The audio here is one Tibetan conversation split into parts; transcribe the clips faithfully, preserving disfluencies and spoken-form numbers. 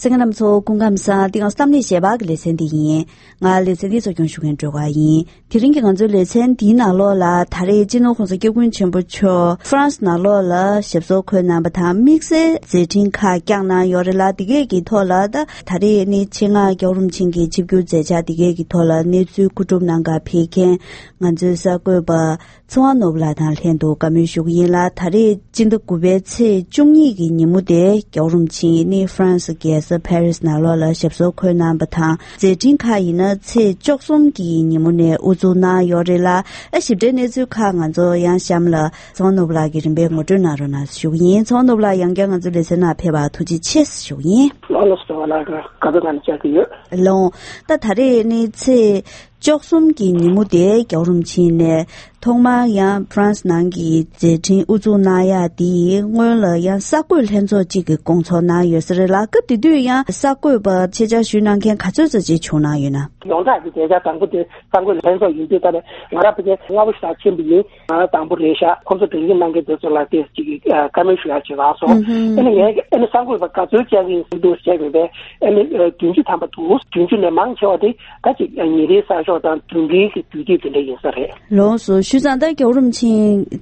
གསན་མཁན་རྣམ་ཚོ་སྐུ་ཁམས་བཟང་། འདི་ང་ཚོ་གཏམ་གླེང་ཞལ་པར་གྱི་ལེ་ཚན་འདི་ཡིན། ང་ལེ་ཚན་འདི་གཙོ་སྐྱོང་ཞུ་མཁན་སྒྲོལ་དཀར་ཡིན། དེ་རིང་གི་ང་ཚོའི་ལེ་ཚན་འདིའི་ནང་ལོགས་ལ་ད་རེས་སྤྱི་ནོར་༸གོང་ས་༸སྐྱབས་མགོན་ཆེན་པོ་མཆོག་ཧྥ་རན་སི་ནང་ལོགས་ལ་ཞབས་སོར་འཁོད་གནང་བ་དང་། དམིགས་བསལ་མཛད་འཕྲིན་ཁག་བསྐྱངས་གནང་ཡོད་རེད་ལ། འདི་གས་ཀྱི་ཐོག་ལ་ད་ད་རེས་ནི་ཆེད་མངགས་རྒྱལ་བ་རིན་པོ་ཆེ་གི་ཆིབས་བསྒྱུར་མཛད་འཆར་འདི་གས་ཀྱི་ཐོག་ལ་གནས་ཚུལ་མཁོ་སྒྲུབ་གནང་གར་ཕེབས་མཁན་ང་ཚོའི་གསར་འགོད་པ་ཚེ་དབང་ནོར་བུ་ལགས་དང་ལྷན་དུ་བཀའ་མོལ་ཞུ་གི་ཡིན་ལ། ད་རེས་སྤྱི་ཟླ་དགུ་པའི་ཚེས་བཅུ་གཉིས་ཀྱི་ཉིན་མོ་དེ་རྒྱལ་བ་རིན་པོ་ཆེ་ནི་ཧྥ་རན་སི་རྒྱལ་ས་ཕ་རི་སི་ནང་ལོགས་ལ་ཞབས་སོར་འཁོད་གནང་བ་དང་། མཛད་འཕྲིན་ཁག་ཡིན་ན་ཚེས་བཅུ་གསུམ་གྱི་ཉིན་མོ་ནས་དབུ་འཛུགས་གནང་ཡོད་རེད་ལ། ཨ་ཞིབ་ཕྲའི་གནས་ཚུལ་ཁག་ང་ཚོ་ཡང་གཤམ་ལ་ཚེ་དབང་ནོར་བུ་ལགས་ཀྱིས་རིམ་པས་ངོ་སྤྲོད་གནང་རོགས་གནང་ཞུ་གི་ཡིན། ཚེ་དབང་ནོར་བུ་ལགས་ཡང་བསྐྱར་ང་ཚོའི་ལེ་ཚན་ནང་ཕེབས་པར་ཐུགས་རྗེ་ཆེ་ཞུ་གི་ཡིན། ལགས་ལགས་སོ། ལགས་དགའ་པོའི་ངང་ནས་བཅར་གྱི་ཡོད། ལགས། ད་ད་རེས་ནི་ཚེས་བཅུ་གསུམ་གྱི་ཉིན་མོ་དེ་རྒྱལ་བ་རིན་པོ་ཆེ་ནས་ཐོག་མར་ཡང་ཧྥ་རན་སི་ནང་གི་མཛད་འཕྲིན་དབུ་འཛུགས་གནང་ཡག་དེའི་སྔོན་ལ་ཡང་གསར་འགོད་ལྷན་ཚོགས་གཅིག་གི་སྐོང་ཚོགས་གནང་ཡོད་ས་རེད་ལ། སྐབས་དེ་དུས་ཡང་གསར་འགོད་པ་ཆེད་བཅར་ཞུས་གནང་མཁན་ག་ཚོད་ཙམ་ཅིག་བྱུང་གནང་ཡོད་ན། ཡོངས་གྲགས་ཀྱི་མཛད་འཆར་དང་པོ་དེ་གསར་འགོད་ལྷན་ཚོགས་ཡིན་དུས། ད་ནས་ང་རང་ཕལ་ཆེར་སྔ་པོ་ཞིག་ཕྱིན་པ་ཡིན། ང་རང་དང་པོ་རེད་ཤག་ཁོང་ཚོ་བྲེལ་བ་གནང་མཁན་དེ་ཚོ་ལ་དེ་གཅིག་གི་བཀའ་མོལ་ཞུ་ཡག་བྱེད་པ་སོང་། ཨ་ནི་ངས་ཨ་ནི་གསར་འགོད་པ་ག་ཚོད་བཅར་གྱི་འདུག་བྱས་པས། ཨ་ནི་བདུན་ཅུ་ཐམ་པ་འདུག་བདུན་ཅུ་ནས་མང་ཆེ་བ་དེ་ད་ཅིག་ཉིན་རེའི་གསར་ཤོག་དང་བདུན་རེའི་གི་དུས་དེབ་དེ་འདྲ་ཡིན་ས་རེད། ལགས་སོ། བྱས་ཙང་ད་རྒྱལ་བ་རིན་པོ་ཆེ་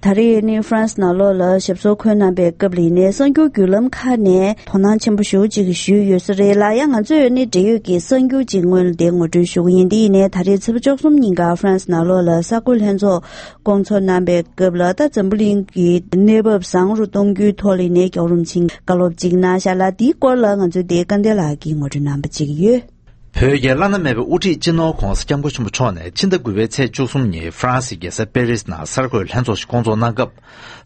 ད་རེས་ནི་ཧྥ་རན་སི་ནང་ལོགས་ལ་ཞབས་སོར་འཁོད་གནང་པའི་སྐབས་ལ་ཡིན་ནའི་གསར་འགྱུར་བརྒྱུད་ལམ་ཁག་ནས་དོ་སྣང་ཆེན་པོ་ཞེ་པོ་ཅིག་ཞུས་ཡོད་ས་རེད་ལ། ཡང་ང་ཚོས་ནི་འབྲེལ་ཡོད་ཀྱི་གསར་འགྱུར་ཅིག་སྔོན་ལ་དེ་ངོ་སྤྲོད་ཞུ་གི་ཡིན། དེ་ཡིན་ནའི་ད་རེས་ཚེས་པ་བཅུ་གསུམ་ཉིན་ཀ་ཧྥ་རན་སི་ནང་ལོགས་ལ་གསར་འགོད་ལྷན་ཚོགས་སྐོང་ཚོགས་གནང་པའི་སྐབས་ལ། ད་འཛམ་བུ་གླིང་གི་གནས་བབ་བཟང་རུ་གཏོང་རྒྱུའི་ཐོག་ལ་ཡིན་ནའི་རྒྱལ་བ་རིན་པོ་ཆེས་བཀའ་སློབ་ཅིག་གནང་ཤག་ལ། དེའི་སྐོར་ལ་ང་ཚོའི་དེ་སྐལ་ལྡན་ལགས་ཀྱིས་ངོ་སྤྲོད་གནང་པ་ཅིག་ཡོད། བོད་ཀྱི་བླ་ན་མེད་པའི་དབུ་ཁྲིད་སྤྱི་ནོར་༸གོང་ས་༸སྐྱབས་མགོན་ཆེན་པོ་མཆོག་ནས་ཕྱི་ཟླ་དགུ་པའི་ཚེས་བཅུ་གསུམ་ཉིན་ཧྥ་རན་སིའི་རྒྱལ་ས་པེ་རི་སི་ནང་གསར་འགོད་ལྷན་ཚོགས་ཤིག་སྐོང་ཚོགས་གནང་སྐབས།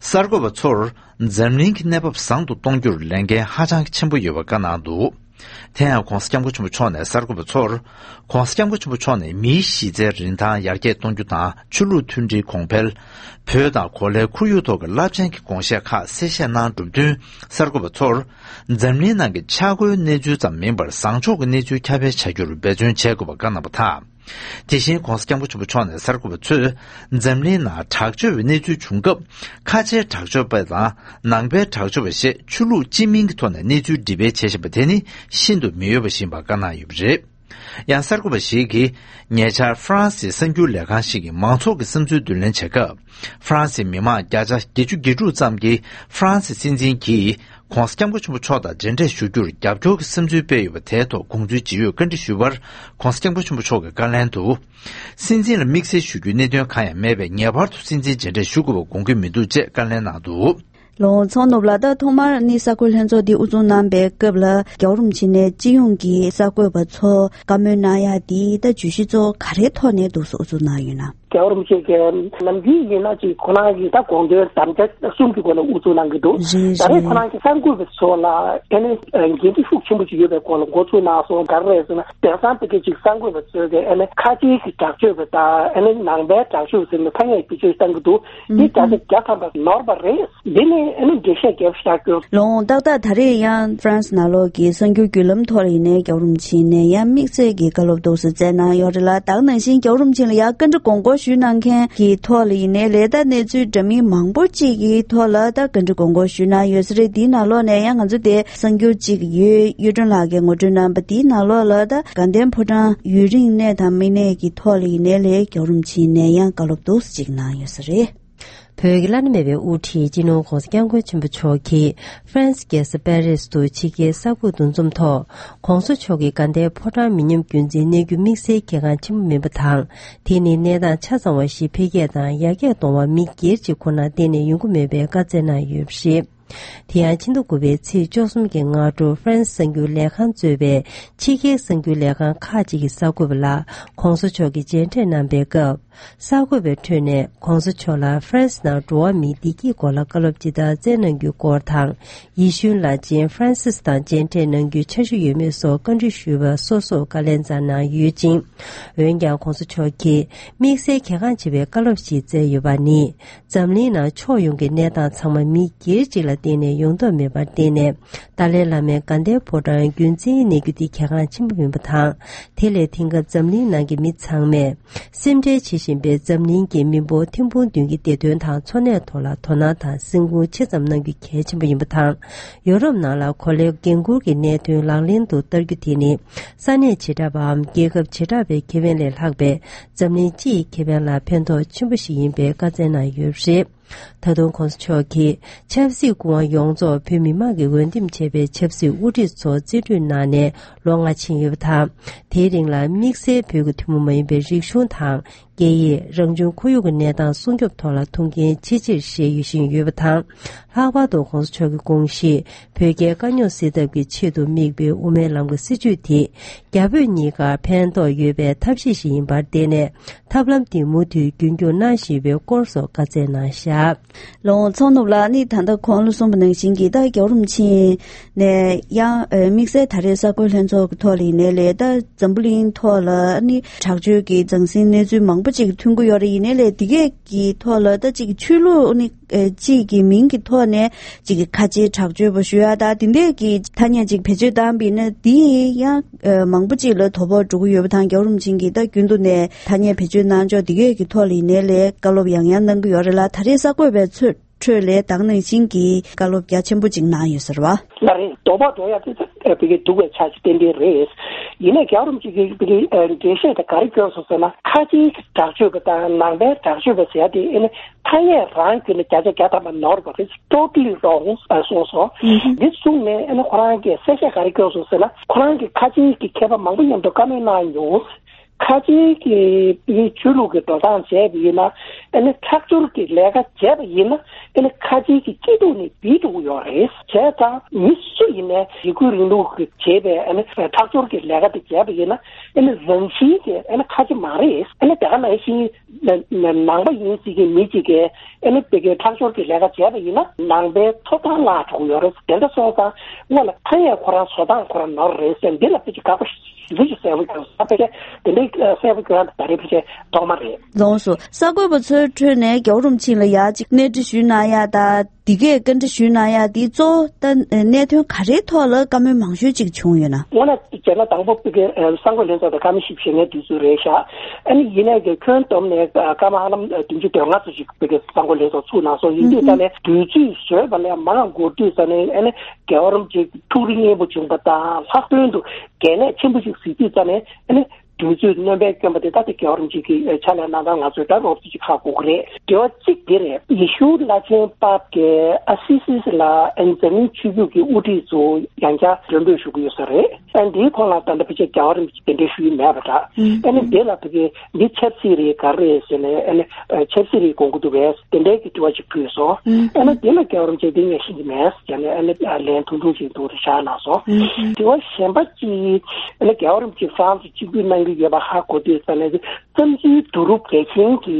གསར་འགོད་པ་ཚོར་འཛམ་གླིང་གི་གནས་བབ་བཟང་དུ་གཏོང་རྒྱུར་ལས་འགན་ཧ་ཅང་ཆེན་པོ་ཡོད་པ་བཀའ་གནང་འདུག་དེ་ཡང་༸གོང་ས་༸སྐྱབས་མགོན་ཆེན་པོ་མཆོག་ནས་གསར་འགོད་པ་ཚོར། ༸གོང་ས་༸སྐྱབས་མགོན་ཆེན་པོ་མཆོག་ནས་མིའི་གཞི་རྩའི་རིན་ཐང་ཡར་རྒྱས་གཏོང་རྒྱུ་དང་། ཆོས་ལུགས་མཐུན་སྒྲིལ་གོང་འཕེལ། བོད་དང་གོ་ལའི་ཁོར་ཡུག་ཐོག་གི་རླབས་ཆེན་གྱི་དགོངས་བཞེད་ཁག་གསལ་བཤད་གནང་གྲུབ་བསྟུན། གསར་འགོད་པ་ཚོར། འཛམ་གླིང་ནང་གི་ཆག་སྒོའི་གནས་ཚུལ་ཙམ་མིན་པར། བཟང་ཕྱོགས་ཀྱི་གནས་ཚུལ་ཁྱབ་སྤེལ་བྱ་རྒྱུར་འབད་བརྩོན་བྱེད་དགོས་པ་བཀའ་གནང་བ་དང་། དེ་བཞིན་༸གོང་ས་༸སྐྱབས་མགོན་ཆེན་པོ་མཆོག་ནས་གསར་འགོད་པ་ཚོས། འཛམ་གླིང་ནང་དྲག་སྤྱོད་པའི་གནས་ཚུལ་བྱུང་སྐབས། ཁ་ཆེའི་དྲག་སྤྱོད་པ་དང་། ནང་པའི་དྲག་སྤྱོད་པ་ཞེས་ཆོས་ལུགས་སྤྱི་མིང་གི་ཐོག་ནས་གནས་ཚུལ་འདྲི་སྤེལ་བྱེད་བཞིན་པ་དེ་ནི་ཤིན་ཏུ་མི་འོས་པ་ཞིག་ཡིན་པ་བཀའ་གནང་ཡོད་པ་རེད། ཡང་གསར་འགོད་པ་ཞིག་གིས། ཉེ་ཆར་ཧྥ་རན་སིའི་གསར་འགྱུར་ལས་ཁང་ཞིག་གིས་མང་ཚོགས་ཀྱི་བསམ་ཚུལ་བསྡུ་ལེན་བྱེད་སྐབས། ཧྥ་རན་སིའི་མི་མང་བརྒྱ་ཆ་བརྒྱད་ཅུ་གྱ་དྲུག་ཙམ་གྱིས་ཧྥ་རན་སིའི་སྲིད་འཛིན་གྱིས་༸གོང་ས་༸སྐྱབས་མགོན་ཆེན་པོ་མཆོག་དང་མཇལ་འཕྲད་ཞུ་རྒྱུར་རྒྱབ་སྐྱོར་གྱི་བསམ་ཚུལ་སྤེལ་ཡོད་པ་དེའི་ཐོག་དགོངས་ཚུལ་ཇི་ཡོད་བཀའ་འདྲི་ཞུས་པར། ༸གོང་ས་༸སྐྱབས་མགོན་ཆེན་པོ་མཆོག་གིས་བཀའ་ལན་དུ། སྲིད་འཛིན་ལ་དམིགས་བསལ་ཞུ་རྒྱུའི་གནད་དོན་གང་ཡང་མེད་པས། ངེས་པར་དུ་སྲིད་འཛིན་མཇལ་འཕྲད་ཞུ་དགོས་པ་དགོངས་ཀྱི་མི་འདུག་ཅེས་བཀའ་ལན་གནང་འདུག་ལགས་སོ། ཚེ་དབང་ནོར་བུ་ལགས། ད་ཐོག་མར་ནི་གསར་འགོད་ལྷན་ཚོགས་འདི་དབུ་འཛུགས་གནང་པའི་སྐབས་ལ་རྒྱལ་བ་རིན་པོ་ཆེ་ནས་སྤྱི་ཡོངས་ཀྱི་གསར་འགོད་པ་ཚོ་བཀའ་མོལ་གནང་ཡག་འདི་ད་བརྗོད་གཞི་གཙོ་བོ་ག་རེའི་ཐོག་ནས་འདུག་སེ་དབུ་འཛུགས་གནང་ཡོད་ན། རྒྱལ་བ་རིན་པོ་ཆེ་གིས་ནམ་རྒྱུན་ཡིན་ན་ཅིག་ཁོ་རང་གི་ད་དགོངས་དོན་དམ་བཅའ་གསུམ་གྱི་སྒོ་ནས་དབུ་འཛུགས་གནང་གི་འདུག་རེད་ད་རེས་རེད། ཁོ་རང་གིས་གསར་འགོད་པ་ཚོ་ལ་ཨ་ནི་འགན་འཁྲི་ཤུགས་ཆེན་པོ་ཅིག་ཡོད་པའི་སྐོར་ལ་འགོ་ཚུགས་གནང་སོང་། ག་རེ་རེད་ཟེར་ན། དེང་སང་དེ་གའི་ཅིག་གསར་འགོད་པ་ཚོས་ཀྱི་ཨ་ནི་ཁ་ཆེའི་གི་དྲག་སྤྱོད་པ་དང་ཨ་ནི་ནང་པའི་དྲག་སྤྱོད་ཟེར་ནས་ཐ་སྙད་བེད་སྤྱོད་བཏང་གི་འདུག་འདི་བརྒྱ་ཆ་བརྒྱ་ཐམ་པ་ནོར་བ་རེད། འདི་ནི་ཨ་ནི་འགྲེལ་བཤད་རྒྱབ་བཞག་རྒྱུ། ལགས་སོ། ད་ལྟ་ད་རེས་ཡང་ཧྥ་རན་སི་ནང་ལོགས་ཀྱི་གསར་འགྱུར་བརྒྱུད་ལམ་ཐོག་ལ་ཡིན་ནའི་རྒྱལ་བ་རིན་པོ་ཆེ་ནས་ཡང་དམིགས་བསལ་གྱི་བཀའ་སློབ་འདུག་སེ་སྩལ་གནང་ཡོད་རེད་ལ། ད་ག་ནང་བཞིན་རྒྱལ་བ་རིན་པོ་ཆེ་ལ་ཡང་བཀའ་འདྲི་དགོངས་སྐོར་ཞུས་གནང་མཁན་གྱི་ཐོག་ལ་ཡིན་ནའི་ལས་ད་གནས་ཚུལ་འདྲ་མིན་མང་པོ་ཅིག་གི་ཐོག་ལ་ད་བཀའ་འདྲི་དགོངས་སྐོར་ཞུས་གནང་ཡོད་ས་རེད། དེའི་ནང་ལོགས་ནས་ཡང་ང་ཚོ་དེ་གསར་འགྱུར་ཅིག་ཡོད། གཡུ་སྒྲོན་ལགས་ཀྱིས་ངོ་སྤྲོད་གནང་པ་དེའི་ནང་ལོགས་ལ་ད་དགའ་ལྡན་ཕོ་བྲང་ཡུན་རིང་གནས་དང་མི་གནས་ཀྱི་ཐོག་ལ་ཡིན་ནའི་ལས་རྒྱལ་བ་རིན་པོ་ཆེ་ནས་ཡང་བཀའ་སློབ་འདུག་སེ་ཅིག་གནང་ཡོད་ས་རེད། བོད་ཀྱི་བླ་ན་མེད་པའི་དབུ་ཁྲིད་སྤྱི་ནོར་༸གོང་ས་༸སྐྱབས་མགོན་ཆེན་པོ་མཆོག་གིས་ཧྥ་རན་སི་རྒྱལ་ས་པེ་རི་སི་དུ་ཕྱི་རྒྱལ་གསར་འགོད་འདུ་འཛོམས་ཐོག་༸གོང་ས་མཆོག་གིས་དགའ་ལྡན་ཕོ་བྲང་མི་ཉམས་རྒྱུན་འཛིན་གནང་རྒྱུ་དམིགས་བསལ་གལ་འགངས་ཆེན་པོ་མིན་པ་དང་། དེ་ནི་གནས་སྟངས་ཆ་ཚང་བ་ཞིག་འཕེལ་རྒྱས་དང་ཡར་རྒྱས་གཏོང་བར་མི་སྒེར་གཅིག་ཁོ་ན་གཏན་ནས་ཡོང་གི་མེད་པའི་བཀའ་སྩལ་གནང་ཡོད་པ་རེད། དེ་ཡང་ཕྱི་ཟླ་དགུ་པའི་ཚེས་བཅུ་གསུམ་གྱི་སྔ་དྲོ་ཧྥ་རན་སི་གསར་འགྱུར་ལས་ཁང་གཙོས་པའི་ཕྱི་རྒྱལ་གསར་འགྱུར་ལས་ཁང་ཁག་ཅིག་གི་གསར་འགོད་པ་ལ་༸གོང་ས་མཆོག་གིས་མཇལ་འཕྲད་གནང་པའི་སྐབས། གསར་འགོད་པའི་ཁྲོད་ནས་༸གོང་ས་མཆོག་ལ་ཧྥ་རན་སི་ནང་འགྲོ་བ་མིའི་བདེ་སྐྱིད་སྐོར་ལ་བཀའ་སློབ་ཇི་ལྟར་སྩལ་གནང་རྒྱུའི་སྐོར་དང་། ཡེ་ཤུའི་བླ་ཆེན་ཧྥ་རན་སིས་དང་མཇལ་འཕྲད་གནང་རྒྱུའི་འཆར་གཞི་ཡོད་མེད་སོགས་བཀའ་འདྲི་ཞུས་པར་སོ་སོར་བཀའ་ལན་སྩལ་གནང་ཡོད་ཅིང་། འོན་ཀྱང་༸གོང་ས་མཆོག་གིས་དམིགས་བསལ་གལ་འགངས་ཆེ་བའི་བཀའ་སློབ་ཞིག་སྩལ་ཡོད་པ་ནི། འཛམ་གླིང་ནང་ཕྱོགས་ཡོངས་ཀྱི་གནས་སྟངས་ཚང་མ་མི་སྒེར་གཅིག་ལ་ གཏན་ནས་ཡོང་ཐབས་མེད་པར་བརྟེན་ནས། ཏཱ་ལའི་བླ་མའི་དགའ་ལྡན་ཕོ་བྲང་རྒྱུན་བཙན་གནས་རྒྱུ་དེ་གལ་འགངས་ཆེན་པོ་ཡིན་པ་དང་། དེ་ལས་དེང་སྐབས་འཛམ་གླིང་ནང་གི་མི་ཚང་མས་སེམས་ཁྲལ་བྱེད་བཞིན་པའི་འཛམ་གླིང་གི་མི་འབོར་ཐེར་འབུམ་བདུན་གྱི་བདེ་དོན་དང་འཚོ་གནས་ཐོག་ལ་དོ་སྣང་དང་སེམས་ཁུར་ཆེ་ཙམ་གནང་རྒྱུ་གལ་ཆེན་པོ་ཡིན་པ་དང་། ཡོ་རོབ་ནང་ལ་གོ་ལའི་འགན་འཁུར་གྱི་གནད་དོན་ལག་ལེན་དུ་བསྟར་རྒྱུ་དེ་ནི། ས་གནས་བྱེ་བྲག་པའམ་རྒྱལ་ཁབ་བྱེ་བྲག་པའི་ཁེ་ཕན་ལས་ལྷག་པའི་འཛམ་གླིང་སྤྱི་ཡི་ཁེ་ཕན་ལ་ཕན་ཐོགས་ཆེན་པོ་ཞིག་ཡིན་པའི་བཀའ་སྩལ་གནང་ཡོད་པ་རེད། ད་དུང་གོང་ས་མཆོག་གིས་ཆབ་སྲིད་སྐུ་དབང་ཡོངས་རྫོགས་བོད་མི་མང་གིས་འོས་འདེམས་བྱས་པའི་ཆབ་སྲིད་དབུ་ཁྲིད་ཚོ་རྩིས་སྤྲོད་གནང་ནས་ལོ་ལྔ་ཕྱིན་ཡོད་པ་དང་། དེའི་རིང་ལ་དམིགས་བསལ་བོད་ཀྱི་ཐུན་མོང་མ་ཡིན་པའི་རིག་གཞུང་དང་། སྐད་ཡིག་རང་བྱུང་ཁོར་ཡུག་གི་གནས་སྟངས་སྲུང་སྐྱོབ་ཐོག་ལ་ཐུགས་འགན་ཆེ་ཆེར་བཞེས་ཡོད་བཞིན་ཡོད་པ་དང་། ལྷག་པར་དུ་གོང་ས་མཆོག་གི་དགོངས་གཞི་བོད་རྒྱའི་དཀའ་རྙོག་སེལ་ཐབས་ཀྱི་ཆེད་དུ་དམིགས་པའི་དབུ་མའི་ལམ་གྱི་སྲིད་བྱུས་དེ། རྒྱ་བོད་གཉིས་ཀར་ཕན་ཐོགས་ཡོད་པའི་ཐབས་ཤེས་ཤིག་ཡིན་པར་བརྟེན་ནས། ཐབས་ལམ་དེ་མུ་མཐུད་རྒྱུན་སྐྱོང་གནང་བཞིན་པའི་སྐོར་སོགས་བཀའ་སྩལ་གནང་བཞག་ལོ་ཚོགས་ནུབ་ལ་ནི་ད་ལྟ་གོང་ལ་གསུངས་པ་ནང་བཞིན་གྱི་ད་རྒྱལ་བ་རིན་པོ་ཆེ་ནས་ཡང་དམིགས་བསལ་ད་རེས་གསར་འགོད་ལྷན་ཚོགས་ཀྱི་ཐོག་ལ་ཡིན་ནའི་ལས་ད་འཛམ་བུ་གླིང་ཐོག་ལ་ནི་དྲག་སྤྱོད་ཀྱི་ཟང་ཟིང་གནས་ཚུལ་མང་པོ་ཅིག་ཐོན་གྱི་ཡོད་རེད། ཡིན་ནའི་ལས་དེ་གས་ཀྱི་ཐོག་ལ་ད་ཅིག་ཆོས་ལུགས་ནི་ཅིག་གི་མིང་གི་ཐོག་ནས་ཅིག་ཁ་ཆེའི་དྲག་སྤྱོད་པ་ཞུ་ཡ་ད་དེ་འདྲས་ཀྱི་ཐ་སྙད་ཅིག་བེད་སྤྱོད་བཏང་པ་ཡིན་ན་དེ་ཡང་མང་པོ་ཅིག་ལ་དོ་ཕོག་འགྲོ་གི་ཡོད་པ་དང་། རྒྱལ་བ་རིན་པོ་ཆེ་གིས་ད་རྒྱུན་དུ་ནས་ཐ་སྙད་བེད་སྤྱོད་གནང་ཕྱོགས་དེ་གས་ཀྱི་ཐོག་ལ་ཡིན་ནའི་ལས་བཀའ་སློབ་ཡང་ཡང་གནང་གི་ཡོད་རེད་ལ། ད་རེས་གསར་འགོད་པའི་ཚོས་ཁྲོད་ལས་ད་ག་ནང་བཞིན་གྱི་བཀའ་སློབ་རྒྱ་ཆེན་པོ་ཅིག་གནང་ཡོད་ཟེར་བ། ལ་རེད། དོ་ཕོག་འགྲོ་ཡ་དེ་ཚོ་བི་གའི་སྡུག་པའི་ཆ་ཞིག་ཏན་ཏན་རེད། ཡིན་ནའི་རྒྱལ་བ་རིན་པོ་ཆེ་གིས་བི་གའི་འགྲེལ་བཤད་དེ་ག་རེ་བསྐྱོན་སོང་ཟེར་ན། ཁ་ཆེའི་དྲག་སྤྱོད་པ་དང་ནང་པའི་དྲག་སྤྱོད་པ་ཟེར་ཡ་དེ་ཨེ་ནི་ཐ་སྙད་རང་བརྒྱུད་ནས་བརྒྱ་ཆ་བརྒྱ་ཐམ་པ་ནོར་བ་རེད། Totally wrong་གསུངས་སོང་། འདི་གསུངས་ནས་ཨེ་ནི་ཁོ་རང་གིས་གསལ་བཤད་ག་རེ་བསྐྱོན་སོང་ཟེར་ན། ཁོ་རང་གིས་ཁ་ཆེའི་གི་མཁས་པ་མང་པོ་མཉམ་དུ་བཀའ་མོལ་གནང་མྱོང་། ཁ་ཆེའི་གི་ཆོས་ལུགས་ཀྱི་འགྲོ་སྟངས་བྱས་པ་ཡིན་ན། ཨ་ནི་ཁྲག་སྦྱོར་གྱི་ལས་ཀ་བྱས་པ་ཡིན་ན། ཨ་ནི་ཁ་ཆེའི་གི་སྐྱིད་སྡུག་ནི་བིད་འགྲོ་གི་ཡོད་རེད། བྱས་ཙང་མི་སུ་ཡིན་ནའི་ཡི་གུ་རིང་ལུགས་ཀྱི་བྱས་པའི་ཨ་ནི་ཁྲག་སྦྱོར་གྱི་ལས་ཀ་དེ་བྱས་པ་ཡིན་ན། ཨ་ནི་རང་བཞིན་གྱིས་ཨ་ནི་ཁ་ཆེ་མ་རེད། ཨ་ནི་དེ་ག་ནང་བཞིན་ནང་པ་ཡིན་ཟེར་གྱི་མི་གཅིག་གིས་ཨ་ནི་བི་གའི་ཁྲག་སྦྱོར་གྱི་ལས་ཀ་བྱས་པ་ཡིན་ན་ནང་པའི་ཐོབ་ཐང་བརླག་འགྲོ་གི་ཡོད་རེད། དེ་འདྲ་སོང་ཙང་དངོས་ལ་ཐ་སྙད་ཁོ་རང་བཟོ་སྟངས་ཁོ་རང་ནོར་རེད་ཟེར། འདི་ལ་ཕལ་ཆེར་དགག་པ་ཞེ་པོ་ཅིག་གསལ་པོ་བྱུང་སོང་། ཕལ་ཆེར་དེ་འདྲའི་གསལ་པོ་བྱུང་ཡ་ད་རེས་ཕལ་ཆེར་ཐོག་མ་རེད། ལགས་སོ། གསར་འགོད་པ་ཚོའི་ཁྲོད་ནས་རྒྱལ་བ་རིན་པོ་ཆེ་ལ་ཡ་གཅིག་གནས་འདྲི་ཞུས་གནང་ཡ་ད་འདི་གས་བཀའ་འདྲི་ཞུས་གནང་ཡ་འདི་གཙོ་བོ་ད་གནད་དོན་ག་རེའི་ཐོག་ལ་བཀའ་མོལ་མང་ཤོས་ཅིག་བྱུང་ཡོད་ན། དངོས་གནས་བྱས་ན་དང་པོ་བི་གའི་གསར་འགོད་ལྷན་ཚོགས་དང་བཀའ་མོལ་ཞིབ་བྱེད་མཁན་དུས་ཚོད་རེད་ཤག་ཨ་ནི་ཡིན་ནའི་གི་ཁྱོན་བསྡོམས་ནས་སྐར་མ་ཧ་ལམ་བདུན་ཅུ་དོན་ལྔ་ཙམ་ཞིག་བི་གའི་གསར་འགོད་ལྷན་ཚོགས་ཚུགས་གནང་སོང་། ཡིན་དུས་ཙ་ནས་དུས་ཚོད་བཟོས་པ་ལས་མང་འགོར་དུས་ཙ་ནས་ཨ་ནི་རྒྱལ་བ་རིན་པོ་ཆེ་ཐུགས་རིག་སྙན་པོ་བྱུང་པ་དང་། ལྷག་དོན་དུ་གལ་གནད་ཆེན་པོ་ཞིག་གཟིགས་དུས་ཙ་ནས་ཨ་ནི་དུས་ཚོད་སྣོན་པའི་སྐྱོན་པ་དེ་ད་ལྟ་རྒྱལ་བ་རིན་པོ་ཆེ་གི་ཕྱག་ལས་གནང་སྟངས་ང་ཚོས་ད་རོབ་ཙམ་ཅིག་ཧ་གོ་གི་རེད། དྲི་བ་གཅིག་འདི་རེད། ཡེ་ཤུ་བླ་ཆེན་པཱབ་ཀྱིས་ཨ་སི་སི་སི་ལ་ཨ་ནི་འཛམ་གླིང་ཆོས་བརྒྱུད་ཀྱི་དབུ་ཁྲིད་ཚོ་ཡང་བསྐྱར་མགྲོན་འབོད་ཞུ་གི་ཡོད་ས་རེད། ཨ་ནི་འདིའི་ཐོག་ལ་ད་ལྟ་ཕལ་ཆེར་རྒྱལ་བ་རིན་པོ་ཆེ་གདན་འདྲེན་ཞུ་ཡི་མེད་པ་འདྲ། ཨ་ནི་འདི་ལ་ཕ་གི་འདི་ཆབ་སྲིད་རེད་ག་རེ་རེད་ཟེར་ནས། ཨ་ནི་ཆབ་སྲིད་རེད་དགོངས་ཀྱི་འདུག་པས། དེ་འདྲའི་གི་དྲི་བ་ཅིག་ཕུལ་སོང་། ཨ་ནི་དེ་ལ་རྒྱལ་བ་རིན་པོ་ཆེ་འདི་ངས་ཤེས་ཀྱི་མེད་ཟེར་ནས། ཨ་ནི་ལན་ཐུང་ཐུང་ཞིག་འདུག་རེ་བཞག་གནང་སོང་། དྲི་བ་གཞན་པ་གཅིག་ཨ་ནི་རྒྱལ་བ་རིན་པོ་ཆེ་ཧྥ་རན་སི་གཅིག་གྱུར་གནང་གི་ཡོད་པ་ཧ་གོ་དུས་ཙ་ནས། བསམ་ཚུལ་བསྡུ་རུབ་གལ་ཆེན་གྱི་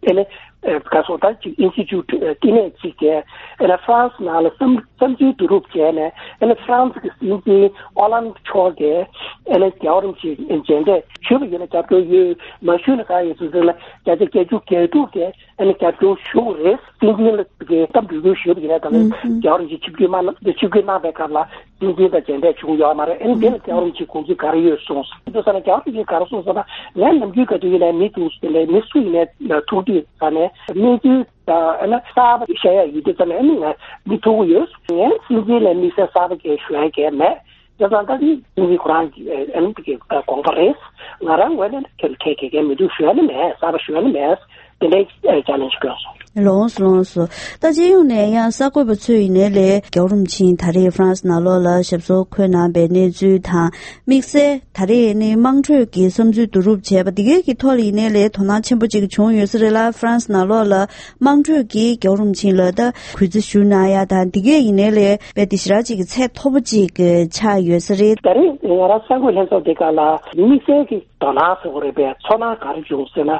ཨ་ནི་ག་སོ་ད་ཅིག་ཨིན་སི་ཊི་ཊུཊ་བསྟི་གནས་གཅིག་གིས་ཨ་ནི་ཧྥ་རན་སི་ནང་ལ་བསམ་བསམ་ཚུལ་བསྡུ་རུབ་བྱས་ནས། ཨ་ནི་ཧྥ་རན་སི་གི་སྲིད་འཛིན་ཨོ་ལན་མཆོག་གིས་ཨ་ནི་རྒྱལ་བ་རིན་པོ་ཆེ་མཇལ་འཕྲད་ཞུས་པ་ཡིན་ན་རྒྱབ་སྐྱོར་ཡོད། མ་ཞུས་ན་ག་ཡོད་ཚུལ་ཟེར་ན། བརྒྱ་ཆ་བརྒྱད་ཅུ་གྱ་དྲུག་གིས་ཨ་ནི་རྒྱབ་སྐྱོར་ཞུ་དགོས་རེད། སྲིད་འཛིན་ལ་གི་སྐབས་འགྲོ་སྐྱོར་ཞུས་པ་ཡིན་ན། ད་ལྟ་རྒྱལ་བ་རིན་པོ་ཆེ་ཆིབས་བསྒྱུར་གནང་། ཆིབས་བསྒྱུར་གནང་པའི་སྐབས་ལ་སྲིད་འཛིན་དང་མཇལ་འཕྲད་བྱུང་ཡོད་མ་རེད། ཨ་ནི་དེ་ལ་རྒྱལ་བ་རིན་པོ་ཆེ་དགོངས་ཚུལ་ག་རེ་ཡོད་གསུངས་སོང་། དེ་ཙ་ན་རྒྱལ་བ་རིན་པོ་ཆེས་ག་རེ་གསུངས་སོང་ན། ངས་ནམ་རྒྱུན་ག་དུས་ཡིན་ནའི་མི་ཐུག་དེ་འདྲའི་མི་སུ་ཡིན་ནའི་ཐུག་དུས་ཙ་ནས་གནས་ཚུལ་དང་ཨ་ནི་གསར་པ་བཤད་ཡ་ཡོད་དུས་ཙ་ནས་ཨ་ནི་ང་མི་ཐུག་གི་ཡོད། ངས་སྲིད་འཛིན་ལ་དམིགས་བསལ་གསར་པ་གས་ཞུ་ཡ་གས་མེད། དེ་ཙང་ད་ནི་ཁོང་གིས་ཁོ་རང་གི་ཨ་ནི་དེ་གི་དགོངས་པ་རེད། ང་རང་ངོས་ནས་ཁྱོད་ཁྱད་ཁྱད་ཁྱད་མི་འདུག་ཞུ་ཡ་ནི་མེད། གསར་པ་ཞུ་ཡ་ནི་མེད། དེ་འདྲའི་ཅ་ལེན་ཞིག་བསྐྱོན་སོང་། ལགས་སོ། ལགས་སོ། ད་སྤྱི་ཡོངས་ནས་ཡང་གསར་འགོད་པ་ཚོས་ཡིན་ནའི་ལས་རྒྱལ་བ་རིན་པོ་ཆེ་ད་རེས་ཧྥ་རན་སི་ནང་ལོགས་ལ་ཞབས་སོར་འཁོད་གནང་པའི་གནས་ཚུལ་དང་། དམིགས་བསལ་ད་རེས་ནི་དམངས་ཁྲོད་ཀྱི་བསམ་ཚུལ་བསྡུ་རུབ་བྱས་པ་འདི་གའི་གི་ཐོག་ལ་ཡིན་ནའི་ལས་དོ་སྣང་ཆེན་པོ་ཅིག་བྱུང་ཡོད་ས་རེད་ལ། ཧྥ་རན་སི་ནང་ལོགས་ལ་དམངས་ཁྲོད་ཀྱིས་རྒྱལ་བ་རིན་པོ་ཆེ་ལ་ད་གུས་བརྩི་ཞུ་གནང་ཡ་དང་། འདི་གས་ཡིན་ནའི་ལས་དཔེ་དེ་ཞེ་དྲག་ཅིག་གི་ཚད་མཐོ་པོ་ཅིག་གི་ཆགས་ཡོད་ས་རེད། ད་རེས་ང་རང་གསར་འགོད་ལྷན་ཚོགས་འདི་ག་ལ་དམིགས་བསལ་གྱི་དོ་སྣང་ཟེར་དགོས་རེད་པས། ཚོར་སྣང་ག་རེ་བྱུང་ཟེར་ན།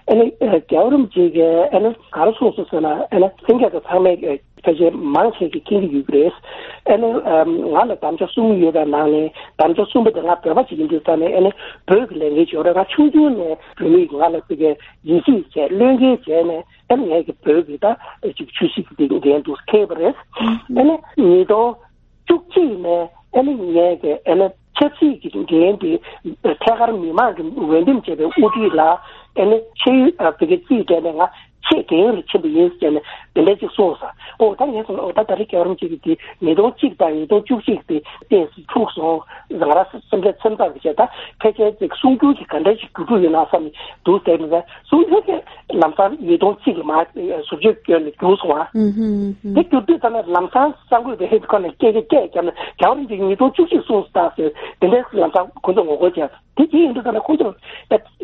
ཨ་ ཨ་ནི་རྒྱལ་བ་རིན་པོ་ཆེ་གིས་ཨ་ནི་ག་རེ་གསུངས་སོང་ཟེར་ན། ཨ་ནི་ལྷན་རྒྱས་ཚོ་ཚང་མས་ཕལ་ཆེར་མང་ཆེ་གིས་མཁྱེན་གྱི་ཡོད་ཀྱི་རེད། ཨ་ནི་ང་ལ་དམ་བཅའ་གསུམ་ཡོད་པའི་ནང་ནས་དམ་བཅའ་གསུམ་པ་དེ་ང་བོད་པ་ཞིག་ཡིན་དུས་ཙང་ནས། ཨ་ནི་བོད་ཀྱི་ལས་འགན་ཞིག་ཡོད་རེད། ང་ཆུང་ཆུང་ནས་བོད་མིས་ང་ལ་ཕ་གིར་ཡིད་ཆེས་བྱས། བློས་འགེལ་བྱས་ནས། ཨ་ནི་ངས་ཀྱི་བོད་ཀྱི་ད་ཅིག་ཆོས་སྲིད་ཀྱི་འགན་དུ་འཁྱེར་བ་རེད། ཨ་ནི་ཉིས་སྟོང་བཅུ་གཅིག་ནས་ཨ་ནི་ངས་ཀྱི་ཨ་ནི་ཆབ་སྲིད་ཀྱི་འགན་དེ་ཐད་ཀར་མི་མང་གི་འོས་འདེམས་བྱས་པའི་དབུ་ཁྲིད་ལ། ཨ་ནི་ཆེས་ཡོད་ཨ་བོད་ཀྱི་རྩིས་སྤྲད་ནས་ང་ཆེས་རྒན་ཡོལ་ལ་ཕྱིན་པ་ཡིན་ཟེར་ནས་དེ་འདྲ་ཅིག་གསུངས་སོང་། ཨོ་ད་ངས་སོང་། ཨོ་ད་ད་རེས་རྒྱལ་བ་རིན་པོ་ཆེ་གི་དེ་ཉིས་སྟོང་གཅིག་དང་ཉིས་སྟོང་བཅུ་གཅིག་དེ་ཏོག་ཙམ་འཁྲུགས་སོང་། ང་རང་སེམས་ཁྲལ་ཚ་ཚ་གི་བྱས། ད་ཕལ་ཆེར་ཅིག་གསུང་སྒྱུར་གྱི་ག་འདྲ་ཞིག་བསྒྱུར་རྒྱུ་ཡོད་ན་བསམ་ནས་འདུག་ཟེར་ནས། གསུང་སྒྱུར་གྱི་ལམ་སང་ཉིས་སྟོང་གཅིག་ལ་མར་ཟུར་བརྗོད་བསྐྱོན་ནས་བསྒྱུར་སོང་བ། ཨུ་ཧུམ་ཨུ་ཧུམ། དེ་བསྒྱུར་དུས་ཙམ་ནས་ལམ་སང་གསར་འགོད་པའི་ཁོ་ནས་སྐད་ཆ་སྐད་བརྒྱབ་ནས། རྒྱལ་བ་རིན་པོ་ཆེས་ཉིས་སྟོང་བཅུ་གཅིག་གསུངས་སོང་ད་ཟེར། དེ་འདྲའི་ལམ་སང་ཁོ་ཚོ་ངོ་རྒོལ་བྱས། དེ་དེ་ཡིན་དུས་ཙམ་ནས་ཁོ་ཚོ་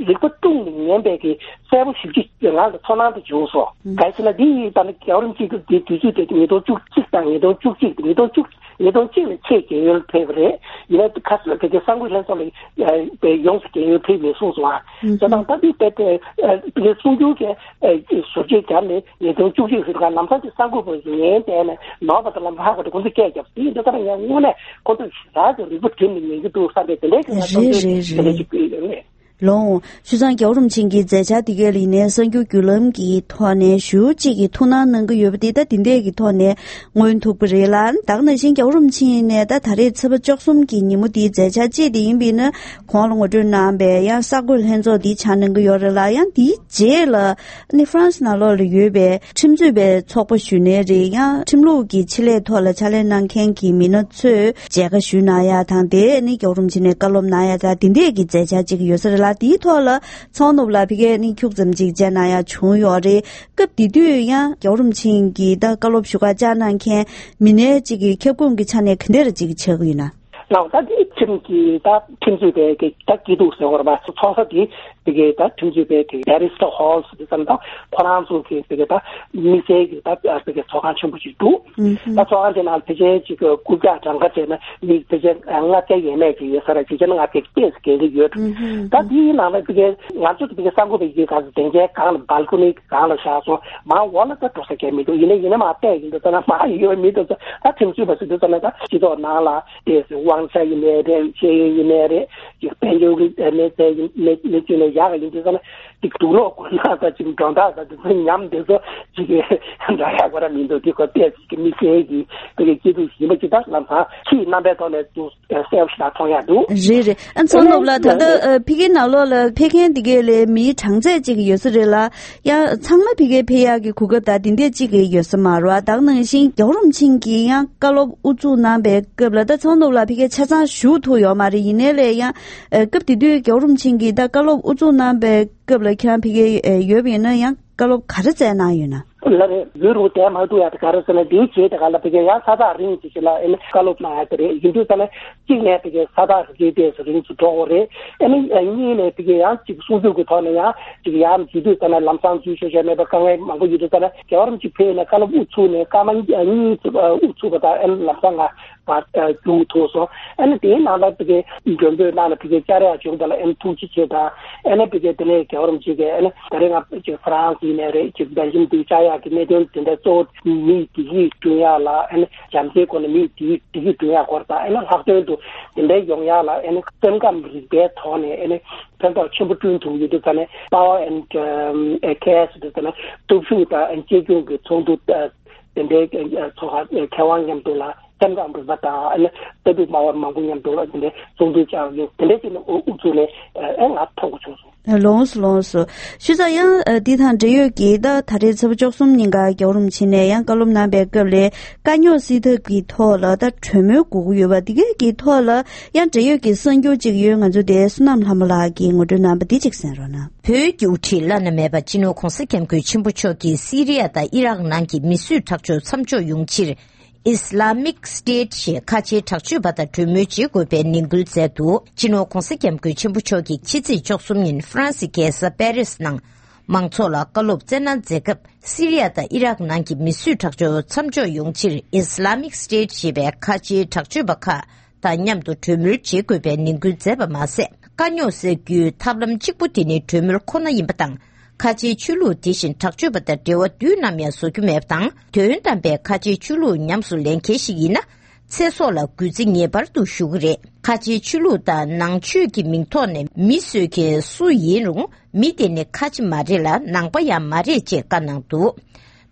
རིག་པ་དཀྲུགས་ནས་ཉན་པའི་གི་གསལ་པོ་ཞེ་པོ་ཅིག་ང་ལ་ཚོར་སྣང་དེ་བྱུང་སོང་། ག་རེ་ཟེར་ན། དེ་ཡིན་ཙང་ནས་རྒྱལ་བ་རིན་པོ་ཆེ་གི་དེ་དུས་ཚོད་དེ་ཉིས་སྟོང་བཅུ་གཅིག་དང་ཉིས་སྟོང་བཅུ་གཅིག་ཉིས་སྟོང་བཅུ་ཉིས་སྟོང་གཅིག་ལ་ཆེས་རྒན་ཡོལ་ཕེབས་པ་རེད། ཡིན་ནའི་ཁ་སང་ཕ་གི་གསར་འགོད་ལྷན་ཚོགས་ལ་ཡོངས་སུ་རྒན་ཡོལ་ཕེབས་མེད་གསུངས་སོང་ཨ། ཨུ་ཧུམ། བྱས་ཙང་ད་དེ་དཔེ་དེ་ཕ་གི་གསུང་སྒྱུར་གྱི་ཟུར་བརྗོད་བརྒྱབ་ནས་ཉིས་སྟོང་བཅུ་གཅིག་ཟེར་ག་ལམ་སང་ཅིག་གསར་འགོད་པ་ཞིག་ཉན་བསྡད་ནས། ནོར་བ་དང་ལམ་ལྷག་པ་དེ་ཁོ་ཚོས་སྐད་བརྒྱབ། དེ་ཡིན་དུས་ཙམ་ནས་ཡང་དངོས་གནས་ཁོ་ཚོས་རང་གི་རིག་པ་བསྒྲིམས་ནས་ཉན་གྱི་འདུག་བསམ་པའི་དེ་འདྲའི་གི་ང་རེད་རེད་རེད། དེ་འདྲ་ཅིག་ཡོད་རེད། ལོང་། བྱས་ཙང་རྒྱལ་བ་རིན་པོ་ཆེ་གི་མཛད་འཆར་དེ་ག་ལ་ཡིན་ནའི་གསར་འགྱུར་བརྒྱུད་ལམ་གྱི་ཐོག་ནས་ཞེ་པོ་ཅིག་གི་ཐུགས་སྣང་གནང་གི་ཡོད་པ་དེ་ད་དེ་འདྲས་ཀྱི་ཐོག་ནས་མངོན་ཐུབ་ཀྱི་རེད་ལ། ད་ག་ནང་བཞིན་རྒྱལ་བ་རིན་པོ་ཆེ་ནས་ད་ད་རེས་ཚེས་པ་བཅུ་གསུམ་གྱི་ཉིན་མོ་དེའི་མཛད་འཆར་གཅིག་དེ་ཡིན་པས་ན། གོང་ལ་ངོ་སྤྲོད་གནང་པའི་ཡང་གསར་འགོད་ལྷན་ཚོགས་འདི་བཅར་གནང་གི་ཡོད་རེད་ལ། ཡང་དེའི་རྗེས་ལ་ནི་ཧྥ་རན་སི་ནང་ལོགས་ལ་ཡོད་པའི་ཁྲིམས་རྩོད་པའི་ཚོགས་པ་ཞུས་ནའི་རེད། ཡང་ཁྲིམས་ལུགས་ཀྱི་ཆེད་ལས་ཐོག་ལ་ཕྱག་ལས་གནང་མཁན་གྱི་མི་སྣ་ཚོས་མཇལ་ཁ་ཞུས་གནང་ཡ་དང་། དེ་ནི་རྒྱལ་བ་རིན་པོ་ཆེ་ནས་བཀའ་སློབ་གནང་ཡ་དང་། དེ་འདྲས་ཀྱི་མཛད་འཆར་ཅིག་ཡོད་ས་རེད་ལ། དེའི་ཐོག་ལ་ཚོགས་གནང་ལ་ཕ་གིར་ནི་ཁྱུག་ཙམ་ཅིག་མཇལ་གནང་ཡ་བྱུང་ཡོད་རེད། སྐབས་དེ་དུས་ཡང་རྒྱལ་བ་རིན་པོ་ཆེ་གིས་ད་བཀའ་སློབ་ཞུ་ག་བཅར་གནང་མཁན་མི་སྣའི་ཅིག་གི་ཁྱབ་ཁོངས་ཀྱི་ཆ་ནས་ག་འདྲས་ཅིག་ཆགས་ཀྱི་ཡོད་ན། ལགས། ད་དེ་ཁྲིམས་ཀྱི་ད་ཁྲིམས་རྩོད་པའི་གི་ད་སྐྱིད་སྡུག་ཟེར་བ་རེད་པ། ཚོགས་ས་དེ་དེ་གི་ད་ཁྲིམས་རྩོད་པའི་དེ་Barrister Hall ཟེར་དུས་ཙམ་ད་ཁོ་རང་ཚོ་གི་དེ་གི་ད་དམིགས་བསལ་གྱི་ད་དེ་གི་ཚོགས་ཁང་ཆེན་པོ་ཞིག་འདུག་ཨུ་ཧུམ། ད་ཚོགས་ཁང་དེ་ནང་ཕལ་ཆེར་ཅིག་གི་རྐུབ་བཀྱག་གྲངས་ཀ་བྱས་ན་མི་ཕལ་ཆེར་ལྔ་བརྒྱ་ཡས་མས་ཅིག་ཡོད་ས་རེད། ཕལ་ཆེར་ལྔ་བརྒྱ་ཏོག་ཙམ་བརྒལ་གྱི་ཡོད། ཨུ་ཧུམ། ད་དེའི་ནང་ལ་དེ་གི་ང་ཚོ་དེ་གི་གསར་འགོད་པ་ཡི་གེ་ག་ཚོད་དེང་ཆའི་སྒང་ལ་balcony་གི་སྒང་ལ་བཞག་སོང་། མར་འོག་ལ་ད་འགྲོ་ས་གང་མི་འདུག་ཡིན་ན་ཡིན་ན་མར་བལྟས་ཡིན་དུས་ཙམ་ན་མར་ཡོད་མི་འདུག་ད་ཁྲིམས་རྩོད་པ་ཟེར་དུས་ཙམ་ན་ད་སྤྱི་ཚོགས་ནང་ལ་དེ་དབང་ཆ་ཡིན་ནའི་རེད། ཤེས་ཡོན་ཡིན་ནའི་རེད། ཅིག་དཔལ་འབྱོར་གྱི་གནས་ཚད་ཡིན་ནའི་ནས་བཅུག་ནས་ཡག་ཡིན་དུས་ཙམ་ན་ཅིག་དུག་ལོག་གོན་ན་ད་ཅིག་འགྲོ་སྟངས་ད་དེ་ཚོ་ཉམས་དེ་ཚོ་ཅིག་གི་འདྲ་ཡག་པོ་ར་མི་འདུག་དེ་ཁོ་ཏོག་ཙམ་གི་དམིགས་བསལ་གྱི་དེ་གི་སྐྱིད་སྡུག་ཡིན་པ་ཅིག་ད་ལམ་སང་ཁྱིའི་རྣམ་པའི་ཐོག་ནས་ཚུར་གསལ་པོ་ཞིག་ད་མཐོང་ཡག་འདུག་རེད་རེད། ཨ་ཚོགས་གནང་ལ་ད་ལྟ་ཨ་ཕ་གིའི་ནང་ལོགས་ལ་ཕེབས་མཁན་དེ་གའི་ལས་མིའི་གྲངས་ཚད་ཅིག་ཡོད་ས་རེད་ལ། ཡང་ཚང་མ་ཕ་གིར་ཕེབས་ཡག་གི་གོ་སྐབས་ད་དེ་འདྲས་ཅིག་གི་ཡོད་ས་མ་རེད་པ། ད་ག་ནང་བཞིན་རྒྱལ་བ་རིན་པོ་ཆེ་གིས་ཡང་བཀའ་སློབ་དབུ་འཛུགས་གནང་པའི་སྐབས་ལ་ད་ཚོགས་གནང་ལ་ཕ་གིར་ཆ་ཚང་ཞུགས་ཐུབ་ཡོད་མ་རེད། ཡིན་ནའི་ལས་ཡང་ཨ་སྐབས་དེ་དུས་རྒྱལ་བ་རིན་པོ་ཆེ་གིས་ད་བཀའ་སློབ་དབུ་འཛུགས་གནང་པའི་སྐབས་ལ་ཁྱེད་རང་ཕ་གིར་ཨ་ཡོད་པ་ཡིན་ན་ཡང་བཀའ་སློབ་ག་རེ་སྩལ་གནང་ཡོད་ན། ལགས་རེད། ཡུན་རིང་བསྡད་མ་ཐུབ་ཡག་དེ་ག་རེ་ཟེར་ན། དེའི་རྗེས་དེ་ག་ལ་ཕ་གིར་ཡང་ས་ཐག་རིང་ཅིག་ཅིག་ལ་ཨ་ནི་བཀའ་སློབ་གནང་ཡག་དེ་རེད། ཡིན་དུས་ཙམ་ན་གཅིག་ནས་ཕ་གིར་ས་ཐག་རི་རྒྱུད་དེ་ཚོ་རིང་དུ་འགྲོ་དགོས་རེད། ཨ་ནི་གཉིས་ནས་ཕ་གིར་ཡང་ཅིག་གསུང་སྒྱུར་གྱི་ཐོག་ནས་ཡང་ཅིག་ཡར་འཛུལ་དུས་ཙམ་ན་ལམ་སང་འཛུལ་ཆོག་ཆོག་མེད་པ་དཀའ་ངལ་མང་པོ་ཡོད་དུས་ཙམ་ན། རྒྱལ་བ་རིན་པོ་ཆེ་ཕེབས་ནས་བཀའ་སློབ་དབུ་ཚུགས་ནས་སྐར་མ་གཉིས་དབུ་ཚུགས་པ་དང་ཨ་ནི་ལམ་སང་ང་བར་རྒྱུགས་ཐུབ་སོང་། ཨ་ནི་དེའི་ནང་ལ་ཕ་གིར་མགྲོན་འབོད་གནང་ནས་ཕ་གིར་བཅར་ཡག་བྱུང་བ་ལ་ཨ་ནི་ཐུགས་རྗེ་ཆེ་དང་། ཨ་ནི་ཕ་གིར་དེ་ནས་རྒྱལ་བ་རིན་པོ་ཆེ་གིས་ཨ་ནི་ད་རེས་ང་ཅིག་ཧྥ་རན་སི་ཡིན་ནའི་རེད། ཅིག་སྦེལ་ཇམ་དུ་བཅར་ཡག་གི་གནད་དོན་དེ་འདྲ་གཙོ་བོ་མིའི་བདེ་སྐྱིད་བསྐྲུན་ཡག་ལ། ཨ་ནི་བྱམས་བརྩེའི་སྒོ་ནས་མིའི་བདེ་སྐྱིད་བསྐྲུན་ཡག་སྐོར་དང་། ཨ་ནི་ལྷག་དོན་དུ་དེ་འདྲའི་ཡོང་ཡག་ལ་ཨ་ནི་སེམས་ཁམས་རིག་པའི་ཐོག་ནས་ཨ་ནི་ཕན་ཐོགས་ཆེན་པོ་བསྐྲུན་ཐུབ་ཡོད་དུས་ཙམ་ནས་Power and Care་ཟེར་དུས་ཙམ་ནས་སྟོབས་ཤུགས་དང་གཅེས་སྐྱོང་གི་ཚོགས་འདུ་དེ་འདྲའི་ཚོགས་ཁག་མཁས་དབང་མཉམ་དུ་ལ། སེམས་ཁམས་རིག་པ་དང་ཨ་ནི་ལྟ་གྲུབ་སྨྲ་བ་མང་པོ་མཉམ་དུ་ལ་དེ་འདྲའི་ཚོགས་འདུ་བཅར་ཡོད། དེ་འདྲའི་ཅིག་ནས་དབུ་ཚུགས་ནས་ཨ་ང་མཐོང་གི་བྱུང་སོང་། ལོངས་སུ་ལོངས་སུ། ཞུ་ས་ཡང་འདི་དང་འབྲེལ་ཡོད་ཀྱི་ད་ད་རེས་ཚེས་པ་བཅུ་གསུམ་ཉིན་ཀ་རྒྱལ་བ་རིན་པོ་ཆེ་ནས་ཡང་བཀའ་སློབ་གནང་པའི་སྐབས་ལ་དཀའ་རྙོག་སེལ་ཐབས་ཀྱི་ཐོག་ལ་ད་གྲོས་མོལ་དགོས་ཀྱི་ཡོད་པ་འདི་གའི་གི་ཐོག་ལ་ཡང་འབྲེལ་ཡོད་ཀྱི་གསར་འགྱུར་ཅིག་ཡོད། ང་ཚོ་དེ་བསོད་ནམས་ལྷ་མོ་ལགས་ཀྱིས་ངོ་སྤྲོད་གནང་པ་འདི་ཅིག་གསན་རོགས་གནང་། བོད་ཀྱི་དབུ་ཁྲིད་བླ་ན་མེད་པ་སྤྱི་ནོར་༧གོང་ས་༧སྐྱབས་མགོན་ཆེན་པོ་མཆོག་གིས་སི་རི་ཡ་དང་ཨི་རག་ནང་གི་མི་གསོད་ཁྲག་སྦྱོར་མཚམས་འཇོག་ཡོང་ཕྱིར། Islamic State ཞེས་ཁ་ཆེའི་དྲག་སྤྱོད་པ་དང་གྲོས་མོལ་བྱེད་དགོས་པའི་ནན་སྐུལ་མཛད་འདུག་སྤྱི་ནོར་༧གོང་ས་༧སྐྱབས་མགོན་ཆེན་པོ་མཆོག་གིས་ཕྱི་ཚེས་བཅུ་གསུམ་ཉིན་ཧྥ་རན་སི་རྒྱལ་ས་པེ་རིས་ནང་མང་ཚོགས་ལ་བཀའ་སློབ་སྩལ་གནང་མཛད་སྐབས། སི་རི་ཡ་དང་ཨི་རག་ནང་གི་མི་གསོད་ཁྲག་སྦྱོར་མཚམས་འཇོག་ཡོང་ཕྱིར་Islamic State ཞེས་པའི་ཁ་ཆེའི་དྲག་སྤྱོད་པ་ཁག་དང་མཉམ་དུ་གྲོས་མོལ་བྱེད་དགོས་པའི་ནན་སྐུལ་མཛད་པ་མ་ཟད། དཀའ་རྙོག་སེལ་རྒྱུའི་ཐབས་ལམ་གཅིག་པུ་དེ་ནི་གྲོས་མོལ་ཁོ་ན་ཡིན་པ་དང་། ཁ་ཆེའི་ཆོས་ལུགས་དེ་བཞིན་དྲག་སྤྱོད་པ་དང་འབྲེལ་བ་དུས་ནམ་ཡང་བཟོ་རྒྱུ་མེད་པ་དང་། དོན་དམ་པའི་ཁ་ཆེའི་ཆོས་ལུགས་ཉམས་སུ་ལེན་མཁན་ཞིག་ཡིན་ན། ཚེ་སྲོག་ལ་གུས་བརྩི་ངེས་པར་དུ་ཞུ་གི་རེད། ཁ་ཆེའི་ཆོས་ལུགས་དང་ནང་ཆོས་ཀྱི་མིང་ཐོག་ནས་མི་གསོད་མཁན་སུ་ཡིན་རུང་། མི་དེ་ནི་ཁ་ཆེ་མ་རེད་ལ། ནང་པ་ཡང་མ་རེད་ཅེས་བཀའ་གནང་འདུག་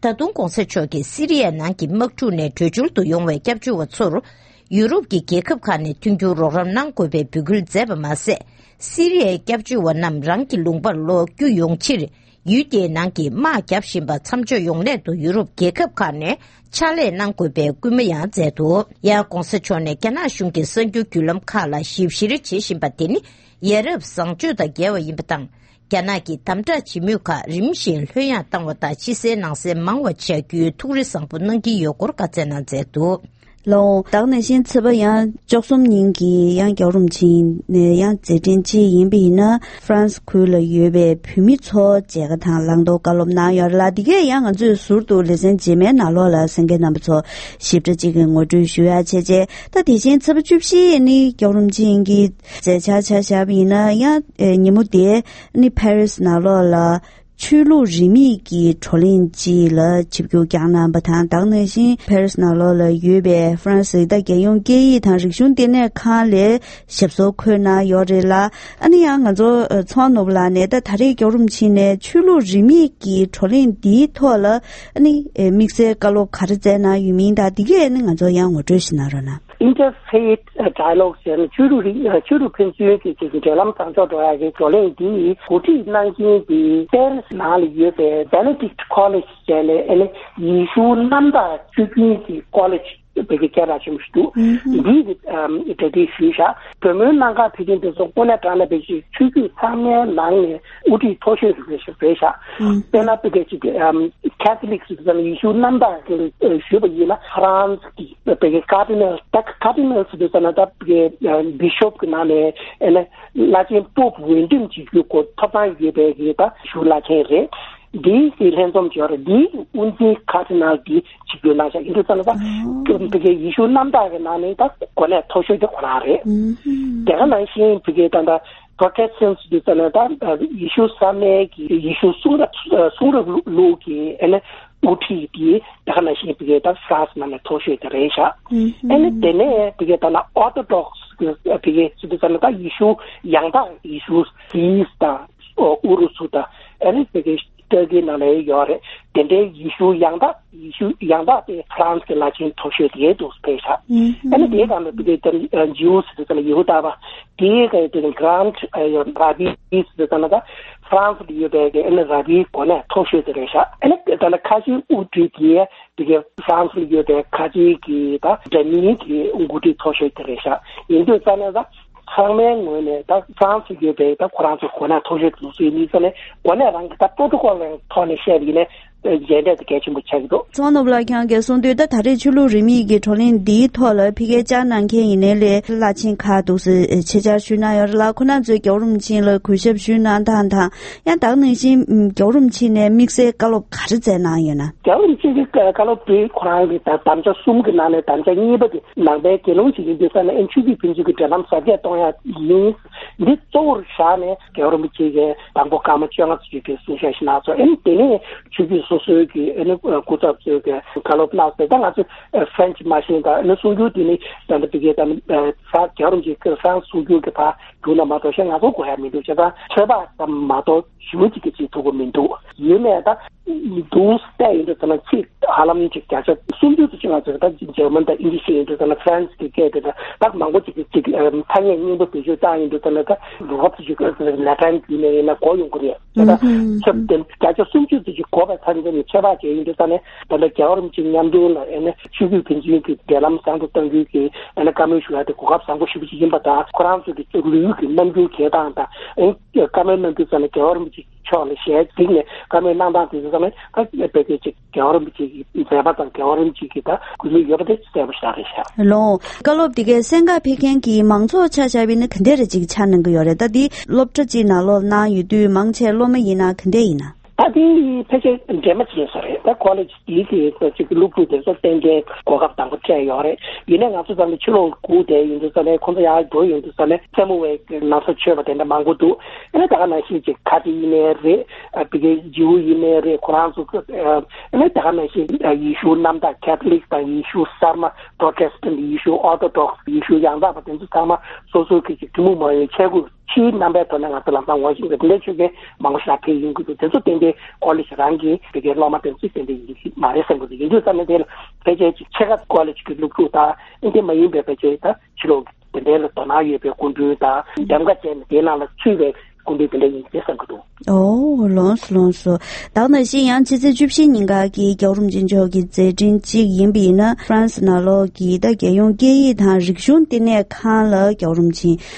ད་དུང་གོང་ས་མཆོག་གིས་སི་རི་ཡའི་ནང་གི་དམག་འཁྲུག་ནས་བྲོས་བྱོལ་དུ་ཡོང་བའི་སྐྱབས་བཅོལ་བ་ཚོར། ཡུ་རོབ་ཀྱི་རྒྱལ་ཁབ་ཁག་ནས་མཐུན་འགྱུར་རོགས་རམ་གནང་དགོས་པའི་འབོད་སྐུལ་མཛད་པ་མ་ཟད། སི་རི་ཡའི་སྐྱབས་བཅོལ་བ་རྣམས་རང་གི་ལུང་པར་ལོག་རྒྱུ་ཡོང་ཕྱིར། ཡུལ་དེའི་ནང་གི་དམག་བརྒྱབ་བཞིན་པ་མཚམས་འཇོག་ཡོང་སླད་དུ་ཡུ་རོབ་རྒྱལ་ཁབ་ཁག་ནས་ཕྱག་ལས་གནང་དགོས་པའི་སྐུལ་མ་ཡང་མཛད་འདུག་ཡང་གོང་ས་མཆོག་ནས་རྒྱ་ནག་གཞུང་གི་གསར་འགྱུར་བརྒྱུད་ལམ་ཁག་ལ་ཞིབ་བཤེར་བྱེད་བཞིན་པ་དེ་ནི་ཡ་རབས་བཟང་སྤྱོད་དང་འགལ་བ་ཡིན་པ་དང་། རྒྱ་ནག་གིས་དམ་དྲག་བྱེད་མུས་ཁག་རིམ་བཞིན་ལྷོད་ཡངས་བཏང་བ་དང་། ཕྱི་གསལ་ནང་གསལ་མང་བ་བྱ་རྒྱུའི་ཐུགས་རེ་བཟང་པོ་གནང་གི་ཡོད་སྐོར་བཀའ་སྩལ་གནང་མཛད་འདུག་ལོ། ད་ག་ནང་བཞིན་ཚེས་པ་ཡང་བཅུ་གསུམ་ཉིན་གྱི་ཡང་རྒྱལ་བ་རིན་པོ་ཆེ་ནས་ཡང་མཛད་འཕྲིན་ཅིག་ཡིན་པ་ཡིན་ན། ཧྥ་རན་སི་ཁུལ་ལ་ཡོད་པའི་བོད་མི་ཚོ་མཇལ་ཁ་དང་བླང་དོར་བཀའ་སློབ་གནང་ཡོད་རེད་ལ། འདི་གས་ཡང་ང་ཚོས་ཟུར་དུ་ལེ་ཚན་རྗེས་མའི་ནང་ལོགས་ལ་གསན་མཁན་རྣམ་པ་ཚོ་ཞིབ་ཕྲ་ཅིག་གི་ངོ་སྤྲོད་ཞུ་ཡ་བྱས་རྗེས། ད་དེ་བཞིན་ཚེས་པ་བཅུ་བཞི་ནི་རྒྱལ་བ་རིན་པོ་ཆེ་གི་མཛད་འཆར་ཆ་བཞག་པ་ཡིན་ན། ཡང་ཉིན་མོ་དེ་ནི་ཕ་རི་སི་ནང་ལོགས་ལ་ཆོས་ལུགས་རིས་མེད་ཀྱི་བགྲོ་གླེང་ཅིག་ལ་ཆིབས་བསྒྱུར་བསྐྱངས་གནང་བ་དང་། ད་ག་ནང་བཞིན་ཕ་རི་སི་ནང་ལོགས་ལ་ཡོད་པའི་ཧྥ་རན་སི་ད་རྒྱལ་ཡོངས་སྐད་ཡིག་དང་རིག་གཞུང་ལྟེ་གནས་ཁང་ལས་ཞབས་སོར་འཁོད་གནང་ཡོད་རེད་ལ། ཨ་ནི་ཡང་ང་ཚོ་ཚོང་ནོར་བུ་ལགས་ནས་ད་ད་རེས་རྒྱལ་བ་རིན་པོ་ཆེ་ནས་ཆོས་ལུགས་རིས་མེད་ཀྱི་བགྲོ་གླེང་འདིའི་ཐོག་ལ་ཨ་ནི་དམིགས་བསལ་བཀའ་སློབ་ག་རེ་སྩལ་གནང་ཡོད་མིན་དང་། འདི་གས་ཨ་ནི་ང་ཚོ་ཡང་ངོ་སྤྲོད་ཞིག་གནང་རོགས་གནང་། Interfaith Dialogue ཟེར་ནས་ཆོས་ལུགས་རིག་ཆོས་ལུགས་ཕན་ཚུན་གྱི་ཅིག་འབྲེལ་ལམ་བཟང་ཕྱོགས་འགྲོ་ཡག་གི་བགྲོ་གླེང་འདི་གོ་སྒྲིག་གནང་མཁན་དེ་པེ་རི་སི་ནང་ལ་ཡོད་པའི་Benedict College ཟེར་ནས་ཨ་ནི་ཡེ་ཤུ་གནམ་བདག་ཆོས་རྒྱུན་གྱི་ཀོ་ལེཇ་བོད་ཀྱི་སྐད་གྲགས་ཆེན་པོ་ཞིག་འདུག་འདིའི་གི་གྲ་སྒྲིག་ཞུས་ཤག་བོད་མིའི་གནམ་གང་ཕེབས་མཁན་དེ་ཚོ་དངོས་གནས་དྲང་གནས་བོད་ཀྱི་ཆོས་བརྒྱུད་ཚང་མའི་ནང་ནས་དབུ་ཁྲིད་མཐོ་ཤོས་ཤིག་རེད་ཤག་དཔེར་ན་བོད་སྐད་ཅིག་Catholic ཟེར་དུས་ཙམ་ལ་ཡེ་ཤུ་གནམ་བདག་ཟེར་ཞུས་པ་ཡིན་ན་ཧྥ་རན་སི་གི་བོད་ཀྱི་Cardinal ད་Cardinal ཟེར་དུས་ཙམ་ལ་ད་བོད་ཀྱི་Bishop གི་ནང་ནས་ཨེ་ན་བླ་ཆེན་པོབ་འོས་འདེམས་བྱེད་རྒྱུ་སྐོར་ཐོབ་ཐང་ཡོད་པའི་གི་ད་ཞུ་བླ་ཆེན་རེད། འདིའི་གི་ལྷན་འཛོམས་ཀྱི་འོག་འདིའི་དབུ་འཛིན་Cardinal འདི་ཆིབས་བསྒྱུར་གནང་བཞག་ཡིན་དུས་ཙམ་ལ་ད་བོད་ཀྱི་ཡེ་ཤུ་གནམ་བདག་གི་ནང་ནས་ད་གོ་གནས་མཐོ་ཤོས་དེ་ཁོ་རང་རེད། དེ་ག་ནང་བཞིན་བོད་ཀྱི་ད་ད་Protestants འདི་ཚོ་ནི་ད་ཡེ་ཤུ་ས་མེད་ཀྱི་ཡེ་ཤུ་གསུང་རབ་གསུང་རབ་ལུགས་ཀྱི་ཨེ་ནི་དབུ་ཁྲིད་དེ་དེ་ག་ནང་བཞིན་བོད་ཀྱི་ད་ཧྥ་རན་སི་ནང་ནས་མཐོ་ཤོས་དེ་རེད་ཤག་ཨེ་ནི་དེ་ནས་བོད་ཀྱི་ད་ན་Orthodox གི་བོད་ཀྱི་ཟེར་དུས་ཙམ་ལ་ད་ཡེ་ཤུ་ཡང་དག་ཡེ་ཤུ་Greece དང་ཨུ་རུ་སུ་དང་ཨེ་ནི་བོད་ཀྱི་ཏུར་ཀི་ནང་ལ་ཡོད་རེད། དེ་འདྲའི་ཡེ་ཤུ་ཡང་དག་ཡེ་ཤུ་ཡང་དག་དེ་ཧྥ་རན་སི་གི་བླ་ཆེན་མཐོ་ཤོས་དེ་འདུག་ཕེབས་ཤག་ཨ་ནི་དེའི་སྒང་ལ་དེ་གའི་ཇིའུ་ཟེར་དུས་ཙམ་ལ་ཡ་ཧུ་དཱ་པ་དེའི་གའི་དེ་Grand Rabbi ཟེར་དུས་ཙམ་ལ་ད་ཧྥ་རན་སི་ལ་ཡོད་པའི་གི་ཨ་ནི་ར་བིའི་གོ་གནས་མཐོ་ཤོས་དེ་རེད་ཤག་ཨ་ནི་ད་ལྟ་ཁ་ཆེའི་དབུ་ཁྲིད་དེ་དེ་གའི་ཧྥ་རན་སི་ལ་ཡོད་པའི་ཁ་ཆེའི་གི་ད་འདྲ་མིན་གི་འགོ་ཁྲིད་མཐོ་ཤོས་དེ་རེད་ཤག་ཡིན་དུས་ཙམ་ལ་ད། ཚང་མའི་ངོས་ནས་ད་ཧྥ་རན་སི་ཡོད་པའི་ད་ཁོ་རང་ཚོ་གོ་གནས་མཐོ་ཤོས་དེ་ཚོ་ཡིན་ཙང་ནས་གོ་གནས་རང་གི་ད་པྲོ་ཊོ་ཀོལ་རང་ཐོག་ནས་བཤད་པ་ཡིན་ན་མཇལ་འཕྲད་དེ་གལ་ཆེན་པོ་ཆགས་ཀྱི་འདུག་ཚོང་ནོར་བུ་ལགས་ཁྱེད་རང་གིས་གསུངས་དུས་ད་ད་རེས་ཆོས་ལུགས་རིས་མེད་ཀྱི་བགྲོ་གླེང་འདིའི་ཐོག་ལ་ཕ་གིར་བཅར་གནང་མཁན་ཡིན་ནའི་ལས་བླ་ཆེན་ཁག་འདུག་སེ་ཆེད་བཅར་ཞུས་གནང་ཡོད་རེད་ལ། ཁོང་རྣམ་ཚོས་རྒྱལ་བ་རིན་པོ་ཆེ་ལ་གུས་ཞབས་ཞུས་གནང་སྟངས་དང་། ཡང་དེ་ག་ནང་བཞིན་རྒྱལ་བ་རིན་པོ་ཆེ་ནས་དམིགས་བསལ་བཀའ་སློབ་ག་རེ་སྩལ་གནང་ཡོད་ན། རྒྱལ་བ་རིན་པོ་ཆེ་གི་བཀའ་སློབ་དེ་ཁོ་རང་གི་ད་དམ་བཅའ་གསུམ་གྱི་ནང་ནས་དམ་བཅའ་གཉིས་པ་དེ། ནང་པའི་དགེ་སློང་ཞིག་ཡིན་དུས་ཙང་ནས་ཨེ་ཆོས་བརྒྱུད་ཕན་ཚུན་གྱི་འབྲེལ་ལམ་གཟབ་རྒྱས་གཏོང་ཡ་ཡིན། འདི་གཙོ་བོར་བཞག་ནས་རྒྱལ་བ་རིན་པོ་ཆེ་གིས་དང་པོ་སྐར་མ་བཅོ་ལྔ་ཙམ་ཅིག་གི་གསུང་བཤད་ཞིག་གནང་སོང་། ཨེ་དེ་ནས་ཆོས་བརྒྱུད་སོ་སོའི་གི་ཨེ་ནི་སྐུ་ཚབ་ཚོས་གི་བཀའ་སློབ་གནང་སོང་། ད་ང་ཚོ་ཕ་རན་སི་མ་ཤེས་ད་ཨེ་ནི་གསུང་སྒྱུར་དེ་ནི་ད་ལྟ་བི་གའི་ད་ནི་ཧྥ་རན་སི་རྒྱལ་བ་རིན་པོ་ཆེ་ཧྥ་རན་སི་གསུང་སྒྱུར་གི་ཕར་བསྒྱུར་ན་མ་གཏོགས་གཞན་ང་ཚོ་གོ་ཡ་མི་འདུག་བྱས་ཙང་ཚོད་དཔག་ཙམ་མ་གཏོགས། ཞེ་པོ་ཅིག་གི་ཅིག་ཐུབ་ཀྱི་མི་འདུག་ཡིན་ནའི་ད་འདུག་སེ་བལྟས་ཡིན་དུས་ཙམ་ལ་ཚིག་ཧ་ལམ་ཅིག་བརྒྱ་ཆ་སུམ་ཅུ་ཙམ་ཅིག་ང་ཚོས་ད་འཇར་མན་དང་ཨིན་ཇི་ཤེས་ཡིན་དུས་ཙམ་ལ་ཧྥ་རན་སི་གི་སྐད་དེ་ད་ད་མང་པོ་ཅིག་གི་ཅིག་ཐ་སྙད་སྙིང་པོ་བེད་སྤྱོད་བཏང་ཡིན་དུས་ཙམ་ལ་ད་རོབ་ཙམ་ཅིག་ལ་ཊན་བརྒྱུད་ནས་ཡིན་ན་གོ་ཡོང་གི་རེད། ད་ད་ཚབ་དེ་བརྒྱ་ཆ་སུམ་ཅུ་ཙམ་ཅིག་གོ་བའི་ཐ་སྙད་ནས་ཚོད་དཔག་བྱས་ཡིན་དུས་ཙམ་ལ་ད་ལྟ་རྒྱལ་བ་རིན་པོ་ཆེ་མཉམ་དུ་ལ་ཨེ་ནི་ཆོས་བརྒྱུད་ཕན་ཚུན་གྱི་འབྲེལ་ལམ་བཟང་དུ་གཏང་རྒྱུའི་གི་ཨེ་ནི་བཀའ་མོལ་ཞུ་ཡ་དེ་གོ་སྐབས་བཟང་པོ་ཞེ་པོ་ཅིག་ཡིན་པ་དང་། ཁོ་རང་ཚོ་གི་ལོ་རྒྱུས་ཀྱི་རྣམ་འགྱུར་གྱེར་སྟངས་དང་ཨེ་བཀའ་མོལ་གནང་དུས་ཙམ་ལ་རྒྱལ་བ་རིན་པོ་ཆེ་ཕྱོགས་ལ་ཞལ་གཟིགས་ནས་བཀའ་མོལ་གནང་སྟངས་དེ་ཚོ་ཚང་མས་ད་དཔེ་དེ་ཅིག་རྒྱལ་བ་རིན་པོ་ཆེ་གི་མཛད་པ་དང་རྒྱལ་བ་རིན་པོ་ཆེ་གི་ད་གུས་མོས་ཡོད་པ་དེ་གསལ་པོ་ཞིག་རེད་ཤག་ལོ། བཀའ་སློབ་དེ་གའི་གསན་གར་ཕེབས་མཁན་གྱི་མང་ཚོགས་ཆ་བཞག་པ་ཡིན་ན་ག་འདྲ་རེ་ཅིག་ཆ་གནང་གི་ཡོད་རེད། ད་འདི་སློབ་གྲྭ་གཅིག་ནང་ལོགས་གནང་ཡོད་དུས་མང་ཆེ་སློབ་མ་ཡིན་ན་ག་འདྲ་ཡིན་ན། ད་དེ་ཕལ་ཆེར་འདྲེས་མ་བྱས་ས་རེད། ད་ཀོ་ལེ་ཇི་དེའི་གི་ཅིག་སློབ་ཕྲུག་དེ་ཚོ་གཏན་འཁེལ་གོ་སྐབས་དང་པོ་སྤྲད་ཡོད་རེད། ཡིན་ནའི་ང་ཚོ་ཚང་མ་ཕྱི་ལོགས་སྒུག་བསྡད་ཡོང་དུས་ཙམ་ནས་ཁོང་ཚོ་ཡར་འགྲོ་ཡོང་དུས་ཙམ་ནས་རྩེད་མོ་བའི་གི་ན་ཚ་ཆོད་པ་དེ་འདྲ་མང་པོ་འདུག་ཨ་ནི་ད་ག་ནང་བཞིན་ཅིག་ཁ་ཏི་ཡིན་ནའི་རེད། ཨ་བི་གའི་ཇིའུ་ཡིན་ནའི་རེད། ཁོ་རང་ཚོ་ཨ་ནི་ད་ག་ནང་བཞིན་ཡེ་ཤུ་གནམ་བདག་ཁེ་ཐོ་ལིག་དང་ཡེ་ཤུ་གསར་མ་པྲོ་ཊེ་སི་ཊན་ཊི། ཡེ་ཤུ་ཨོར་ཐོ་ཌོག་སི། ཡེ་ཤུ་ཡང་དག་པ། དེ་ཚོ་ཚང་མ་སོ་སོའི་གི་ཅིག་ཐུན་མོང་མ་ཡིན་ཆས་གོས་ཕྱིའི་རྣམ་པའི་ཐོག་ནས་ང་ཚོ་ལམ་སང་ངོ་ཤེས་པའི་དེ་འདྲའི་ཆོས་རྒྱལ་མང་པོ་ཞིག་ཕེབས་ཡོང་གི་འདུག་དེ་ཚོ་ཏན་ཏན་ཀོ་ལེ་ཇི་རང་གི་དེ་གའི་སློབ་མ་དེ་ཚོས་ཏན་ཏན་ཡིན་གྱི་མ་རེད་བསམ་གྱི་འདུག་ཡིན་དུས་ཙམ་ནས་དེ་ལ་ཕལ་ཆེར་ཅིག་ཕྱེད་ཀ་ཀོ་ལེ་ཇི་གི་སློབ་ཕྲུག་དང་ཨིན་དེ་མ་ཡིན་པའི་ཕལ་ཆེར་ད་ཕྱི་ལོགས་དེ་འདྲའི་ལ་དོ་སྣང་ཡོད་པའི་སྐུ་མགྲོན་དང་འདེམས་ཀ་བྱས་ནས་དེའི་ནང་ལ་ཚུད་པའི་སྐུ་མགྲོན་དེ་འདྲ་ཡིན་གྱི་བསམ་གྱི་འདུག་ཨོ། ལོངས་སོ་ལོངས་སོ། ད་ག་ནང་བཞིན་ཡང་ཕྱི་ཚེས་བཅུ་བཞི་ཉིན་ཀ་གི་རྒྱལ་བ་རིན་པོ་ཆེ་མཆོག་གི་མཛད་འཕྲིན་གཅིག་ཡིན་པ་ཡིན་ན། ཧྥ་རན་སི་ནང་ལོགས་ཀྱི་ད་རྒྱལ་ཡོངས་སྐད་ཡིག་དང་རིག་གཞུང་ལྟེ་གནས་ཁང་ལ་རྒྱལ་བ་རིན་པོ་ཆེ་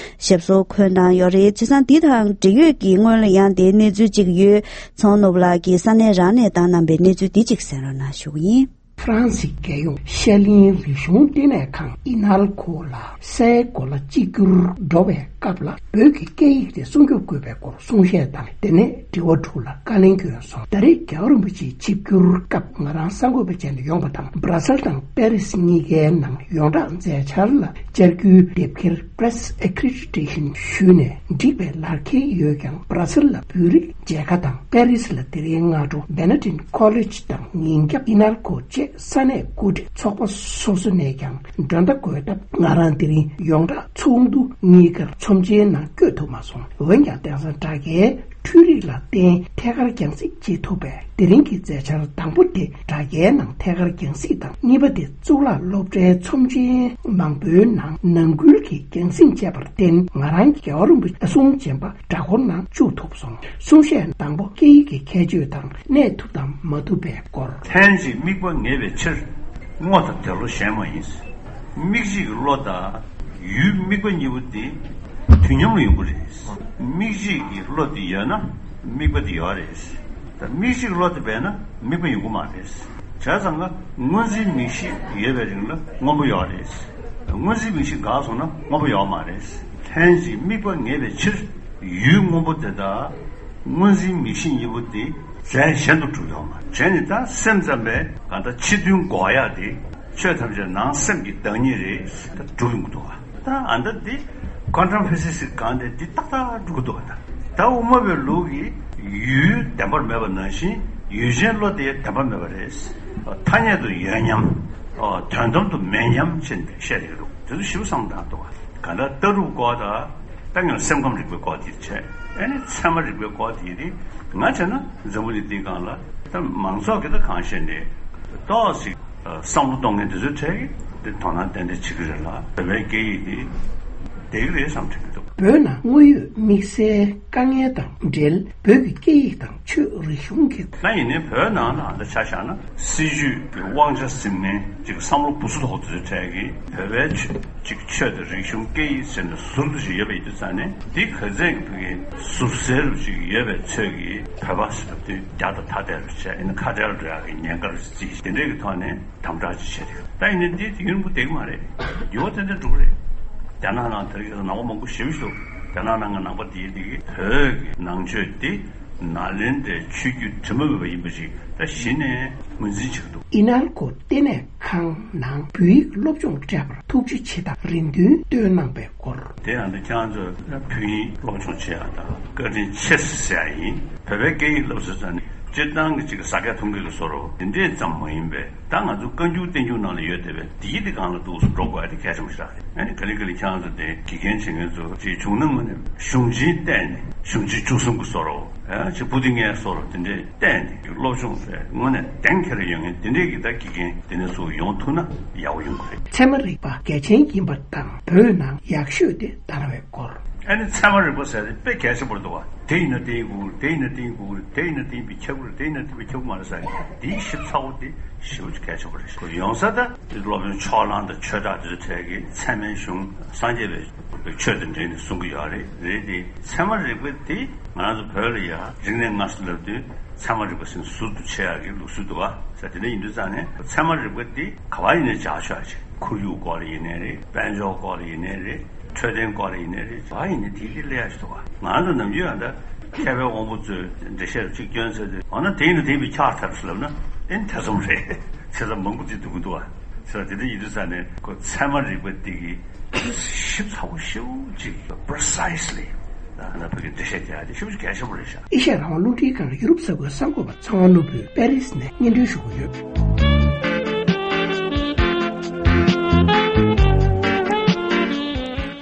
ཞབས་སོར་འཁོད་གནང་ཡོད་རེད། བྱས་ཙང་འདི་དང་འབྲེལ་ཡོད་ཀྱི་སྔོན་ལ་ཡང་དེའི་གནས་ཚུལ་གཅིག་ཡོད་ཚང་ནོར་བུ་ལགས་ཀྱིས་ས་གནས་རང་ནས་བཏང་གནང་པའི་གནས་ཚུལ་འདི་གཅིག་གསན་རོགས་གནང་ཞུ་གི་ཡིན། ཧྥ་རན་སིའི་རྒྱལ་ཡོངས་ཤར་གླིང་རིག་གཞུང་ལྟེ་གནས་ཁང་ཨི་ནལ་ཁོ་ལ་སའི་གོ་ལ་གཅིག་གྱུར་འགྲོ་བའི་སྐབས་ལ་བོད་ཀྱི་སྐད་ཡིག་དེ་སྲུང་སྐྱོབ་དགོས་པའི་སྐོར་གསུང་བཤད་དང་དེ་ནས་དྲི་བ་དྲུག་ལ་བཀའ་ལན་བསྐྱོན་སོང་། ད་རེས་རྒྱལ་བ་རིན་པོ་ཆེའི་ཆིབས་བསྒྱུར་སྐབས་ང་རང་གསར་འགོད་པ་བྱས་ནས་ཡོང་པ་དང་། སྦྲ་སེལ་དང་པེ་རིས་གཉིས་ཀའི་ནང་ཡོངས་གྲགས་མཛད་འཆར་ལ་བཅར་རྒྱུའི་དེབ་འཁྱེར་Press Accreditation ཞུས་ནས་འགྲིག་པའི་ལག་འཁྱེར་ཡོད་ཀྱང་། སྦྲ་སེལ་ལ་བོད་རིགས་མཇལ་ཁ་དང་པེ་རིས་ལ་དེ་རིང་སྔ་དྲོ་Benedictine College དང་ཉིན་རྒྱབ་ཨི་ནལ་ཁོ་བཅས་ས་གནས་འགོ་ཁྲིད་ཚོགས་པ་སོ་སོ་ནས་ཀྱང་མགྲོན་བརྡ་འགོད་སྟབས། ང་རང་དེ་རིང་ཡོངས་གྲགས་ཚོགས་འདུ་གཉིས་ཀར་ཚོམས་ཆེན་ནང་བསྐྱོད་ཐུབ་མ་སོང་། འོན་ཀྱང་དེང་སང་དྲ་རྒྱའི་འཕྲུལ་རིག་ལ་བརྟེན་ཐད་ཀར་རྒྱང་སྲིང་བྱེད་ཐུབ་པས། དེ་རིང་གི་མཛད་འཆར་དང་པོ་དེ་དྲ་རྒྱའི་ནང་ཐད་ཀར་རྒྱང་སྲིང་དང་། གཉིས་པ་དེ་གཙུག་ལག་སློབ་གྲྭའི་ཚོམས་ཆེན་མང་པོའི་ནང་ནང་ཁུལ་གྱི་རྒྱང་སྲིང་བྱས་པར་བརྟེན། ང་རང་རྒྱལ་བ་རིན་པོ་ཆེ་གསུང་རྗེན་པ་སྦྲ་སྐོར་ནང་བཅུག་ཐུབ་སོང་། གསུང་བཤད་དང་པོ་སྐད་ཡིག་གི་ཁྱད་ཆོས་དང་གནས་ཐུབ་དང་མ་ཐུབ་པའི་སྐོར། ལྷན་ཅིག་དམིགས་པ་ངེས་པའི་ཕྱིར། སྔོ་དང་དེ་བློ་གཞན་མ་ཡིན། མིག་གཅིག་གི་བློ་དང་ཡུལ་དམིགས་པ་གཉིས་པོ་དེ་དུས་མཉམ་དུ་ཡོང་གི་རེད། མིག་གཅིག་གི་བློ་དེ་ཡོད་ན་དམིགས་པ་དེ་ཡོད་རེད། ད་མིག་གཅིག་བློ་དེ་མེད་ན་དམིགས་པ་ཡོང་གི་མ་རེད། བྱས་ཙང་ཀ་སྔོ་འཛིན་མིག་ཤེས་ཡོད་པའི་རིང་ལ་སྔོན་པོ་ཡོད་རེད། སྔོ་འཛིན་མིག་ཤེས་འགག་སོང་ན་སྔོན་པོ་ཡོད་མ་རེད། ལྷན་ཅིག་དམིགས་པ་ངེས་པའི་ཕྱིར། ཡུལ་སྔོན་པོ་དེ་དག་སྔོ་འཛིན་མིག་ཤེས་གཉིས་པོ་དེ་རྫས་གཞན་དུ་གྲུབ་ཡོད་མ་རེད། བྱས་ནས་ད་སེམས་ཙམ་པས་གང་ལྟར་ཕྱི་དོན་འགོག་ཡག་དེ་ཆོས་ཐམས་ཅད་ནང་སེམས་ཀྱི་བདག་ཉིད་རེད། ད་གྲུབ་ཡོང་གི་འདུག་བ། ད་ཨ་ད་འདི་ཀོན་ཊམ་ཕི་སིག་སི་གང་དེ་འདི་ཏག་ཏག་འགྲུབ་ཀྱི་འདུག་བ། ད་ད་དབུ་མ་པའི་ལུགས་ཀྱི་ཡུལ་བདེན་པར་མེད་པ་ནང་བཞིན་ཡུལ་ཅན་བློ་དེ་བདེན་པར་མེད་པ་རེད། ཐ་སྙད་དུ་ཡོད་མཉམ། དོན་དམ་དུ་མེད་མཉམ་བྱས་ནས་བཤད་ཀྱི་འདུག་དེ་ཚོ་ཞིབ་བསམ་བཏང་འདུག་བ། གང་ལྟར་ལྟ་གྲུབ་སྐོར་དང་། ད་ངས་སེམས་ཁམས་རིག་པའི་སྐོར་དེ་བྱས། ཨ་ནི་ཚད་མ་རིག་པའི་སྐོར་དེ་རེད། ང་བྱས་ན་འཛམ་བུ་གླིང་འདིའི་སྒང་ལ་ད་མང་ཚོགས་ཀྱིས་ད་གང་བཤད་ནས་ཏོག་ཙམ་བསམ་བློ་གཏོང་མཁན་དེ་ཚོའི་གྲས་ཀྱིས་དེ་དོ་སྣང་ཏན་ཏན་བྱེད་ཀྱི་རེད་ལ། བོད་པའི་སྐད་ཡིག་འདི་བསྡད་ཀྱི་རེད་བསམ་དྲན་གྱི་འདུག་བོད་ནང་དངོས་ཡོད་དམིགས་བསལ་དཀའ་ངལ་དང་འབྲེལ། བོད་ཀྱི་སྐད་ཡིག་དང་ཆོས་རིག་གཞུང་གི། ད་ཡིན་ནའི་བོད་ནང་ལ་ད་ཆ་བཞག་ན་སྲིད་བྱུས་ཀྱི་དབང་ཆ་འཛིན་མཁན་ཅིག་བསམ་བློ་སྦུ་སུ་ཐོག་དུ་ཚོས་གྲས་ཀྱིས་བོད་པའི་ཆོས་ཅིག་ཆོས་དང་རིག་གཞུང་སྐད་ཡིག་ཟེར་ནས་ཟུར་དུ་ཞིག་ཡོད་པ་ཡིན་དུས་ཙང་ནས། འདི་ག་ཚད་ཀྱི་བོད་ཀྱི་ཟུར་ཟེར་རུ་ཅིག་ཡོད་པའི་ཚོད་ཀྱིས་བོད་པ་ཟེར་བ་དེ་རྒྱ་དང་ཐ་དད་རུ་བྱས། ཡིན་ན་ཁ་བྲལ་འགྲོ་ཡག་གི་ཉེན་ཁ་རུ་བརྩིས། དེ་འདྲས་ཀྱི་ཐོག་ནས་དམ་དྲག་ཅིག་བྱས་ཏེ། ད་ཡིན་ནའི་འདི་དུས་ཡུན་རིང་པོ་བསྡད་ཀྱི་མ་རེད། འགྱུར་བ་ཏན་ཏན་འགྲོ་གི་རེད། རྒྱ་ནག་ནང་དེ་རིང་ཁ་སང་ནང་པ་མང་པོ་ཞེ་པོ་ཞིག་འདུག་རྒྱ་ནག་ནང་གི་ནང་པ་དེའི་དེ་གི་བོད་ཀྱི་ནང་ཆོས་དེ་ནཱ་ལེནྡྲའི་ཆོས་བརྒྱུད་དྲི་མ་མེད་པ་ཡིན་པ་ཞིག་ད་གཞི་ནས་ངོས་འཛིན་བྱེད་ཀྱི་འདུག་ཨི་ནལ་ཁོ་ལྟེ་གནས་ཁང་ནང་བོད་ཡིག་སློབ་སྦྱོང་སྤྲད་པར་ཐུགས་རྗེ་ཆེ་དང་རེ་འདུན་བཏོན་གནང་པའི་སྐོར། དེ་ཡང་འདི་ཁྱེད་རང་ཚོས་བོད་ཡིག་སློབ་སྦྱོང་བྱེད་ཡག་དང་བཀའ་དྲིན་ཆེ་ཟེར་ཡག་ཡིན། བོད་པའི་སྐད་ཡིག་སློབ་ཟེར་ཙང་ནི་སྤྱིར་བཏང་གི་ཅིག་ཟ་སྐད་འཐུང་སྐད་ཀྱི་བཟོ་འདྲ་དེ་འདྲས་ཙམ་མ་ཡིན་པའི། ད་ང་ཚོ་བཀའ་འགྱུར་བསྟན་འགྱུར་ནང་ལ་ཡོད་བསྡད་པའི་འདིའི་དེ་སྒང་ལ་འདུག་སེ་འགྲོ་དགོས་ཡ་དེ་གལ་ཆེན་པོ་ཞིག་རེད། ཨ་ནི་ག་ལེ་ག་ལེ་ཁྱེད་རང་ཚོ་དེ་དགེ་རྒན་བྱེད་མཁན་ཚོ་ཅིག་བྱུང་ན་དངོས་གནས་གཞུང་ཆེན་བསྟེན་ནས་གཞུང་ཆེན་བཅུ་གསུམ་གྱི་བཟོ་འདྲ། ཨ་ཅིག་པོ་ཏི་ལྔའི་བཟོ་འདྲ་དེ་འདྲས་བསྟེན་ནས་སློབ་སྦྱོང་བྱས། དངོས་གནས་གདེང་འཁེལ་ཡོད་མཁན་དེ་འདྲས་ཀྱི་ད་དགེ་རྒན་དེ་འདྲས་ཚོ་ཡོང་ཐུབ་ན་ཡག་པོ་ཡོང་གི་རེད། ཚད་མ་རིག་པ་གལ་ཆེན་ཡིན་པ་དང་བོད་ནང་ཡག་ཤོས་དེ་དར་བའི་སྐོར། ཨ་ནི་ཚད་མ་རིག་པ་ཟེར་དེ་དཔེ་གལ་ཆེན་པོ་རེད་འདུག་བ། དེ་ཡིན་ན་དེ་ཡིན་དགོས་ཀྱི་རེད། དེ་ཡིན་ན་དེ་ཡིན་དགོས་ཀྱི་རེད། དེ་ཡིན་ན་དེ་ཡིན་པས་ཁྱབ་ཀྱི་རེད། དེ་ཡིན་ན་དེ་ཡིན་པས་ཁྱབ་ཀྱི་མ་རེད་ཟེར་ཡག་དེའི་ཞིབ་ཚགས་པོ་དེ་ཞེ་པོ་ཅིག་གལ་ཆེན་པོ་རེད། ཡོང་ས་ད་དེ་སློབ་དཔོན་ཕྱོགས་གླང་དང་ཆོས་གྲགས་དེ་ཚོའི་གྲས་ཀྱིས་ཚད་མའི་གཞུང་སངས་རྒྱས་པའི་ཆོས་དང་འབྲེལ་ནས་གསུང་གི་ཡོད་རེད། རེད་དེ་ཚད་མ་རིག་པ་དེ་ང་རང་ཚོ་བོད་ལ་ཡ་རིག་གནས་སྔ་ས་ལབ་དུས་ཚད་མ་རིག་པ་ཟེར་ནས་ཟུར་དུ་ཕྱེ་ཡག་གི་ལུགས་སྲོལ་འདུག་ག་ཟེར། དེ་འདྲ་ཡིན་དུས་ཙང་ནས་ཚད་མ་རིག་པ་དེ་ག་བ་ཡིན་ནའི་སྦྱར་ཆོག་ཅིག་ཁོར་ཡུག་སྐོར་ལ་ཡིན་ནའི་རེད། དཔལ་འབྱོར་སྐོར་ལ་ཡིན་ནའི་རེད། འཕྲོད་བསྟེན་སྐོར་ཡིན་ནའི་རེད། ག་ཡིན་ནའི་དེ་ལས་སླ་ཡག་ཞིག་འདུག་ག་ང་ཚོ་ནམ་རྒྱུན་ཡང་ད་མཁས་པའི་དབང་པོ་ཚོས་འགྲེལ་བཤད་གཅིག་བསྐྱོན་ཚར་དུས། འོ་ན་དེ་ཡིན་ན་དེ་ཡིན་པས་ཁྱབ་ཐལ་ཟེར་ལབ་ན་ཨེ་ཐེ་ཚོམ་རེད། བྱས་ཙང་མང་པོ་ཅིག་འདུག་གི་འདུག་ག་བྱས་ཙང་དེ་འདྲ་ཡིན་དུས་ཙང་ནས་ཁོ་ཚད་མ་རིག་པ་འདི་གི་ཞིབ་ཚགས་པོ་ཞེ་པོ་ཅིག precisely ད་ང་བོད་ཀྱི་འགྲེལ་བཤད་རྒྱག་ཡ་དེ་ཞེ་པོ་ཅིག་གལ་ཆེན་པོ་རེད་ཤག་ཨེ་ཤ་ཡ་རང་དབང་རླུང་འཕྲིན་ཁང་ཡུ་རོབ་ས་ཁུལ་གསར་འགོད་པ་ཚེ་དབང་ནོར་བུས་པེ་རིས་ནས་སྙན་སྒྲོན་ཞུ་གི་ཡོད།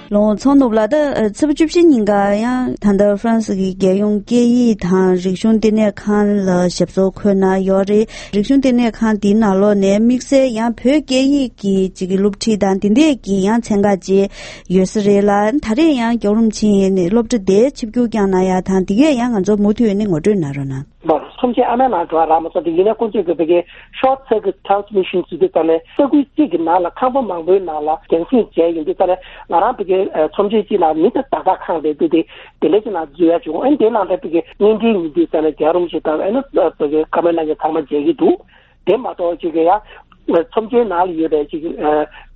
ལོ་ཚང་ནུབ་ལ་ད་ཚེས་པ་བཅུ་བཞི་ཉིན་ཀ་ཡང་ད་ལྟ་ཧྥ་རན་སི་གི་རྒྱལ་ཡོངས་སྐད་ཡིག་དང་རིག་གཞུང་བསྟི་གནས་ཁང་ལ་ཞབས་སོར་འཁོད་གནང་ཡོད་རེད། རིག་གཞུང་བསྟི་གནས་ཁང་འདིའི་ནང་ལོགས་ནས་དམིགས་བསལ་ཡང་བོད་སྐད་ཡིག་གི་ཅིག་གི་སློབ་ཁྲིད་དང་དེ་འདྲས་ཀྱི་ཡང་ཚན་ཁག་ཅིག་ཡོད་ས་རེད་ལ། ད་རེས་ཡང་རྒྱལ་བ་རིན་པོ་ཆེ་ནས་སློབ་གྲྭ་དེ་ཆིབས་བསྒྱུར་བསྐྱངས་གནང་ཡ་དང་དེ་གས་ཡང་ང་ཚོ་མུ་མཐུད་ནས་ངོ་སྤྲོད་གནང་རོགས་གནང་། ལོར་ཚོམས་ཆེན་ཨ་མའི་ནང་འགྲོ་བ་རག་མ་སོང་སྟེ། ཡིན་ནའི་ཁོང་ཚོས་ཀྱི་བོད་ཀྱི་short circuit transmission ཟེར་དུས་ཙ་ནས་ས་ཁུལ་གཅིག་གི་ནང་ལ་ཁང་པ་མང་པོའི་ནང་ལ་རྒྱང་སྲིང་བྱས་ཡོང་དུས་ཙ་ནས། ང་རང་བོད་ཀྱི་ཨ་ཚོམས་ཆེན་གཅིག་ནང་མི་དང་ཏག་ཏག་ཁང་རེད་འདུག་སྟེ། དེ་འདྲ་ཅིག་ནང་འཛུལ་ཡ་བྱུང་། ཨ་ནི་དེ་ནང་ལ་བོད་ཀྱི་བརྙན་འཕྲིན་ཡིན་དུས་ཙ་ནས་རྒྱལ་བ་རིན་པོ་ཆེ་དང་ཨ་ནི་བོད་ཀྱི་བཀའ་མོལ་གནང་མཁན་ཚང་མ་མཇལ་གྱི་འདུག་དེ་མ་གཏོགས་ཅིག་གི་ཡ་ཚོམས་ཆེན་ནང་ལ་ཡོད་པའི་ཅིག་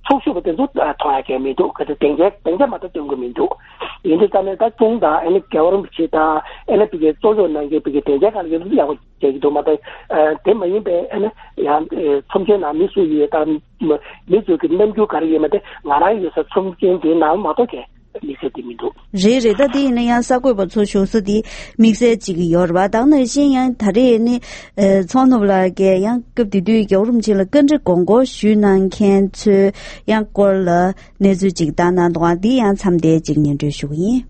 ཚོགས་ཞུགས་པ་དེ་ཚོ་མཐོང་ཡ་གང་མི་འདུག་ག་ཚོད་སྡིངས་ཆ་སྡིངས་ཆ་མ་གཏོགས་སྟོན་གྱི་མི་འདུག་ཡིན་དུས་ཙ་ནས་ད་ཁྱུང་དང་ཨ་ནི་རྒྱལ་བ་རིན་པོ་ཆེ་དང་ཨ་ནི་བོད་ཀྱི་གཙོ་སྐྱོང་གནང་མཁན་བོད་ཀྱི་སྡིངས་ཆ་སྒང་ལ་ཡོད་ན་ཡག་པོ་མཇལ་གྱི་འདུག་མ་གཏོགས། དེ་མ་ཡིན་པའི་ཨ་ནི་ཡང་ཚོམས་ཆེན་ནང་མི་སུ་ཡོད་དང་མི་ཚོས་ཀྱི་རྣམ་འགྱུར་ག་རེ་ཡོད་མ་དེ་ང་རང་ཡོད་ས་ཚོམས་ཆེན་དེའི་ནང་མ་གཏོགས་གས། དམིགས་བསལ་དེ་མི་འདུག་རེད་རེད། ད་དེ་ཡིན་ན་ཡང་གསར་འགོད་པ་ཚོ་བཞུགས་ས་དེ་དམིགས་བསལ་ཅིག་ཡོད་རེད་པ། ད་ག་ནང་བཞིན་ཡང་ད་རེས་ནི་ཚོང་ནུབ་ལགས་ཀྱིས་ཡང་སྐབས་དེ་དུས་རྒྱལ་བ་རིན་པོ་ཆེ་ལ་བཀའ་འདྲི་དགོངས་སྐོར་ཞུས་གནང་མཁན་ཚོའི་ཡང་སྐོར་ལ་གནས་ཚུལ་ཅིག་བཏང་གནང་འདུག་ག་འདི་ཡང་མཚམས་བསྡད་ཅིག་སྙན་སྒྲོན་ཞུ་གི་ཡིན།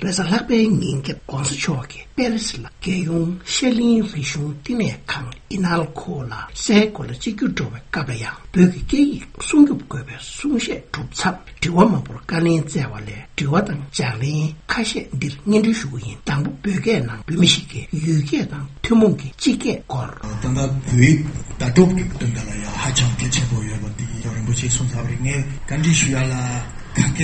རེས་གཟའ་ལྷག་པའི་ཉིན་རྒྱལ་བ་༸གོང་ས་མཆོག་གིས་པེ་རི་སི་ལ་རྒྱལ་ཡོངས་ཤར་གླིང་རིག་གཞུང་བསྟི་གནས་ཁང་ཨི་ནལ་ཁོ་ལ་སའི་གོ་ལ་གཅིག་གྱུར་འགྲོ་བའི་སྐབས་ལ་ཡང་བོད་ཀྱི་སྐད་ཡིག་སྲུང་སྐྱོབ་དགོས་པའི་གསུང་བཤད་གྲུབ་མཚམས། དྲི་བ་མང་པོར་བཀའ་ལན་བསྩལ་བ་ལས་དྲི་བ་དང་ལྗགས་ལན་ཁ་ཤས་འདིར་སྙན་སྒྲོན་ཞུ་གི་ཡིན། དང་པོ། བོད་སྐད་ནང་བོད་མི་ཞིག་གིས་ཡུལ་སྐད་དང་ཐུན་མོང་གི་སྤྱི་སྐད་སྐོར། ད་ལྟ་བོད་ཡིག་བརྡ་སྤྲོད་ཀྱི་དོན་དག་ལ་ཡང་ཧ་ཅང་གལ་ཆེན་པོ་ཡོད་པ་འདི་རིན་པོ་ཆེས་གསུངས་ཚར་བ་རེད། ངས་བཀའ་འདྲི་ཞུ་ཡ་ལ་ཁ་སྐད་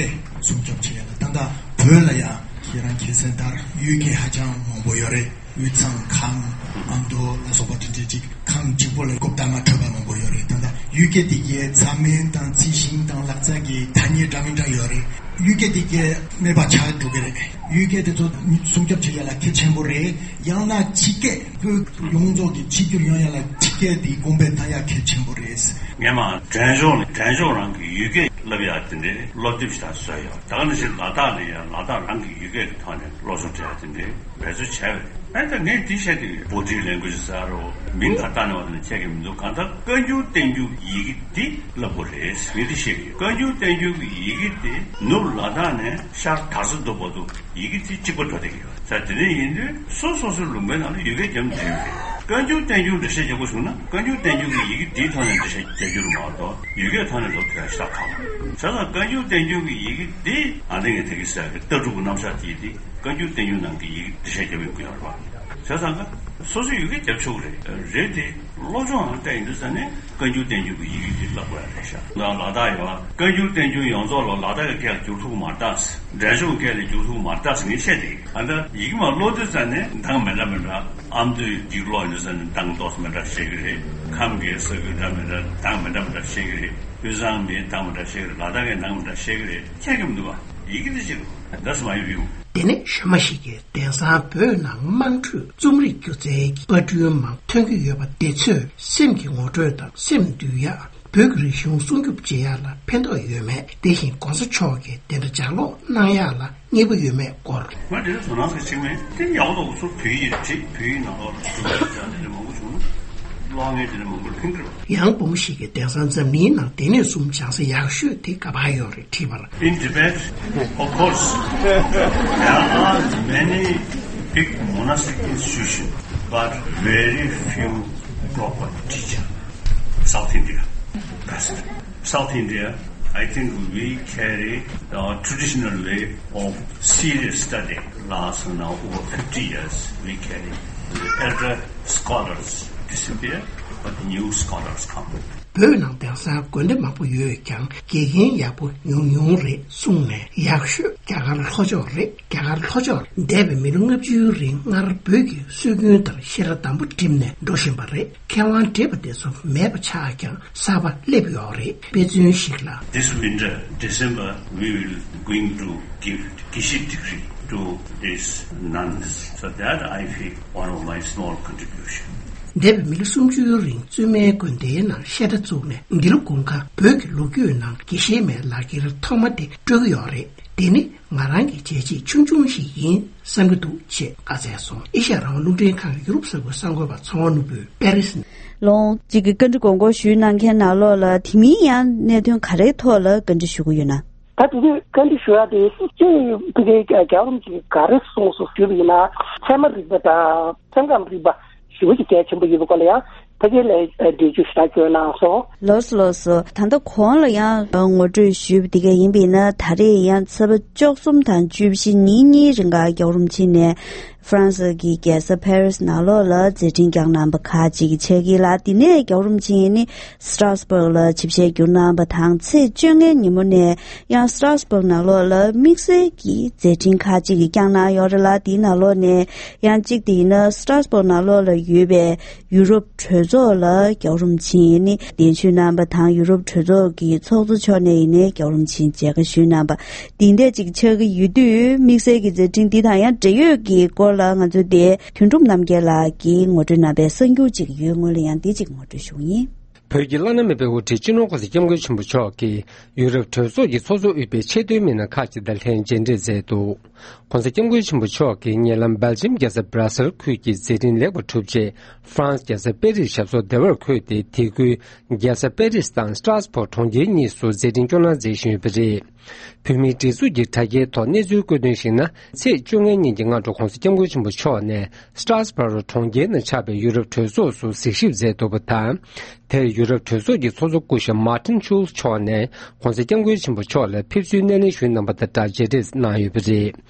སྲུང་སྐྱོབ་བྱེད་ཡ་ལ་ད་ལྟ་བོད་ལ་ཡང་ཁྱེད་རང་ཁྱེད་ཚོའི་ལྟར་ཡུལ་སྐད་ཧ་ཅང་མང་པོ་ཡོད་རེད། དབུས་གཙང་ཁམས་ཨ་མདོ་ལ་སོགས་པ་དེ་འདྲའི་ཅིག་ཁམས་གཅིག་པོ་ལ་རྐུབ་སྟེགས་མ་འཕྲོད་པ་མང་པོ་ཡོད་རེད། ད་ལྟ་ཡུལ་སྐད་དེ་གའི་མཚམས་སྨད་དང་རྩིས་ཤིང་དང་ལག་རྩལ་གྱི་ཐ་སྙད་འདྲ་མི་འདྲ་ཡོད་རེད། ཡུལ་སྐད་དེ་གའི་སྨད་པ་ཆགས་འགྲོ་གི་རེད། ཡུལ་སྐད་དེ་ཚོ་སྲུང་སྐྱོབ་བྱེད་ཡ་ལ་གལ་ཆེན་པོ་རེད། ཡང་ན་སྤྱི་སྐད་བོད་ཡོངས་རྫོགས་ཀྱི་གཅིག་གྱུར་ཡོང་ཡ་ལ་སྤྱི་སྐད་དེ་གོང་འཕེལ་གཏང་ཡ་གལ་ཆེན་པོ་རེད། སྔོན་མ་འབྲས་ལྗོངས་ནས་འབྲས་ལྗོངས་རང་གི་ཡུལ་སྐད་བསླབ་ཡ་དེ་འདྲའི་སློབ་དེབ་ཞིག་ད་བཟོས་ཡོད། ད་ག་ནང་བཞིན་ལ་དྭགས་ནས་ཡང་ལ་དྭགས་རང་གི་ཡུལ་སྐད་ཀྱི་ཐོག་ནས་སློབ་སྦྱོང་སྤྲད་ཡ་དེ་འདྲའི་འབད་རྩོལ་བྱས་པ་རེད། ཨ་ད་ངས་འདི་བཤད་དུས་Body language ཟེར་རོ། མིང་ག་བཏགས་ནས་བ་དེ་ནས་ཁྱད་ཀྱི་མི་འདུག་གང་ལྟར་བཀའ་འགྱུར་བསྟན་འགྱུར་ཡི་གེ་འདི་བསླབ་དགོས་རེད། ངས་འདི་བཤད་ཀྱི་ཡོད། བཀའ་འགྱུར་བསྟན་འགྱུར་གྱི་ཡི་གེ་དེ་ནུབ་ལ་དྭགས་ནས་ཤར་དར་ས་རྡོ་བར་དུ་ཡི་གེ་དེ་གཅིག་པ་འགྲོ་བསྡད་ཀྱི་ཡོད། ས་དེ་འདྲ་ཡིན་དུས་སོ་སོ་སོའི་ལུང་པའི་ནང་ལ་ཡུལ་སྐད་རྒྱབ་འགྲིག་ཡོད་རེད། བཀའ་འགྱུར་བསྟན་འགྱུར་འགྲེལ་བཤད་རྒྱག་དགོས་བྱུང་ན་བཀའ་འགྱུར་བསྟན་འགྱུར་གྱི་ཡི་གེ་དེའི་ཐོག་ནས་འགྲེལ་བཤད་རྒྱག་རྒྱུ་རེད་མ་གཏོགས་ཡུལ་སྐད་ཐོག་ནས་འགྲོ་ཐུབ་ཡ་ཞེ་དྲག་ཁག་པོ་རེད། བྱས་ཙང་བཀའ་འགྱུར་བསྟན་འགྱུར་གྱི་ཡི་གེ་དེ་ཨ་ནི་ངས་དེ་གི་ཟེར་གི་ལྟ་གྲུབ་ཀྱི་རྣམ་གཞག་དེ་དེ། བཀའ་འགྱུར་བསྟན་འགྱུར་ནང་གི་ཡི་གེ་འགྲེལ་བཤད་རྒྱབ་ཡོང་གི་ཡོད་རེད་པ། བྱས་ཙང་ཀ་སོ་སོའི་ཡུལ་སྐད་རྒྱབ་ཆོག་གི་རེད། རེད་དེ་སློབ་སྦྱོང་ཨང་སྤྲད་ཡིན་དུས་ཙ་ནས་བཀའ་འགྱུར་བསྟན་འགྱུར་གྱི་ཡི་གེ་དེ་བསླབ་དགོས་ཡ་རེད་ཤག་ལ་ལ་དྭགས་ཡོད་པ། བཀའ་འགྱུར་བསྟན་འགྱུར་ཡོངས་རྫོགས་ལ་ལ་དྭགས་ཀྱི་སྐད་ལ་བསྒྱུར་ཐུབ་མ་རེད་ད། འབྲས་ལྗོངས་སྐད་ལ་བསྒྱུར་ཐུབ་མ་རེད་ད་ཟེར་ངས་བཤད་དེ། ཨ་ད་ཡི་གེ་མར་ཀློག་དུས་ཙ་ནས་གདངས་མི་འདྲ་མི་འདྲ། ཨ་མདོའི་ཡིག་ཀློག་ཡིན་དུས་ཙ་ནས་གདངས་ཏོག་ཙམ་མི་འདྲ་ཤེས་ཀྱི་རེད། ཁམས་ཀྱི་ས་ཁུལ་འདྲ་མི་འདྲ་གདངས་མི་འདྲ་མི་འདྲ་ཤེས་ཀྱི་རེད། དབུས་གཙང་མིའི་གདངས་མི་འདྲ་ཤེས་ཀྱི་རེད། ལ་དྭགས་ཀྱི་གདངས་མི་འདྲ་ཤེས་ཀྱི་རེད། ཁྱད་ཀྱི་མི་འདུག་པ། ཡི་གེ་དེ་གཅིག་རེད། That's my view. དེ་ནས་གཞོན་མ་ཞིག་གིས་དེང་སང་བོད་ནང་དམངས་ཁྲོད་རྩོམ་རིག་སྒྱུ་རྩལ་གྱི་པར་སྐྲུན་མང་ཐོན་གྱི་ཡོད་པ་དེ་ཚོས་སེམས་ཀྱི་ངོ་སྤྲོད་དང་སེམས་འདུལ་ཡག་བོད་ཀྱི་རིག་གཞུང་སྲུང་སྐྱོབ་བྱེད་ཡག་ལ་ཕན་ཐོགས་ཡོད་མེད། དེ་བཞིན་༸གོང་ས་མཆོག་གིས་དེ་འདྲ་ལྗགས་ཀློག་གནང་ཡག་ལ་མཉེས་པོ་ཡོད་མེད་སྐོར། ང་དེ་ཚོ་ནང་གི་ཆིག་མིན་དེ་ཡག་པོ་འདུག་སུ་བོད་ཡིག་བྲིས་བོད་ཡིག་ནང་ལོགས་ལ་སུ་བོད་ཡིག་དེ་འདྲ་མང་པོ་བྱུང་ན་ཀློག་མཁན་དེ་འདྲ་མང་པོ་ལ་ཕན་གྱི་རེད་པ། ཡང་བུ་མོ་ཞིག་གིས་དེང་སང་འཛམ་གླིང་ནང་སྡེ་སྣོད་གསུམ་སྦྱང་ས་ཡག་ཤོས་དེ་ག་པར་ཡོད་རེད་དྲིས་པར། In Tibet, of course, there are many big monastic institutions, but very few proper teachers. South India, best. South India, I think we carry the traditional way of serious study. Last now over fifty years, we carry. The elder scholars disappear, but new scholars come. བོད་ནང་དེང་སང་དགོན་སྡེ་མང་པོ་ཡོད་ཀྱང་དགེ་རྒན་ཡག་པོ་ཉུང་ཉུང་རེད་གསུངས་ནས། ཡག་ཤོས་རྒྱ་གར་ལྷོ་ཕྱོགས་རེད། རྒྱ་གར་ལྷོ་ཕྱོགས་འདས་པའི་མི་ལོ་ལྔ་བཅུའི་རིང་སྔར་བོད་ཀྱི་སྲོལ་རྒྱུན་ལྟར་བཤད་གྲྭ་དམ་པོ་འགྲིམས་ནས་འགྲོ་བཞིན་པ་རེད། མཁས་དབང་བགྲེས་པ་དེ་ཚོ་མེད་པ་ཆགས་ཀྱང་གསར་པ་སླེབས་ཡོད་རེད། དཔེ་མཚོན་ཞིག་ལ། This winter, December, we will going to give Geshe degree to these nuns. So that I feel one of my small contribution. འདས་པའི་མི་ལོ་སུམ་ཅུའི་རིང་བཙུན་མའི་དགོན་སྡེའི་ནང་བཤད་གྲྭ་བཙུགས་ནས་འདི་ལོ་དགུན་ཁ་བོད་ཀྱི་ལོ་རྒྱུས་ནང་དགེ་བཤེས་མའི་ལག་འཁྱེར་ཐོག་མ་དེ་སྤྲོད་ཀྱི་ཡོད་རེད། དེ་ནི་ང་རང་གི་བྱས་རྗེས་ཆུང་ཆུང་ཞིག་ཡིན་བསམ་གྱི་འདུག་ཅེས་བཀའ་སྩལ་སོང་། ཨེ་ཤ་ཡ་རང་དབང་རླུང་འཕྲིན་ཁང་གི་ཡུ་རོབ་གསར་འགོད་པ་ཚོང་པ་ནོར་བུས་པེ་རིས་ནས། ལོང་གཅིག་གི་བཀའ་འདྲི་དགོངས་སྐོར་ཞུས་གནང་མཁན་ནང་ལོགས་ལ་དེ་མིན་ཡང་གནད་དོན་ག་རེའི་ཐོག་ལ་བཀའ་འདྲི་ཞུ་གི་ཡོད་ན། ད་དེ་དུས་བཀའ་འདྲི་ཞུ་ཡ་དེ་སྤྱི་ཡོངས་ཕ་གིའི་རྒྱལ་བ་རིན་པོ་ཆེས་ག་རེ་གསུངས་སོང་ཞུས་པ་ཡིན་ན། ཚད་མ་རིག་པ་དང་སེམས་ཁམས་རིག་པ་ཞེ་པོ་ཅིག་གལ་ཆེན་པོ་ཡིན་པའི་སྐོར་ལ་ཡང་ཕ་གི་ལ་འགྲེལ་བརྗོད་ཞེ་དྲག་བྱས་གནང་སོང་། ལགས་སོ་ལགས་སོ། ད་ལྟ་གོང་ལ་ཡང་ངོ་སྤྲོད་ཞུས་པ་དེ་ག་ཡིན་པ་ཡིན་ན། ད་རེས་ཡང་ཚེས་པ་བཅུ་གསུམ་དང་བཅུ་བཞི་ཉིན་གཉིས་རིང་ག་རྒྱལ་བ་རིན་པོ་ཆེ་ནས་ཧྥ་རན་སི་གི་རྒྱལ་ས་ཕེ་རིས་ནང་ལོགས་ལ་མཛད་འཕྲིན་བསྐྱངས་གནང་པ་ཁག་ཅིག་ཆགས་ཀྱི་ལ། དེ་ནས་རྒྱལ་བ་རིན་པོ་ཆེ་ནི་སི་ཏྲ་སི་བྷག་ལ་ཆིབས་ཞལ་བསྒྱུར་གནང་པ་དང་། ཚེས་བཅོ་ལྔའི་ཉིན་མོ་ནས་ཡང་སི་ཏྲ་སི་བྷག་ནང་ལོགས་ལ་དམིགས་བསལ་གྱི་མཛད་འཕྲིན་ཁག་ཅིག་བསྐྱངས་གནང་ཡོད་རེད་ལ། དེའི་ནང་ལོགས་ནས་ཡང་གཅིག་དེ་ཡིན་ན་སི་ཏྲ་སི་བྷག་ནང་ལོགས་ལ་ཡོད་པའི་ཡུ་རོབ་གྲོས་ཚོགས་ལ་རྒྱལ་བ་རིན་པོ་ཆེ་ནི་གདན་ཞུ་གནང་པ་དང་། ཡུ་རོབ་གྲོས་ཚོགས་ཀྱི་ཚོགས་གཙོ་མཆོག་ནས་ཡིན་ནའི་རྒྱལ་བ་རིན་པོ་ཆེ་མཇལ་ཁ་ཞུས་གནང་པ་འདི་འདྲ་ཅིག་ཆགས་ཀྱི་ཡོད་དུས། དམིགས་བསལ་གྱི་མཛད་འཕྲིན་འདི་དང་ཡང་འབྲེལ་ཡོད་ཀྱི་སྐོར་ལ་ང་ཚོ་དེ་དོན་གྲུབ་རྣམ་རྒྱལ་ལགས་ཀྱིས་ངོ་སྤྲོད་གནང་པའི་གསར་འགྱུར་ཅིག་ཡོད། སྔོན་ལ་ཡང་འདི་ཅིག་ངོ་སྤྲོད་ཞུ་གི་ཡིན། བོད་ཀྱི་བླ་ན་མེད་པའི་དབུ་ཁྲིད་སྤྱི་ནོར་༸གོང་ས་༸སྐྱབས་མགོན་ཆེན་པོ་མཆོག་གིས་ཡུ་རོབ་གྲོས་ཚོགས་ཀྱི་ཚོགས་གཙོ་དབུས་པའི་ཆེས་མཐོའི་མི་སྣ་ཁག་ཅིག་དང་ལྷན་མཇལ་འཕྲད་མཛད་འདུག ༸གོང་ས་༸སྐྱབས་མགོན་ཆེན་པོ་མཆོག་གིས་ཉེ་ལམ་སྦེལ་ཇམ་རྒྱལ་ས་སྦ་ར་སེལ་ཁུལ་གྱི་མཛད་འཕྲིན་ལེགས་པར་གྲུབ་རྗེས། ཧྥ་རན་སི་རྒྱལ་ས་པེ་རིས་ཞབས་སོར་བདེ་བར་འཁོད་དེ། དེ་ཁུལ་རྒྱལ་ས་པེ་རིས་དང་སི་ཏྲ་སི་བྷག་གྲོང་ཁྱེར་གཉིས་སུ་མཛད་འཕྲིན་སྐྱོང་གནང་མཛད་བཞིན་ཡོད་པ་རེད། བོད་མིའི་སྒྲིག་འཛུགས་ཀྱི་དྲ་རྒྱའི་ཐོག་གནས་ཚུལ་བཀོད་དོན་ཞིག་ན། ཚེས་བཅོ་ལྔའི་ཉིན་གྱི་སྔ་དྲོ་༸གོང་ས་༸སྐྱབས་མགོན་ཆེན་པོ་མཆོག་ནས་སི་ཏྲ་སི་བྷག་གྲོང་ཁྱེར་ནང་ཆགས་པའི་ཡུ་རོབ་གྲོས་ཚོགས་སུ་གཟིགས་ཞིབ་མཛད་འདུག་པ་དང་། དེར་ཡུ་རོབ་གྲོས་ཚོགས་ཀྱི་ཚོགས་གཙོ་སྐུ་ཞབས་མཱ་ཏིན་ཤུལ་མཆོག་ནས་༸གོང་ས་༸སྐྱབས་མགོན་ཆེན་པོ་མཆོག་ལ་ཕེབས་བསུའི་སྣེ་ལེན་ཞུས་གནང་པ་དང་སྦྲགས་མཇལ་འཕྲད་གནང་ཡོད་པ་རེད།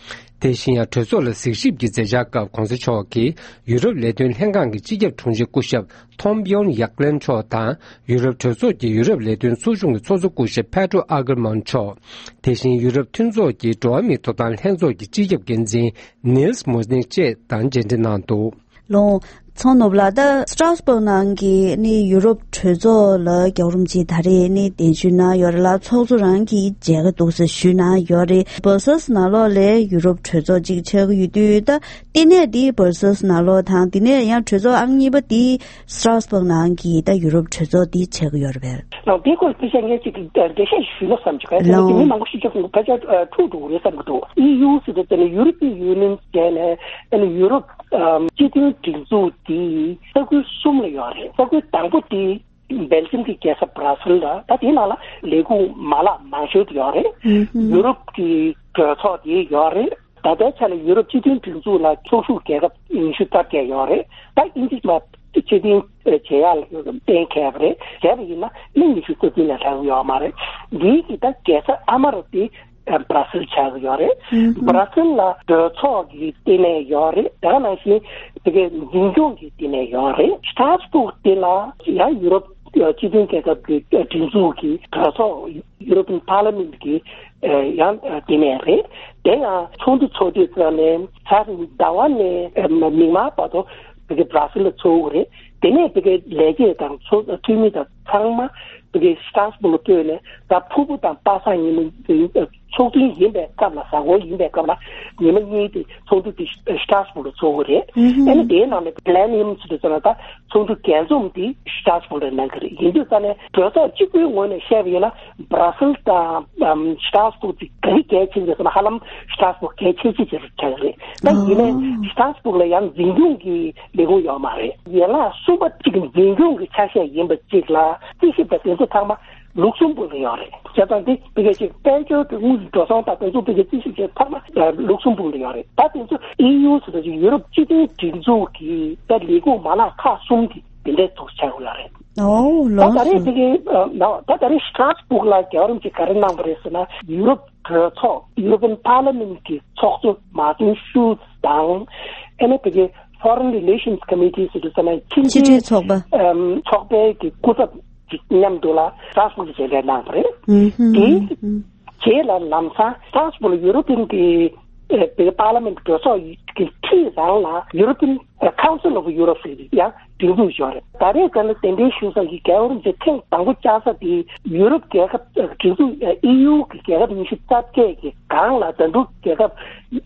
དེ་བཞིན་ཡང་གྲོས་ཚོགས་ལ་གཟིགས་ཞིབ་ཀྱི་མཛད་འཆར་སྐབས་༸གོང་ས་མཆོག་གིས་ཡུ་རོབ་ལས་དོན་ལྷན་ཁང་གི་སྤྱི་ཁྱབ་དྲུང་ཆེ་སྐུ་ཞབས་ཐོམ་བིའོན་ཡག་ལན་མཆོག་དང་། ཡུ་རོབ་གྲོས་ཚོགས་ཀྱི་ཡུ་རོབ་ལས་དོན་ཚོགས་ཆུང་གི་ཚོགས་གཙོ་སྐུ་ཞབས་པེ་ཏྲོ་ཨ་ཀར་མཱན་མཆོག་དེ་བཞིན་ཡུ་རོབ་མཐུན་ཚོགས་ཀྱི་འགྲོ་བ་མིའི་ཐོབ་ཐང་ལྷན་ཚོགས་ཀྱི་སྤྱི་ཁྱབ་འགན་འཛིན་ནིལ་མུ་ནིག་བཅས་དང་མཇལ་འཕྲད་གནང་འདུག་ལོང་། ཚོང་ནོར་བུ་ལགས། ད་སི་ཏྲ་སི་བྷག་ནང་གི་ནི་ཡུ་རོབ་གྲོས་ཚོགས་ལ་རྒྱལ་བ་རིན་པོ་ཆེ་ད་རེས་ནི་གདན་ཞུ་གནང་ཡོད་རེད་ལ། ཚོགས་གཙོ་རང་གིས་མཇལ་ཁ་འདུག་ཟེར་ཞུས་གནང་ཡོད་རེད། སྦར་སེལ་སི་ནང་ལོགས་ལ་ཡུ་རོབ་གྲོས་ཚོགས་གཅིག་ཆགས་ཀྱི་ཡོད་དུས། ད་ལྟེ་གནས་འདི་སྦར་སེལ་སི་ནང་ལོགས་དང་། དེ་ནས་ཡང་གྲོས་ཚོགས་ཨང་གཉིས་པ་འདི་སི་ཏྲ་སི་བྷག་ནང་གི་ད་ཡུ་རོབ་གྲོས་ཚོགས་འདི་ཆགས་ཀྱི་ཡོད་རེད་པས། ལགས། དེའི་སྐོར་དཔེ་ཆ་ངས་ཅིག་འགྲེལ་བཤད་ཞུས་ན་བསམ་གྱི། གལ་སྲིད་ལགས། མི་མང་པོ་ཞིག་ཅིག་ཕལ་ཆེར་འཁྲུག་འགྲོ་གི་རེད་བསམ་གྱི་འདུག་ཨི་ཡུ་ཟེར་དུས་ཙམ་ནས་ཡུ་རོ་པི་ཡུ་ནི་ཡན་ཟེར་ནས་ཨ་ནི་ཡུ་རོབ་སྤྱི་མཐུན་སྒྲིག་འཛུགས་དེ་ས་ཁུལ་གསུམ་ལ་ཡོད་རེད། ས་ཁུལ་དང་པོ་དེ་སྦེལ་ཇམ་གྱི་རྒྱལ་ས་སྦ་ར་སེལ་ལ། ད་དེའི་ནང་ལ་ལས་ཁུངས་མ་ལག་མང་ཤོས་དེ་ཡོད་རེད། ཨུ་ཧུམ། ཡུ་རོབ་ཀྱི་གྲོས་ཚོགས་དེ་ཡོད་རེད། ད་ལྟའི་ཆ་ལ་ཡུ་རོབ་སྤྱི་མཐུན་སྒྲིག་འཛུགས་ལ་ཚོགས་ཞུགས་རྒྱལ་ཁབ་ཉི་ཤུ་རྩ་བརྒྱད་ཡོད་རེད། ད་དབྱིན་ཇི་མ་ཕྱིར་འཐེན་བྱེད་ཡག་ལ་གཏན་འཁེལ་བ་རེད། བྱས་པ་ཡིན་ན་མི་ཉི་ཤུ་རྩ་བདུན་ལས་ལྷག་ཡོད་མ་རེད། འདིའི་གི་ད་རྒྱལ་ས་ཨ་མ་རུ་དེ་སྦ་ར་སེལ་ཆགས་ཀྱི་ཡོད་རེད། ཨུ་ཧུམ། སྦ་ར་སེལ་ལ་གྲོས་ཚོགས་ཀྱི་ལྟེ་གནས་ཡོད་རེད། དེ་ག་ནང་བཞིན་དེ་གའི་འཛིན་སྐྱོང་གི་ལྟེ་གནས་ཡོད་རེད། སི་ཏྲ་སི་བྷག་དེ་ལ་ཡང་ཡུ་རོབ་སྤྱི་མཐུན་རྒྱལ་ཁབ་ཀྱི་སྒྲིག་འཛུགས་ཀྱི་གྲོས་ཚོགས། European Parliament གི་ཡང་ལྟེ་གནས་རེད། དེ་ཡང་ཚོགས་འདུ་ཚོགས་དུས་ཙམ་ནས་ཚར་ཟླ་བ་ནས་མིག་དམར་བར་དུ་བི་གི་སྦ་ར་སེལ་ལ་ཚོགས་ཀྱི་རེད། དེ་ནས་བི་གི་ལས་བྱེད་དང་ཚོགས་འཐུས་མི་དང་ཚང་མ་བི་གི་སི་ཏྲ་སི་བྷག་ལ་སྤོས་ནས། ད་ཕུར་བུ་དང་པ་སངས་ཉི་མ་ཚོགས་ཐུན་ཡིན་པའི་སྐབས་ལ། གཟའ་འཁོར་ཡིན་པའི་སྐབས་ལ་ཉི་མ་གཉིས་དེ་ཚོགས་འདུ་དེ་སི་ཏྲ་སི་བྷག་ལ་ཚོགས་ཀྱི་རེད། ཨུ་ཧུམ། ཨ་ནི་དེའི་ནང་ནས་པི་ལེ་ནི་ཡམ་ཟེར་དུས་ཙམ་ལ་ད་ཚོགས་འདུ་རྒྱས་འཛོམས་དེ་སི་ཏྲ་སི་བྷག་ལ་གནང་གི་རེད། ཡིན་དུས་ཙམ་ནས་གྲོས་ཚོགས་གཅིག་པུའི་ངོས་ནས་བཤད་པ་ཡིན་ན། སྦ་ར་སེལ་དང་ཨམ་སི་ཏྲ་སི་བྷག་དེ་ག་རེ་གལ་ཆེ་ཟེར་ན། ཧ་ལམ་སི་ཏྲ་སི་བྷག་གལ་ཆེ་ཆེ་ཆེ་རུ་ཆགས་ཀྱི་རེད། ད་ཡིན་ནའི་ཨོ། སི་ཏྲ་སི་བྷག་ལ་ཡང་འཛིན་སྐྱོང་གི་ལས་ཁུངས་ཡོད་མ་རེད། ཡན་ལག་གསུམ་པ་གཅིག་འཛིན་སྐྱོང་གི་ཆ་ཤས་ཡིན་པ་གཅིག་ལ་རྩིས་ཞིབ་དང་དེ་ཚོ་ཚང་མ་ལུག་སེམ་བྷག་ལ་ཡོད་རེད། བྱས་ཙང་དེ་བི་ག་ཅིག་དཔལ་འབྱོར་གྱི་དངུལ་འགྲོ་སོང་དང་དེ་ཚོ་བི་ག་རྩིས་ཞིབ་བྱས་ཚང་མ་ལུག་སེམ་བྷག་ལ་ཡོད་རེད། ད་དེ་ཚོ་ཨི་ཡུ་ཟེར་བ་ཅིག་ཡུ་རོབ་སྤྱི་མཐུན་སྒྲིག་འཛུགས་ཀྱི་ད་ལས་ཁུངས་མ་ལག་ཁག་གསུམ་དེ་དེ་འདྲའི་ཚོགས་ཆགས་ཡོད་རེད། ཨོ། ད་ལགས་ད་རེས་སོ། དེ་གའི་ཨ་ན་ད་ད་རེས་སི་ཏྲ་སི་བྷག་ལ་རྒྱལ་བ་རིན་པོ་ཆེ་ག་རེ་གནང་བ་རེད་ཟེར་ན། ཡུ་རོབ་གྲོས་ཚོགས་European Parliament གི་ཚོགས་གཙོ་མཱ་ཏིན་ཤུལ་ཚ་དང་། ཨ་ནི་དེ་གའི་Foreign Relations Committee ཟེར་དུས་ཙམ་ན་ཕྱི་ཕྱི་འབྲེལ་འབྲེལ་ཚོགས་པ། ཨམ་ཚོགས་པའི་གི་སྐུ་ཚབ་ མཉམ་དུ་ལ་སྟྲ་སྦུག་ལ་མཇལ་འཕྲད་གནང་བ་རེད། ཨུ་ཧུ། དེའི་ཨུ། རྗེས་ལ་ལམ་སང་སྟྲ་སྦུག་ལ་ཡུ་རོ་པིན་གྱི་ཨེ་པའི་པར་ལི་མེན་གྲོས་ཚོགས་ཀྱི་འཁྲིས་རང་ལ་European Council of Europe ཟེར་ཡང་སྒྲིག་འཛུགས་ཡོད་རེད། ད་རེས་ཀ་ལ་གདན་འདྲེན་ཞུ་ས་ཀྱི་རྒྱལ་བ་རིན་པོ་ཆེ་ཐེངས་དང་པོ་བཅར་ས་དེ་ཡུ་རོབ་རྒྱལ་ཁབ་ཨེ་སྒྲིག་འཛུགས་ཨེ་ཨི་ཡུ་གི་རྒྱལ་ཁབ་ཉི་ཤུ་རྩ་བརྒྱད་ཀྱི་སྒང་ལ་ད་དུང་རྒྱལ་ཁབ་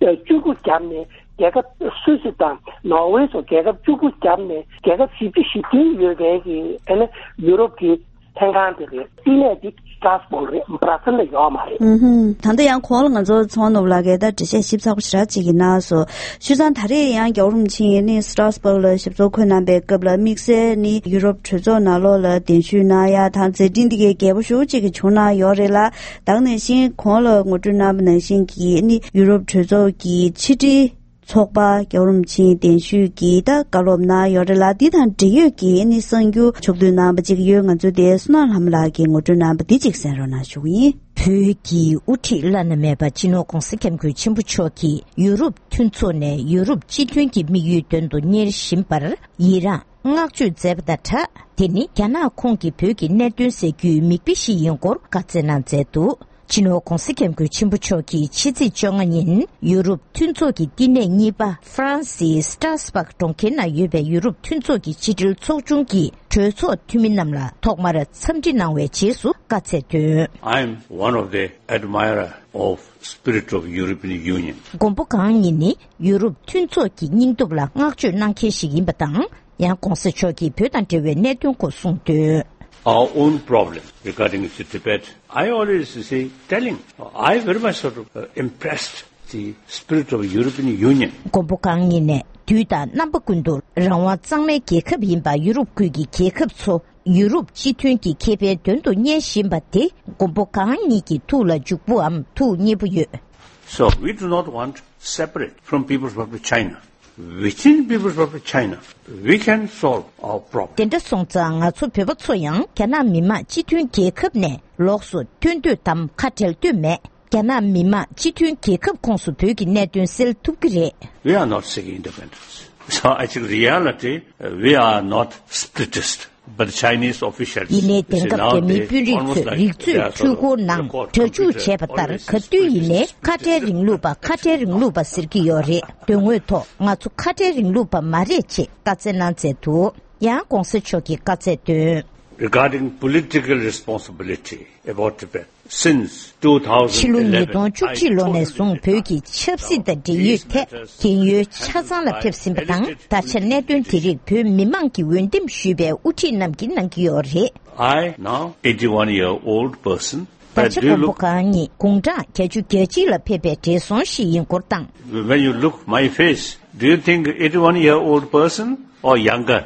ཨེ་བཅུ་དགུ་བརྒྱབ་ནས། རྒྱལ་ཁབ་སུད་སི་དང་ནོར་ཝེ་སོགས་རྒྱལ་ཁབ་བཅུ་དགུ་བརྒྱབ་ནས་རྒྱལ་ཁབ་བཞི་བཅུ་ཞེ་བདུན་ཡོད་མཁན་གྱི་ཨ་ནི་ཡུ་རོབ་ཀྱི་ལྷན་ཁང་དེ་རེད། བསྟི་གནས་དེ་སྟྲ་སྦུག་རེད། སྦྲ་སེལ་ལ་ཡོད་མ་རེད། ཨུ་ཧུམ། ད་ལྟ་ཡང་གོང་ལ་ང་ཚོ་ཚོང་ནོར་བུ་ལགས་ཀྱིས་ད་འགྲེལ་བཤད་ཞིབ་ཚགས་པོ་ཞེ་དྲག་ཅིག་གནང་སོང་། བྱས་ཙང་ད་རེས་ཡང་རྒྱལ་བ་རིན་པོ་ཆེ་ནི་སྟྲ་སྦུག་ལ་ཞབས་ཏོག་འཁོད་གནང་པའི་སྐབས་ལ་དམིགས་བསལ་ནི་ཡུ་རོབ་གྲོས་ཚོགས་ནང་ལོགས་ལ་གདན་ཞུ་གནང་ཡ་དང་མཛད་འཕྲིན་འདི་གའི་རྒྱས་པོ་ཞེ་པོ་ཅིག་བྱུང་གནང་ཡོད་རེད་ལ། ད་ག་ནང་བཞིན་གོང་ལ་ངོ་སྤྲོད་གནང་བ་ནང་བཞིན་གྱི་ནི་ཡུ་རོབ་གྲོས་ཚོགས་ཀྱི་ཕྱི་དྲིལ་ཚོགས་པ་རྒྱལ་བ་རིན་པོ་ཆེའི་གདན་ཞུས་ཀྱིས་ད་བཀའ་སློབ་གནང་ཡོད་རེད་ལ། འདི་དང་འབྲེལ་ཡོད་ཀྱི་ནི་གསར་འགྱུར་ཕྱོགས་བསྡུས་གནང་བ་ཅིག་ཡོད། ང་ཚོའི་དེ་བསོད་ནམས་ལྷ་མོ་ལགས་ཀྱིས་ངོ་སྤྲོད་གནང་བ་འདི་ཅིག་གསན་རོགས་གནང་ཞུ་གི་ཡིན། བོད་ཀྱི་དབུ་ཁྲིད་བླ་ན་མེད་པ་སྤྱི་ནོར་༧གོང་ས་༧སྐྱབས་མགོན་ཆེན་པོ་མཆོག་གིས་ཡུ་རོབ་མཐུན་ཚོགས་ནས་ཡུ་རོབ་སྤྱི་མཐུན་གྱི་དམིགས་ཡུལ་དོན་དུ་གཉེར་བཞིན་པར་ཡི་རངས་བསྔགས་བརྗོད་མཛད་པ་དང་སྦྲགས། དེ་ནི་རྒྱ་ནག་ཁོངས་ཀྱི་བོད་ཀྱི་གནད་དོན་སེལ་རྒྱུའི་མིག་དཔེ་ཞིག་ཡིན་སྐོར་བཀའ་སྩལ་གནང་མཛད་འདུག་སྤྱི་ནོར་༧གོང་ས་༧སྐྱབས་མགོན་ཆེན་པོ་མཆོག་གིས་ཕྱི་ཚེས་བཅོ་ལྔ་ཉིན་ཡུ་རོབ་མཐུན་ཚོགས་ཀྱི་བསྟི་གནས་གཉིས་པ་ཧྥ་རན་སིའི་སྟྲ་སྦག་གྲོང་ཁྱེར་ན་ཡོད་པའི་ཡུ་རོབ་མཐུན་ཚོགས་ཀྱི་ཕྱི་དྲིལ་ཚོགས་ཆུང་གི་གྲོས་ཚོགས་འཐུས་མི་རྣམས་ལ་ཐོག་མར་འཚམས་འདྲི་གནང་བའི་རྗེས་སུ་བཀའ་སྩལ་དོན། I am one of the admirer of spirit of European Union. མགོན་པོ་གང་ཉིད་ནི་ཡུ་རོབ་མཐུན་ཚོགས་ཀྱི་སྙིང་སྟོབས་ལ་བསྔགས་བརྗོད་གནང་མཁན་ཞིག་ཡིན་པ་དང་། ཡང་གོང་ས་མཆོག་གིས་བོད་དང་འབྲེལ་བའི་གནད་དོན་སྐོར་གསུངས་དོན། Our own problem regarding the Tibet, I always say, telling, I very much sort of uh, impressed the spirit of European Union. མགོན་པོ་གང་ཉིད་ནས་དུས་དང་རྣམ་པ་ཀུན་ཏུ་རང་དབང་གཙང་མའི་རྒྱལ་ཁབ་ཡིན་པ་ཡུ་རོབ་ཁུལ་གྱི་རྒྱལ་ཁབ་ཚོ་ཡུ་རོབ་སྤྱི་མཐུན་གྱི་ཁེ་ཕན་དོན་དུ་གཉེར་བཞིན་པ་དེ་མགོན་པོ་གང་ཉིད་ཀྱི་ཐུགས་ལ་འཇུག་པོའམ་ཐུགས་མཉེས་པོ་ཡོད། So we do not want separate from People's Republic of China. Within People's Republic of China, we can solve our problem. དེ་འདྲ་སོང་ཙང་ང་ཚོ་བོད་པ་ཚོ་ཡང་རྒྱ་ནག་མི་དམངས་སྤྱི་མཐུན་རྒྱལ་ཁབ་ནས་ལོགས་སུ་ཐོན་འདོད་དམ་ཁ་བྲལ་འདོད་མེད། རྒྱ་ནག་མི་དམངས་སྤྱི་མཐུན་རྒྱལ་ཁབ་ཁོངས་སུ་བོད་ཀྱི་གནད་དོན་སེལ་ཐུབ་ཀྱི་རེད། We are not seeking independence. So I think reality, uh, we are not separatist. But the Chinese officials, ཡིན་ནའི་དེང་སྐབས་རྒྱ་མིའི་དཔོན་རིགས་ཚོས་རིག་མཛོད་འཕྲུལ་འཁོར་ནང་གྲ་སྒྲིག་བྱས་པ་ལྟར་ག་དུས་ཡིན་ནའི་ཁ་བྲལ་རིང་ལུགས་པ་ཁ་བྲལ་རིང་ལུགས་པ་ཟེར་གྱི་ཡོད་རེད། དོན་དངོས་ཐོག་ང་ཚོ་ཁ་བྲལ་རིང་ལུགས་པ་མ་རེད་ཅེས་བཀའ་སྩལ་གནང་མཛད་འདུག་ཡང་གོང་ས་མཆོག་གིས་བཀའ་སྩལ་དོན། Regarding political responsibility about Tibet, since ཕྱི་ལོ་ཉིས་སྟོང་བཅུ་གཅིག་ལོ་ནས་བཟུང་བོད་ཀྱི་ཆབ་སྲིད་དང་འབྲེལ་ཡོད་ཐད་རྒན་ཡོལ་ཆ་ཚང་ལ་ཕེབས་ཟིན་པ་དང་། ད་ཆ་གནད་དོན་དེ་རིགས་བོད་མི་མང་གིས་འོས་འདེམས་ཞུས་པའི་དབུ་ཁྲིད་རྣམས་ཀྱིས་གནང་གི་ཡོད་རེད། I now eighty-one year old person. ད་ཆ་མགོན་པོ་གང་ཉིད་དགུང་གྲངས་བརྒྱད་ཅུ་གྱ་གཅིག་ལ་ཕེབས་པའི་བགྲེས་སོང་ཞིག་ཡིན་སྐོར་དང་། When you look my face, do you think eighty-one year old person or younger?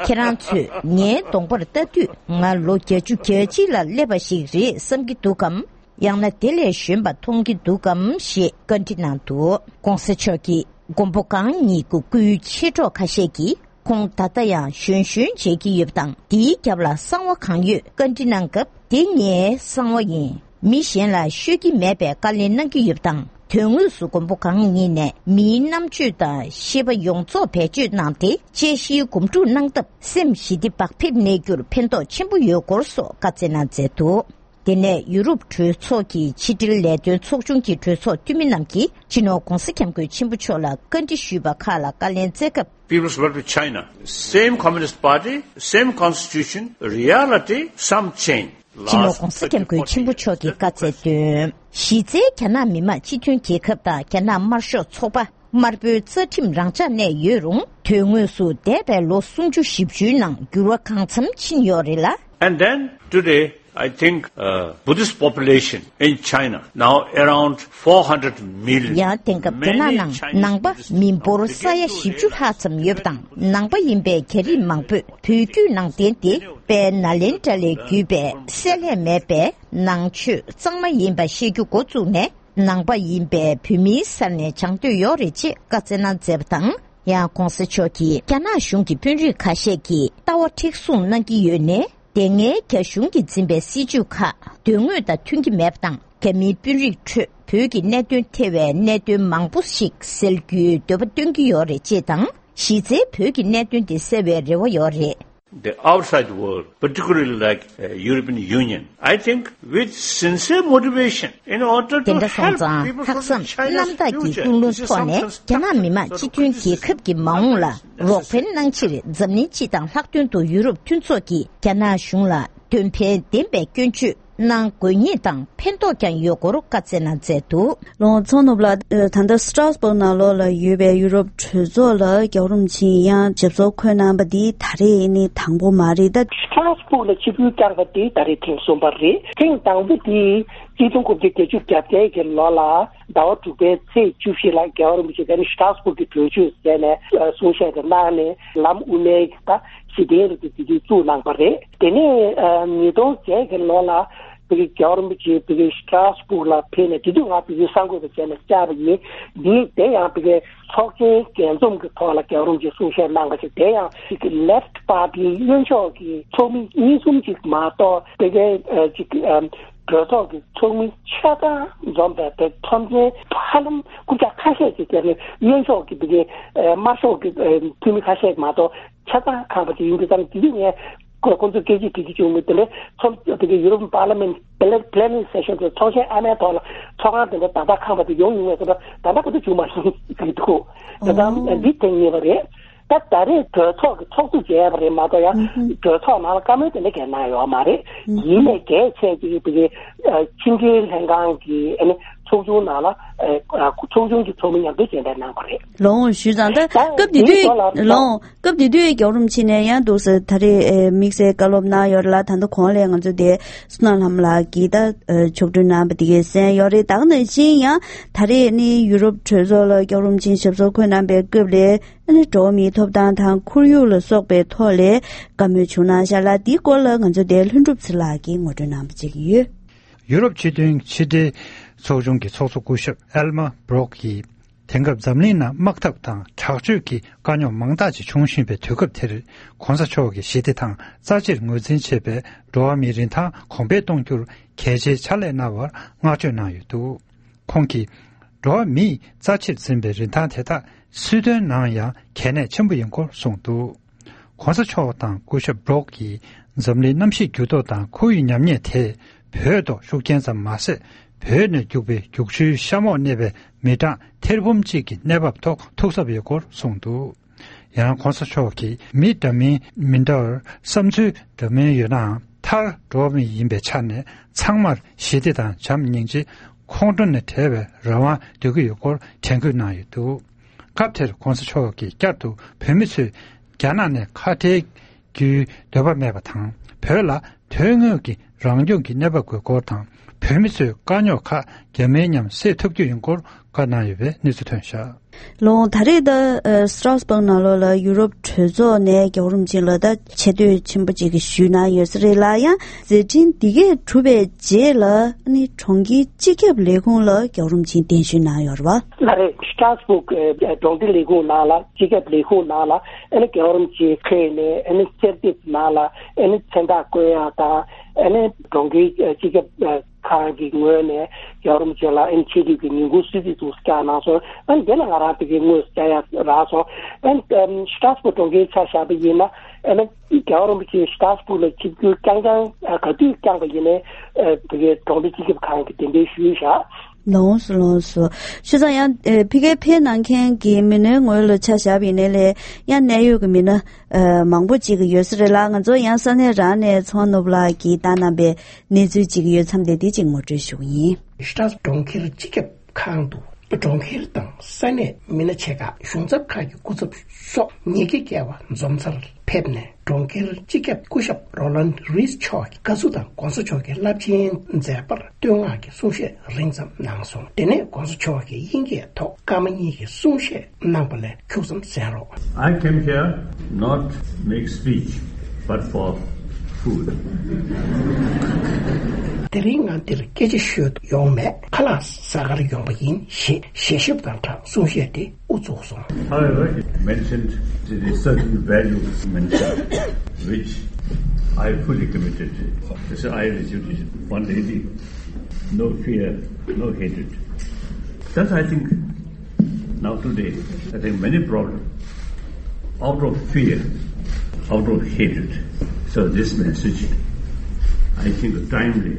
ཁྱེད་རང་ཚོས་ངའི་གདོང་པར་ལྟ་དུས་ང་ལོ་བརྒྱད་ཅུ་གྱ་གཅིག་ལ་སླེབས་པ་ཞིག་རེད་བསམ་གྱི་འདུག་གམ། ཡང་ན་དེ་ལས་གཞོན་པ་མཐོང་གི་འདུག་གམ་ཞེས་བཀའ་འདྲི་གནང་འདུག་གོང་ས་མཆོག་གིས་མགོན་པོ་གང་ཉིད་ཀྱི་སྐུའི་མཆེད་གྲོགས་ཁ་ཤས་ཀྱིས་ཁོང་ད་ལྟ་ཡང་གཞོན་གཞོན་མཇལ་གྱི་ཡོད་པ་དང་། དེའི་རྒྱབ་ལ་གསང་བ་གང་ཡོད་བཀའ་འདྲི་གནང་སྐབས། དེ་ངའི་གསང་བ་ཡིན། མི་གཞན་ལ་ཤོད་ཀྱི་མེད་པའི་བཀའ་ལན་གནང་གི་ཡོད་པ་དང་། དོན་དངོས་སུ་མགོན་པོ་གང་ཉིད་ནས་མིའི་རྣམ་དཔྱོད་དང་ཤེས་པ་ཡོངས་རྫོགས་བེད་སྤྱོད་གནང་སྟེ། དཔྱད་གཞིའི་སྒོམ་སྒྲུབ་གནང་སྟབས། སེམས་ཞི་བདེ་བག་ཕེབས་གནས་རྒྱུར་ཕན་ཐོགས་ཆེན་པོ་ཡོད་སྐོར་སོགས་བཀའ་སྩལ་གནང་མཛད་འདུག་དེ་ནས་ཡུ་རོབ་གྲོས་ཚོགས་ཀྱི་ཕྱི་དྲིལ་ལས་དོན་ཚོགས་ཆུང་གི་གྲོས་ཚོགས་འཐུས་མི་རྣམས་ཀྱིས་སྤྱི་ནོར་༧གོང་ས་༧སྐྱབས་མགོན་ཆེན་པོ་མཆོག་ལ་བཀའ་འདྲི་ཞུས་པ་ཁག་ལ་བཀའ་ལན་སྩལ་སྐབས། People's Republic of China, same Communist Party, same constitution, reality, some change. སྤྱི་ནོར་༧གོང་ས་༧སྐྱབས་མགོན་ཆེན་པོ་མཆོག་གིས་བཀའ་སྩལ་དོན། གཞི་རྩའི་རྒྱ་ནག་མི་དམངས་སྤྱི་མཐུན་རྒྱལ་ཁབ་དང་རྒྱ་ནག་དམར་ཤོག་ཚོགས་པ། དམར་པོའི་རྩ་ཁྲིམས་རང་འཇགས་གནས་ཡོད་རུང་། དོན་དངོས་སུ་འདས་པའི་ལོ་སུམ་ཅུ་བཞི་བཅུའི་ནང་འགྱུར་བ་གང་འཚམ་ཕྱིན་ཡོད་རེད་ལ། And then today, I think, uh, Buddhist population in China now around four hundred million. ཡང་དེང་སྐབས་རྒྱ་ནག་ནང་ནང་པ་མི་འབོར་ས་ཡ་བཞི་བཅུ་ལྷག་ཙམ་ཡོད་པ་དང་། ནང་པ་ཡིན་པའི་རྒྱ་རིགས་མང་པོས་བོད་བརྒྱུད་ནང་བསྟན་ཏེ། དཔལ་ནཱ་ལེནྡྲ་ལས་བརྒྱུད་པའི་བསྲེ་ལྷད་མེད་པའི་ནང་ཆོས་གཙང་མ་ཡིན་པ་ཤེས་རྒྱུ་འགོ་བཙུགས་ནས། ནང་པ་ཡིན་པའི་བོད་མིའི་སར་ནས་སྦྱང་འདོད་ཡོད་རེད་ཅེས་བཀའ་སྩལ་གནང་མཛད་པ་དང་། ཡང་གོང་ས་མཆོག་གིས་རྒྱ་ནག་གཞུང་གི་དཔོན་རིགས་ཁ་ཤས་ཀྱིས་ལྟ་བ་མཁྲེགས་བཟུང་གནང་གི་ཡོད་ནའི། དེ་སྔའི་རྒྱ་གཞུང་གིས་འཛིན་པའི་སྲིད་བྱུས་ཁག་དོན་དངོས་དང་མཐུན་གྱི་མེད་པ་དང་། རྒྱ་མིའི་དཔོན་རིགས་ཁྲོད་བོད་ཀྱི་གནད་དོན་ཐེ་བའི་གནད་དོན་མང་པོ་ཞིག་སེལ་རྒྱུའི་འདོད་པ་བཏོན་གྱི་ཡོད་རེད་ཅེས་དང་། གཞི་རྩའི་བོད་ཀྱི་གནད་དོན་དེ་སེལ་བའི་རེ་བ་ཡོད་རེད། the outside world, particularly like uh, European Union, I think with sincere motivation in order དེ to འདྲ་སོང་help ཙང་people ལྷག་བསམ་རྣམ་དག་གི་ཀུན་སློང་ཐོག་ནས་རྒྱ་ནག་མི་དམངས་སྤྱི་མཐུན་རྒྱལ་ཁབ་ཀྱི་མ་འོངས་ལ་རོགས་ཕན་གནང་ཕྱིར་འཛམ་གླིང་སྤྱི་དང་ལྷག་དོན་དུ་ཡུ་རོབ་མཐུན་ཚོགས་ཀྱིས་རྒྱ་ནག་གཞུང་ལ་དོན་ཕན་ལྡན་པའི་སྐྱོན་བརྗོད་གནང་དགོས་ངེས་དང་ཕན་ཐོགས་ཀྱང་ཡོད་སྐོར་བཀའ་སྩལ་གནང་མཛད་འདུག་ལོ་ཚོགས་ནུབ་ལ་ད་ལྟ་སི་ཏྲ་སྦུག་ནང་ལོགས་ལ་ཡོད་པའི་ཡུ་རོབ་གྲོས་ཚོགས་ལ་རྒྱལ་བ་རིན་པོ་ཆེ་ཡང་ཞབས་སོར་འཁོད་གནང་པ་འདི་ད་རེས་ནི་དང་པོ་མ་རེད་ད། སི་ཏྲ་སྦུག་ལ་ཆིབས་བསྒྱུར་བསྐྱངས་པ་འདི་ད་རེས་ཐེངས་གསུམ་པ་རེད། ཐེངས་དང་པོ་འདི་གཅིག་སྟོང་དགུ་བརྒྱ་བརྒྱད་ཅུ་གྱ་བརྒྱད་ཀྱི་ལོ་ལ་ཟླ་བ་དྲུག་པའི་ཚེས་བཅུ་བཞི་ལ་རྒྱལ་བ་རིན་པོ་ཆེ་ག་ནི་སི་ཏྲ་སྦུག་གི་གྲོས་ཆོད་ཟེར་ནས་གསུང་བཤད་དེ་གནང་ནས་ལམ་དབུ་མའི་ད་གཞི་རྟེན་རེད་དེ་དེ་དུས་བཙུགས་གནང་པ་རེད། དེ་ནས་ཉིས་སྟོང་བརྒྱད་ཀྱི་ལོ་ལ་བོད་ཀྱི་རྒྱལ་བ་རིན་པོ་ཆེ་བོད་ཀྱི་སི་ཏྲ་སྦུག་ལ་ཕེབས་ནས་དེ་དུས་ང་བོད་ཀྱི་གསར་འགོད་པ་བྱས་ནས་བཅར་བ་ཡིན། འདི་དེ་ཡང་བོད་ཀྱི་ཚོགས་ཆེན་རྒྱས་འཛོམས་ཀྱི་ཐོག་ལ་རྒྱལ་བ་རིན་པོ་ཆེ་གསུང་བཤད་གནང་བ་ཞིག་དེ་ཡང་བོད་ཀྱི་Left Party གཡོན་ཕྱོགས་ཀྱི་ཚོགས་མི་གཉིས་གསུམ་ཅིག་མ་གཏོགས་བོད་ཀྱི་ཅིག་གྲོས་ཚོགས་ཀྱི་ཚོགས་མི་ཆ་ཚང་འཛོམས་པའི་བོད་ཚོམས་ཆེན་ཧ་ལམ་རྐུབ་བཀྱག་ཁ་ཤས་ཀྱི་དེ་ནི་གཡོན་ཕྱོགས་ཀྱི་བོད་ཀྱི་དམར་ཤོག་གི་འཐུས་མི་ཁ་ཤས་མ་གཏོགས། ཆ་ཚང་ཁང་པ་དེ་ཡིན་དུས་ཙམ་དེ་དུས་ངས་ཁོ་ཁོང་ཚོ་སྐད་ཆ་དྲིས་ཀྱི་བྱུང་མི་དེ་འདྲའི་ཚོམས་དེ་གའི་European Parliament plenary session དེ་ཚོགས་ཆེན་ཨ་མའི་ཐོག་ལ་ཚོགས་ཁང་དེ་འདྲ་ད་ལྟ་ཁང་པ་དེ་ཡོང་མྱོང་བས་ད་ལྟ་ད་ལྟ་ཁོ་ཚོ་བྱུང་མ་སོང་གི་འདུག་ད་ལྟ་འདི་ཐེངས་གཉིས་པ་རེད། ད་ད་རེས་གྲོས་ཚོགས་ཀྱི་ཚོགས་གཙོ་བྱས་པ་རེད་མ་གཏོགས་ཡང་གྲོས་ཚོགས་ནང་ལ་བཀའ་མོལ་དེ་འདྲ་གས་གནང་ཡོད་མ་རེད། ཡིན་ནའི་གལ་ཆེ་གི་དེ་གའི་ཕྱི་འབྲེལ་ལྷན་ཁང་གི་ཨ་ནི་ཚོགས་ཆུང་ནང་ལ་ཚོགས་ཆུང་གི་ཚོགས་མི་མཉམ་དུ་མཇལ་འཕྲད་གནང་བ་རེད། ལོང་ཞུས་ཙང་ད་སྐབས་དེ་དུས་ལོང་སྐབས་དེ་དུས་རྒྱལ་བ་རིན་པོ་ཆེ་ནས་ཡང་འདུག་ཟེར་ད་རེས་དམིགས་བསལ་བཀའ་སློབ་གནང་ཡོད་ལ། ད་ལྟ་གོང་ལས་ང་ཚོ་དེ་བསོད་ནམས་ལྷ་མོ་ལགས་ཀྱིས་ད་ཕྱོགས་སྒྲིག་གནང་བ་དེ་གས་གསན་ཡོད་རེད། ད་ག་ནང་བཞིན་ཡང་ད་རེས་ནི་ཡུ་རོབ་གྲོས་ཚོགས་ལ་རྒྱལ་བ་རིན་པོ་ཆེ་ཞབས་སོར་འཁོད་གནང་པའི་སྐབས་ལས་ཨ་ནི་འགྲོ་བ་མིའི་ཐོབ་ཐང་དང་ཁོར་ཡུག་ལ་སོགས་པའི་ཐོག་ལས་བཀའ་མོལ་བྱུང་གནང་ཤག་ལ། དེའི་སྐོར་ལ་ང་ཚོ་དེ་ལྷུན་གྲུབ་ཚེ་ལགས་ཀྱིས་ངོ་སྤྲོད་གནང་བ་བཅས་ཀྱི་ཡོད། ཡུ་རོབ་སྤྱི་མཐུན་ཕྱི་འབྲེལ་ཚོགས་ཆུང་གི་ཚོགས་གཙོ་སྐུ་ཞབས་ཨེལ་མ་བྷི་རོག་གིས། དེང་སྐབས་འཛམ་གླིང་ནང་དམག་འཐབ་དང་དྲག་སྤྱོད་ཀྱི་དཀའ་རྙོག་མང་དག་ཅིག་བྱུང་བཞིན་པའི་དུས་སྐབས་དེར། ྋགོང་ས་མཆོག་གིས་ཞི་བདེ་དང་རྩ་ཆེར་ངོས་འཛིན་བྱེད་པའི་འགྲོ་བ་མིའི་རིན་ཐང་གོང་འཕེལ་གཏོང་རྒྱུར་གལ་ཆེའི་ཕྱག་ལས་གནང་བར་བསྔགས་བརྗོད་གནང་ཡོད་འདུག་ཁོང་གིས། འགྲོ་བ་མིས་རྩ་ཆེར་འཛིན་པའི་རིན་ཐང་དེ་དག་སྲིད་དོན་ནང་ཡང་གལ་གནད་ཆེན་པོ་ཡིན་སྐོར་གསུངས་འདུག ྋགོང་ས་མཆོག་དང་སྐུ་ཞབས་བྷི་རོག་གིས་འཛམ་གླིང་གནམ་གཤིས་འགྱུར་ལྡོག་དང་ཁོར་ཡུག་ཉམས་ཉེས་དེ་བོད་ཐོག་ཤུགས་རྐྱེན་ཙམ་མ་ཟད། བོད་ནས་རྒྱུག་པའི་རྒྱུག་ཆུའི་གཤམ་འོག་གནས་པའི་མི་གྲངས་ཐེར་འབུམ་གཅིག་གི་གནས་བབ་ཐོག་ཐུགས་འཚབ་ཡོད་སྐོར་གསུངས་འདུག་ཡང་ྋགོང་ས་མཆོག་གིས་མི་འདྲ་མིན་མི་འདྲ་བར་བསམ་ཚུལ་འདྲ་མིན་ཡོད་ནའང་མཐར་འགྲོ་བ་མི་ཡིན་པའི་ཆ་ནས་ཚང་མར་ཞི་བདེ་དང་བྱམས་སྙིང་རྗེ་ཁོང་ཁྲོ་ནས་བྲལ་བའི་རང་དབང་འདོད་ཀྱི་ཡོད་སྐོར་དྲན་སྐུལ་གནང་ཡོད་འདུག་སྐབས་དེར་ྋགོང་ས་མཆོག་གིས་བསྐྱར་དུ་བོད་མི་ཚོས་རྒྱ་ནག་ནས་ཁ་བྲལ་རྒྱུའི་འདོད་པ་མེད་པ་དང་། བོད་ལ་དོན་དངོས་ཀྱི་རང་སྐྱོང་གི་གནས་བབ་དགོས་སྐོར་དང་། བོད་མི་ཚོས་དཀའ་རྙོག་ཁག་རྒྱ་མིའི་མཉམ་སེལ་ཐུབ་རྒྱུ་ཡིན་སྐོར་བཀའ་གནང་ཡོད་པའི་གནས་ཚུལ་ཐོན་བཞག་ལོང་ད་རེས་ད་སི་ཏྲ་སྦུག་ནང་ལོགས་ལ་ཡུ་རོབ་གྲོས་ཚོགས་ནས་རྒྱལ་བ་རིན་པོ་ཆེ་ལ་ད་ཆེ་བསྟོད་ཆེན་པོ་ཅིག་ཞུས་གནང་ཡོད་ས་རེད་ལ། ཡང་མཛད་འཕྲིན་འདི་གས་གྲུབ་པའི་རྗེས་ལ་ནི་གྲོང་ཁྱེར་སྤྱི་ཁྱབ་ལས་ཁུངས་ལ་རྒྱལ་བ་རིན་པོ་ཆེ་གདན་ཞུ་གནང་ཡོད་རེད་བ། ལགས་རེད། སི་ཏྲ་སྦུག་གྲོང་སྡེ་ལས་ཁུངས་ནང་ལ་སྤྱི་ཁྱབ་ལས་ཁུངས་ནང་ལ་ཨ་ནི་རྒྱལ་བ་རིན་པོ་ཆེ་ཕེབས་ནས་ཨ་ནི་གསེར་ཐེབས་ནང་ལ་ཨ་ནི་མཚན་རྟགས་བཀོད་ཡག་དང་ཨ་ནི་གྲོང་ཁྱེར་སྤྱི་ཁྱབ་ཁང་གི་ངོས་ནས་རྒྱལ་བ་རིན་པོ་ཆེ་ལ་ཨ་ནི་ཆེད་དུ་གི་ཉིན་གུང་གསོལ་ཚིགས་དུ་བསྐྱངས་གནང་སོང་། ཨ་ནི་དེ་ལ་ང་རང་དེ་གའི་དངོས་སུ་བཅར་ཡག་རག་སོང་། ཨ་ནི་སི་ཏྲ་སྦུག་གྲོང་ཁྱེར་ཆ་བཞག་པ་ཡིན་ན་ཨ་ནི་རྒྱལ་བ་རིན་པོ་ཆེ་སི་ཏྲ་སྦུག་ལ་ཆིབས་བསྒྱུར་རྐྱང་རྐྱང་ག་དུས་བསྐྱངས་པ་ཡིན་ནའི་དེ་གའི་གྲོང་སྡེ་སྤྱི་ཁྱབ་ཁང་གི་གདན་འདྲེན་ཞུས་བཞག་ལོངས་སུ་ལོངས་སུ། བྱས་ཙང་ཡང་ཕ་གིར་ཕེབས་གནང་མཁན་གྱི་མི་སྣའི་ངོས་ལ་ཆ་བཞག་པ་ཡིན་ནའི་ལས་ཡང་གནད་ཡོད་ཀྱི་མི་སྣ་མང་པོ་ཅིག་ཡོད་ས་རེད་ལ། ང་ཚོ་ཡང་ས་གནས་རང་ནས་ཚོང་ནོར་བུ་ལགས་ཀྱིས་བཏང་གནང་པའི་གནས་ཚུལ་ཅིག་ཡོད་མཚམས་དེ་འདི་ཅིག་ངོ་སྤྲོད་ཞུ་གི་ཡིན། སི་ཏྲ་སྦུག་གྲོང་ཁྱེར་སྤྱི་ཁྱབ་ཁང་དུ་གྲོང་ཁྱེར་དང་ས་གནས་མི་སྣ་ཆེ་ཁག་གཞུང་ཚབ་ཁག་གི་སྐུ་ཚབ་སོགས་ཉིས་བརྒྱ་བརྒལ་བ་འཛོམས་སར་ཕེབས་ནས་གྲོང་ཁྱེར་སྤྱི་ཁྱབ་སྐུ་ཞབས་རོ་ལན་རིས་མཆོག་གི་བཀའ་ཟུར་དང་ྋགོང་ས་མཆོག་གི་རླབས་ཆེན་མཛད་པར་བསྟོད་བསྔགས་ཀྱི་གསུང་བཤད་རིང་ཙམ་གནང་སོང་། དེ་ནས་ྋགོང་ས་མཆོག་གིས་དབྱིན་སྐད་ཐོག་སྐར་མ་གཉིས་ཀྱི་གསུང་བཤད་གནང་པ་ལས་ཁྱུག་ཙམ་གསན་རོགས། I came here not make speech but for food. དེ་རིང་ང་འདིར་སྐད་ཆ་ཤོད་དུ་ཡོང་མེད། ཁ་ལག་ཟ་གར་ཡོང་པ་ཡིན་ཞེས་ཞལ་ཞབས་དང་སྦྲགས་གསུང་བཤད་དེ་དབུ་བཙུགས་སོང་། However, it mentioned the certain values mentioned, which I fully committed. This I received one lady, no fear, no hatred. That I think now today, I think many brought out of fear. out of hatred. So this message, I think, timely,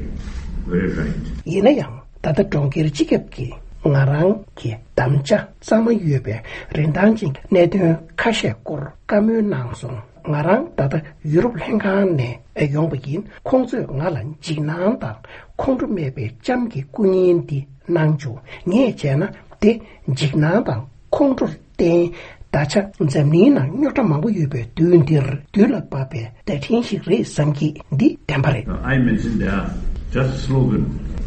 very right. ཡིན་ན་ཡང་ད་ལྟ་གྲོང་ཁྱེར་སྤྱི་ཁྱབ་ཀྱིས་ང་རང་གི་དམ་བཅའ་གཙང་མ་ཡོད་པའི་རིན་ཐང་ཅན་གྱི་གནད་དོན་ཁ་ཤས་སྐོར་བཀའ་མོལ་གནང་སོང་། ང་རང་ད་ལྟ་ཡུ་རོབ་ལྷན་ཁང་ནས་ཡོང་བ་ཡིན། ཁོང་ཚོས་ང་ལ་འཇིགས་སྣང་དང་ཁོང་ཁྲོ་མེད་པའི་ལྕམ་གྱི་སྐུ་བརྙན་འདི་གནང་བྱུང་། ངས་བྱས་ན་དེ་འཇིགས་སྣང་དང་ཁོང་ཁྲོར་བརྟེན། ད་ཆ་འཛམ་གླིང་ནང་རྙོག་དྲ་མང་པོ་ཡོད་པའི་དུས་འདིར་དུས་ལ་བབ་པའི་བརྡ་འཕྲིན་ཞིག་རེད་བསམ་གྱི། འདི་བདེན་པ་རེད། I mentioned there, just slogan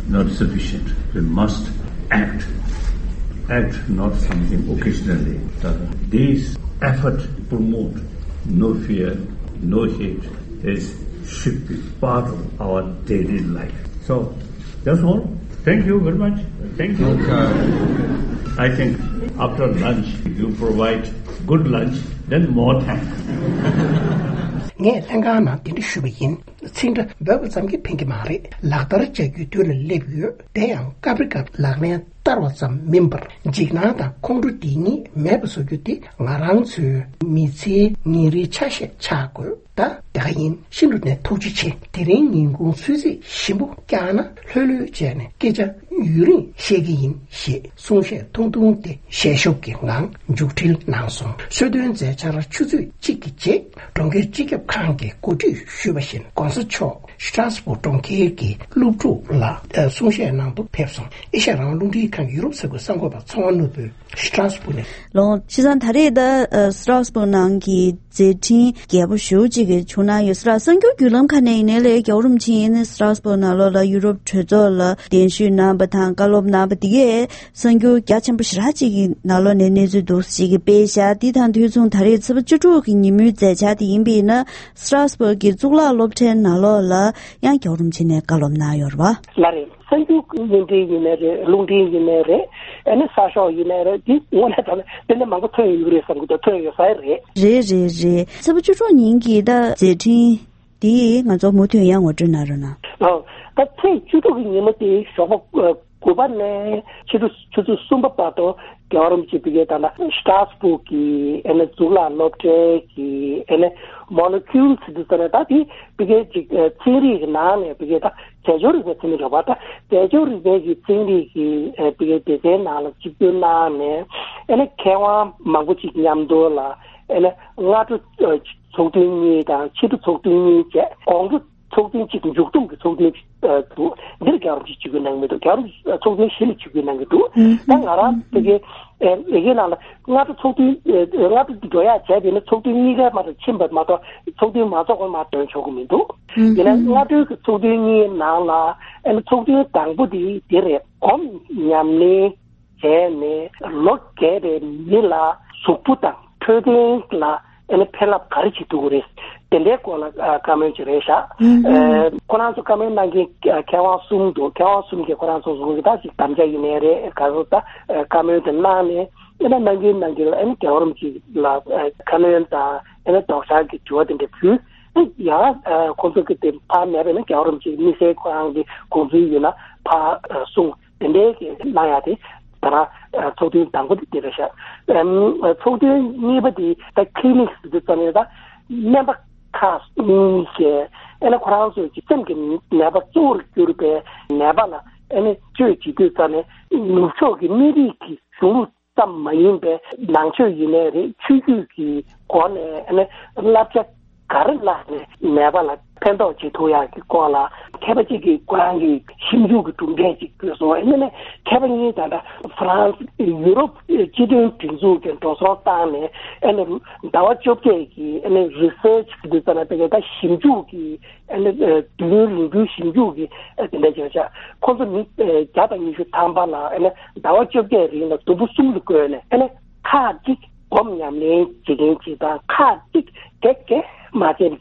not sufficient. We must act. Act not something occasionally. These efforts to promote no fear, no hate is should be part of our daily life. So, that's all. Thank you very much. Thank you. Okay. I think after lunch, you provide good lunch, then more thanks. ངས་ལྷན་ཁང་ནང་འདི་འདྲ་ཞུས་པ་ཡིན། ཚིག་འདྲ་འབོད་པ་ཙམ་གྱིས་ཕན་གྱི་མ་རེད། ལག་བསྟར་བྱ་རྒྱུའི་དུས་ལ་སླེབས་ཡོད། དེ་ཡང་སྐབས་རེ་སྐབས་ལག་ལེན་བསྟར་བ་ཙམ་མིན་པར་འཇིགས་སྣང་དང་ཁོང་ཁྲོ་འདི་གཉིས་མེད་པ་བཟོ་རྒྱུ་དེ་ང་རང་ཚོའི་མི་ཚེའི་ཉིན་རེའི་ཆ་ཤས་ཆགས་དགོས། ད་དེ་ག་ཡིན། ཤིན་ཏུ་ནས་ཐུགས་རྗེ་ཆེ། དེ་རིང་ཉིན་གུང་ཚོད་རྩིས་ཞིམ་པོ་བཀྱག་ན་ལྷོད་ལྷོད་བྱས་ནས་སྐད་ཆ་ཡུན་རིང་བཤད་ཀྱི་ཡིན་ཞེས་གསུང་བཤད་ཐུང་ཐུང་དེ་ཞལ་ཤུབས་ཀྱི་ངང་མཇུག་སྒྲིལ་གནང་སོང་། གསོལ་སྟོན་མཛད་འཆར་ཆུ་ཚོད་གཅིག་གི་རྗེས་གྲོང་ཁྱེར་སྤྱི་ཁྱབ་ཁང་གིས་གོ་སྒྲིག་ཞུས་པ་བཞིན་༧གོང་ས་མཆོག་སི་ཏྲ་སྦུག་གྲོང་ཁྱེར་གྱི་སློབ་ཕྲུག་ལ་གསུང་བཤད་གནང་དུ་ཕེབས་སོང་། ཨེ་ཤ་ཡ་རང་དབང་རླུང་འཕྲིན་ཁང་ཡུ་རོབ་ས་ཁུལ་གསར་འགོད་པ་ཚེ་དབང་ནོར་བུས་སི་ཏྲ་སྦུག་ནས། ལོ། བྱས་ཙང་ད་རེས་ད་སི་ཏྲ་སྦུག་ནང་གི་མཛད་འཕྲིན་རྒྱས་པོ་ཞེ་པོ་ཅིག་གི་བྱུང་གནང་ཡོད་ས་རེད། གསར་འགྱུར་བརྒྱུད་ལམ་ཁག་ནས་ཡིན་ནའི་ལས། རྒྱལ་བ་རིན་པོ་ཆེ་ཡིན་ནའི་སི་ཏྲ་སྦུག་ནང་ལོགས་ལ་ཡུ་རོབ་གྲོས་ཚོགས་ལ་གདན་ཞུ་གནང་བ་དང་བཀའ་སློབ་གནང་བ་དེ་གས་གསར་འགྱུར་རྒྱ་ཆེན་པོ་ཞེ་དྲག་ཅིག་གི་ནང་ལོགས་ནས་གནས་ཚུལ་འདུག་ཅིག་གི་སྤེལ་བཞག་འདི་དང་དུས་མཚུངས་ད་རེས་ཚེས་པ་བཅུ་དྲུག་གི་ཉིན་མོའི་མཛད་འཆར་དེ་ཡིན་པ་ཡིན་ན། སི་ཏྲ་སྦུག་གི་གཙུག་ལག་སློབ་གྲྭའི་ནང་ལོགས་ལ་ཡང་རྒྱལ་བ་རིན་པོ་ཆེ་ནས་བཀའ་སློབ་གནང་ཡོད་རེད་པ། ལགས་རེད། གསར་འགྱུར་བརྙན་འཕྲིན་ཡིན་ནའི་རེད། རླུང་འཕྲིན་ཡིན་ནའི་རེད། ཨ་ནི་གསར་ཤོག་ཡིན་ནའི་རེད། འདི་དངོས་གནས་དྲང་གནས་དེ་འདྲ་མང་པོ་ཐོན་ཡོད་རེད་བསམ་གྱི་འདུག་ཐོན་ཡོད་ས་རེད། རེད་རེད་རེད། ཚེས་པ་བཅུ་དྲུག་ཉིན་གྱི་ད་མཛད་འཕྲིན་འདི་ང་ཚོ་མུ་མཐུད་ཡང་ངོ་སྤྲོད་གནང་རོགས་གནང་། ཨོ། ད་ཚེས་བཅུ་དྲུག་གི་ཉིན་མོ་དེ་ཞོགས་པ་དགུ་པ་ནས་ཕྱི་དྲོ་ཆུ་ཚོད་གསུམ་པ་བར་དུ་རྒྱལ་བ་རིན་པོ་ཆེ་ཕ་གིའི་ད་ལྟ་སི་ཏྲ་སྦུག་གི་ཨ་ནི་གཙུག་ལག་སློབ་གྲྭའི་གི་ཨ་ནི་མོ་ལེ་ཀུལ་ཟེར་དུས་ཙམ་ནས། ད་དེ་ཕ་གིའི་ཅིག་ཚན་རིག་གི་ནང་ནས་ཕ་གིའི་ད་རྫས་སྦྱོར་རིག་པའི་ཚན་རིག་རེད་པ། ད་རྫས་སྦྱོར་རིག་པའི་གི་ཚན་རིག་གི་ཨ་ཕ་གིའི་སྡེ་ཚན་ནང་ལ་ཆིབས་བསྒྱུར་གནང་ནས། ཨ་ནི་མཁས་དབང་མང་པོ་ཅིག་མཉམ་དུ་ལ་ཨ་ནི་སྔ་དྲོ་ཚོགས་ཐུན་གཉིས་དང་ཕྱི་དྲོ་ཚོགས་ཐུན་གཉིས་བྱས། དགོང་དྲོ་ཚོགས་ཐུན་གཅིག་མཇུག་བསྡོམས་ཀྱི་ཚོགས་ཐུན་ཨ་འདུག་འདིར་རྒྱལ་བ་རིན་པོ་ཆེ་ཆིབས་བསྒྱུར་གནང་གི་མི་འདུག་རྒྱལ་བ་རིན་པོ་ཆེ་ཚོགས་ཐུན་བཞི་ལ་ཆིབས་བསྒྱུར་གནང་གི་འདུག་ཨུ། ད་ང་རང་ཕ་གིའི་ཨེ་ལས་ཀའི་ནང་ལ་སྔ་དྲོ་ཚོགས་ཐུན་ཨེ་སྔ་དྲོ་འགྲོ་ཡག་བྱས་པ་ཡིན་ན། ཚོགས་ཐུན་གཉིས་ཀའི་མ་གཏོགས་ཕྱིན་པ་མ་གཏོགས་ཚོགས་ཐུན་མ་ཚོགས་པ་མར་ཐོན་ཆོག་གི་མི་འདུག་ཨུ། ཡིན་ན་སྔ་དྲོའི་གི་ཚོགས་ཐུན་གཉིས་ནང་ལ་ཨ་ནི་ཚོགས་ཐུན་དང་པོ་དེ་དེ་རེད། སྒོམ་ཉམས་ལེན་བྱས་ནས་ལོ་རྒས་པའི་མི་ལ་གཟུགས་པོ་དང་འཕྲོད་བསྟེན་ལ་ཨ་ནི་ཕན་རླབས་ག་རེ་བྱེད་ཐུབ་ཀྱི་རེད། དེ་འདྲའི་སྐོར་ལ་ཨ་བཀའ་མོལ་ཅིག་རེད་ཤག་ཨུ་ཧུ། ཨ་ཁོ་རང་ཚོ་བཀའ་མོལ་གནང་མཁན་མཁས་དབང་གསུམ་འདུག་མཁས་དབང་གསུམ་གྱིས་ཁོ་རང་ཚོ་ཟུང་གི་ད་ཅིག་དམ་བཅའ་ཡིན་ནའི་རེད། ག་ཚོད་ད་ཨ་བཀའ་མོལ་དེ་གནང་ནས། ཨ་ནི་གནང་མཁན་གནང་མཁན་ལ་ཨ་ནི་རྒྱལ་བ་རིན་པོ་ཆེ་ལ་ཨ་ཁ་སྣོན་དང་། ཨ་ནི་ལྡོག་ཕྱག་གི་དྲི་བ་དེ་འདྲ་ཕུལ། ཨ་ཡང་ཨ་ཁོང་ཚོ་གི་དེ་ཕར་མེད་པ་ཡིན་ན་རྒྱལ་བ་རིན་པོ་ཆེ་དམིགས་བསལ་ཁོ་རང་གི་དགོངས་ཚུལ་ཡོད་ན་ཕར་ཨ་གསུངས། དེ་འདྲའི་གི་གནང་ཡག་དེ་ད་རང་ཨ་ཚོགས་ཐུན་དང་པོ་དེ་དེ་རེད་ཤག་ཨམ་ཚོགས་ཐུན་གཉིས་པ་དེ་ད་ཁི་ལི་ནིག་ཟེར་དུས་ཙམ་ནས་ད་སྨན་པ་ཁག་གཉིས་ཀྱིས་ཨ་ནི་ཁོ་རང་ཚོའི་གི་སེམས་ཀྱི་ནད་པ་གཙོ་བོར་གྱུར་པའི་ནད་པ་ལ་ཨ་ནི་བཅོས་བྱེད་དུས་ཙམ་ནས་ནུབ་ཕྱོགས་ཀྱི་སྨན་རིགས་ཀྱི་གཞུང་ལུགས་ཙམ་མ་ཡིན་པའི་ནང་ཆོས་ཡིན་ནའི་རེད། ཆོས་བརྒྱུད་ཀྱི་སྒོ་ནས་ཨ་ནི་བསླབ་བྱ་ག་རེ་བསླབས་ནས་ནད་པ་ལ་ཕན་ཐོགས་བྱེད་ཐུབ་ཡག་གི་སྐོར་ལ་མཁས་པ་གཅིག་གིས་ཁོ་རང་གི་ཞིབ་འཇུག་གི་གྲུབ་འབྲས་ཅིག་བཀོད་སོང་། ཨ་ནི་ནས་མཁས་པ་གཉིས་ད་ལྟ་ཧྥ་རན་སི་ཡུ་རོབ་སྤྱི་མཐུན་སྒྲིག་འཛུགས་ཀྱི་འགྲོ་སོང་བཏང་ནས་ཨ་ནི་ཟླ་བ་བཅོ་བརྒྱད་ཀྱི་ཨ་ནི་རི་སར་ཆི་ཟེར་དུས་ཙམ་ནས་དེ་ག་ད་ཞིབ་འཇུག་གི་ཨ་ནི་ཨ་དུས་ཡུན་རིང་པོའི་ཞིབ་འཇུག་གི་ཨ་དེ་འདྲ་བྱས་ཤག་ཁོང་ཚོ་མི་ཨ་བརྒྱ་དང་ཉི་ཤུ་ཐམ་པ་ལ་ཨ་ནི་ཟླ་བ་བཅོ་བརྒྱད་རིང་ལ་དུམ་བུ་གསུམ་ལ་བགོས་ནས། ཨ་ནི་ཁག་གཅིག་སྒོམ་ཉམས་ལེན་བྱེད་མཁན་ཅིག་དང་། ཁག་གཅིག་དེ་གས་མ་བྱས་པ་བྱས།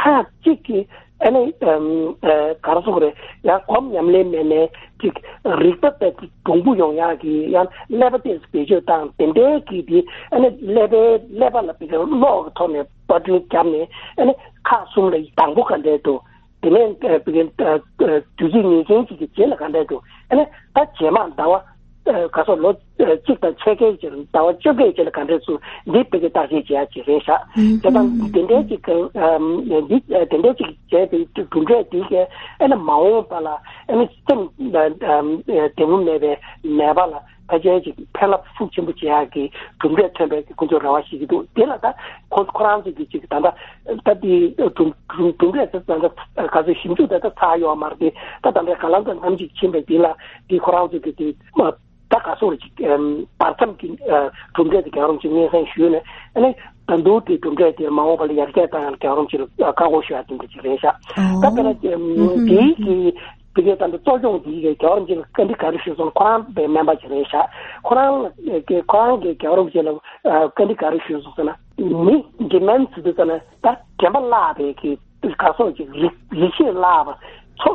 ཁག་གཅིག་གིས་ཨ་ནི་ཨམ་ཨ་ག་རེ་ཟེར་དགོས་རེད། ཡང་སྒོམ་ཉམས་ལེན་མེད་ནས་ཅིག་རིག་པ་དཔེ་གྲུང་པོ་ཡོང་ཡག་གི་ཡང་ཀླད་པ་ཏོག་ཙམ་བེད་སྤྱོད་བཏང་། དེ་འདྲའི་གི་དེ་ཨ་ནི་ཀླད་པའི་ཀླད་པ་ལ་དཔེ་གློག་གི་ཐོག་ནས་པར་སྐྲུན་བརྒྱབ་ནས། ཨ་ནི་ཁག་གསུམ་ལ་དང་པོ་ག་འདྲས་འདུག་དེ་ནས་ཨ་དུས་ཚོད་ངེས་ཅན་ཅིག་གི་རྗེས་ལ་ག་འདྲས་འདུག་ཨ་ནི་ད་རྗེས་མ་ཟླ་བ་ ག་སོགས་ལོ་གཅིག་དང་ཕྱེད་ཀའི་རྗེས་ལ་ཟླ་བ་བཅོ་བརྒྱད་རྗེས་ལ་ག་འདྲས་སུ་འདི་བོད་སྐད་བརྟག་དཔྱད་བྱེད་ཡ་ཅིག་རེད་ཤག་དེ་དང་དེ་འདྲའི་ཅིག་འདི་དེ་འདྲའི་ཅིག་བྱས་པའི་གྲུབ་འབྲས་དེ་གས་ཨ་ནི་མ་འོངས་པ་ལ་ཨ་ནི་སེམས་བདེ་བོ་མེད་པའི་ནད་པ་ལ་ཕལ་ཆེར་ཅིག་ཕན་རླབས་ཤུགས་ཆེན་པོ་བྱེད་ཡག་གི་གྲུབ་འབྲས་ཐོན་པའི་ཁོང་ཚོས་རེ་བ་བྱེད་ཀྱི་འདུག་དེ་ལ་ད་ཁོ་ཁོ་རང་ཚོ་གི་ཅིག་ད་ལྟ་ད་དེ་གྲུབ་གྲུབ་འབྲས་དེ་ད་ལྟ་ག་ཚོད་ཞིབ་འཇུག་ད་ལྟ་ཚར་ཡོད་མ་རེད། དེ་ད་ད་ལྟ་ག་ལ་ད་ནམ་ཅིག་ཕྱིན་པའི་དེ་ལ་དེ་ཁོ་རང་ཚོ་གི་དེ་ད་ག་སོགས་ཅིག་བར་མཚམས་ཀྱི་གྲུབ་འབྲས་དེ་རྒྱལ་བ་རིན་པོ་ཆེ་སྙན་སེང་ཞུས་ནས་ཨ་ནི་ད་འདུག་དེ་གྲུབ་འབྲས་དེ་མ་འོངས་པ་ལ་ཡར་རྒྱས་བཏང་ཡང་རྒྱལ་བ་རིན་པོ་ཆེ་ལ་བཀའ་དགོངས་ཞུ་ཡ་དེ་འདྲ་ཅིག་རེད་ཤག་ད་དཔེར་ན་དེའི་གི་དེ་གའི་ད་ལྟ་གཙོ་སྐྱོང་དེའི་གི་རྒྱལ་བ་རིན་པོ་ཆེ་ལ་བཀའ་འདྲི་ག་རེ་ཞུས་སོང་། ཁོ་རང་པའི་སྨན་པ་ཅིག་རེད་ཤག་ཁོ་རང་གི་ཁོ་རང་གི་རྒྱལ་བ་རིན་པོ་ཆེ་ལ་བཀའ་འདྲི་ག་རེ་ཞུས་སོང་ཟེར་ན། མི་འདི་མན་ཚུལ་དུ་ཙ་ན་ད་དྲན་པ་བརླག་པའི་གི་ག་སོགས་ཀྱི་རིག་རིག་ཤེས་བརླག་པ་ཚོ་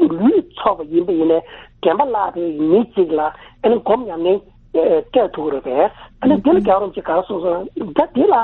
ལུས་ཚོགས་པ་ཡིན་པ་ཡིན་ནའི་དྲན་པ་བརླག་པའི་མི་གཅིག་ལ་ཨ་ནི་སྒོམ་ཉམས་ལེན་སྤྲད་ཐུབ་ཀྱི་རེད་པས། ཨ་ནི་འདི་ལ་རྒྱལ་བ་རིན་པོ་ཆེ་ག་རེ་གསུངས་སོང་ན་ད་འདི་ལ་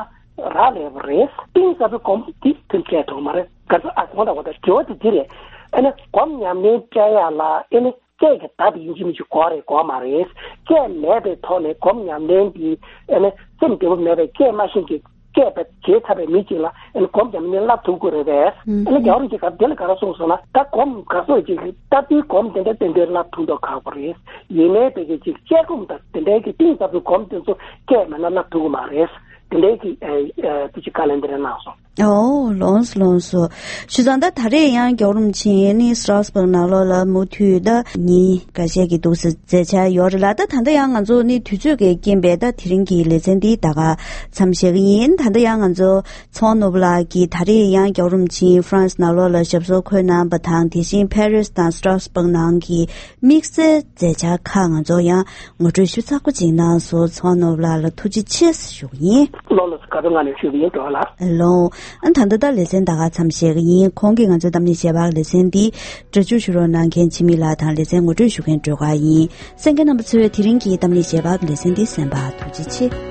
རག་ལས་པ་རེད། གཏིང་ཟབ་པའི་སྒོམ་འདི་ཐོན་སྤྲད་ཐུབ་མ་རེད། ག་ཚོད་ཨ་གོང་དང་གོང་དང་དྲི་བ་དེ་འདི་རེད། ཨ་ནི་སྒོམ་ཉམས་ལེན་སྤྲད་ཡ་ལ་ཨ་ནི་སྐད་ཀྱི་བརྡ་དེ་ཡིན་གཅིག་མིན་གཅིག་དགོས་རེད་དགོས་མ་རེད། སྐད་མེད་པའི་ཐོག་ནས་སྒོམ་ཉམས་ལེན་དེ་ཨ་ནི་སེམས་བདེ་པོ་མེད་པའི་སྐད་མ་ཤེས་ཀྱི་སྐད་པ་བྱེད་ཐུབ་པའི་མི་གཅིག་ལ་ཨ་ནི་སྒོམ་ཉམས་ལེན་བསླབ་ཐུབ་དགོས་རེད་པས། ཨ་ནི་རྒྱལ་བ་རིན་པོ་ཆེ་ག་དེ་ལ་ག་རེ་གསུངས་སོང་ན་ད་སྒོམ་ག་སོགས་ཀྱི་ལྟ་བུའི་སྒོམ་དེ་འདྲ་ཏན་ཏན་བསླབ་ཐུབ་མདོག་ཁ་པོ་རེད། ཡིན་ནའི་དེ་གི་ཅིག་དཔྱད་སྒོམ་དང་དེ་འདྲའི་གི་གཏིང་ཟབ་པའི་སྒོམ་དེ་ཚོ་སྐད་མེད་ན་བསླབ་ཐུབ་ཀྱི་མ་རེད། དེ་འདྲའི་གི་ཨ་ཨ་དེ་ཅིག་བཀའ་ལན་དེ་འདྲ་གནང་སོང་། ཨོ་ལོངས་སོ་ལོངས་སོ། ཞུ་ཙང་ད་ད་རེས་ཡང་རྒྱལ་བ་རིན་པོ་ཆེ་ནི་སི་ཊ་སྦུག་ནང་ལོགས་ལ་མུ་མཐུད་ད་ཉིན་འགའ་ཤས་ཀྱི་འདུག་སེ་མཛད་འཆར་ཡོད་རེད་ལ། ད་ད་ལྟ་ཡང་ང་ཚོ་ནི་དུས་ཚོད་ཀྱི་རྐྱེན་པས་ད་དེ་རིང་གི་ལེ་ཚན་འདི་ད་ག་མཚམས་བཞག་གི་ཡིན། ད་ལྟ་ཡང་ང་ཚོ་ཚོང་ནོར་བུ་ལགས་ཀྱིས་ད་རེས་ཡང་རྒྱལ་བ་རིན་པོ་ཆེ་ཧྥ་རན་སི་ནང་ལོགས་ལ་ཞབས་སོར་འཁོད་གནང་བ་དང་དེ་བཞིན་ཕ་རི་སི་དང་སི་ཊ་སྦུག་ནང་གི་དམིགས་བསལ་མཛད་འཆར་ཁག་ང་ཚོ་ཡང་ངོ་སྤྲོད་ཞུ་ཚགས་པོ་ཅིག་གནང་སོང་། ཚོང་ནོར་བུ་ལགས་ལ་ཐུགས་རྗེ་ཆེ་ཞུ་གི་ཡིན། ལོ་ལོ་སུ་ག་ཚོད་ང་ནས་ཞུ་གི་ཡིན་འགྲོ་ལ། ལོ། ཨ་ད་ལྟ་ད་ལེ་ཚན་ད་ག་མཚམས་བཞག་གི་ཡིན། ཁོང་གིས་ང་ཚོའི་གཏམ་གླེང་ཞལ་པར་ལེ་ཚན་འདི་སྒྲ་སྒྱུར་ཞུ་རོགས་གནང་མཁན་འཆི་མེད་ལགས་དང་ལེ་ཚན་ངོ་སྤྲོད་ཞུ་མཁན་སྒྲོལ་དཀར་ཡིན། གསན་མཁན་རྣམ་པ་ཚོས་དེ་རིང་གི་གཏམ་གླེང་ཞལ་པར་ལེ་ཚན་འདི་གསན་པར་ཐུགས་རྗེ་ཆེ།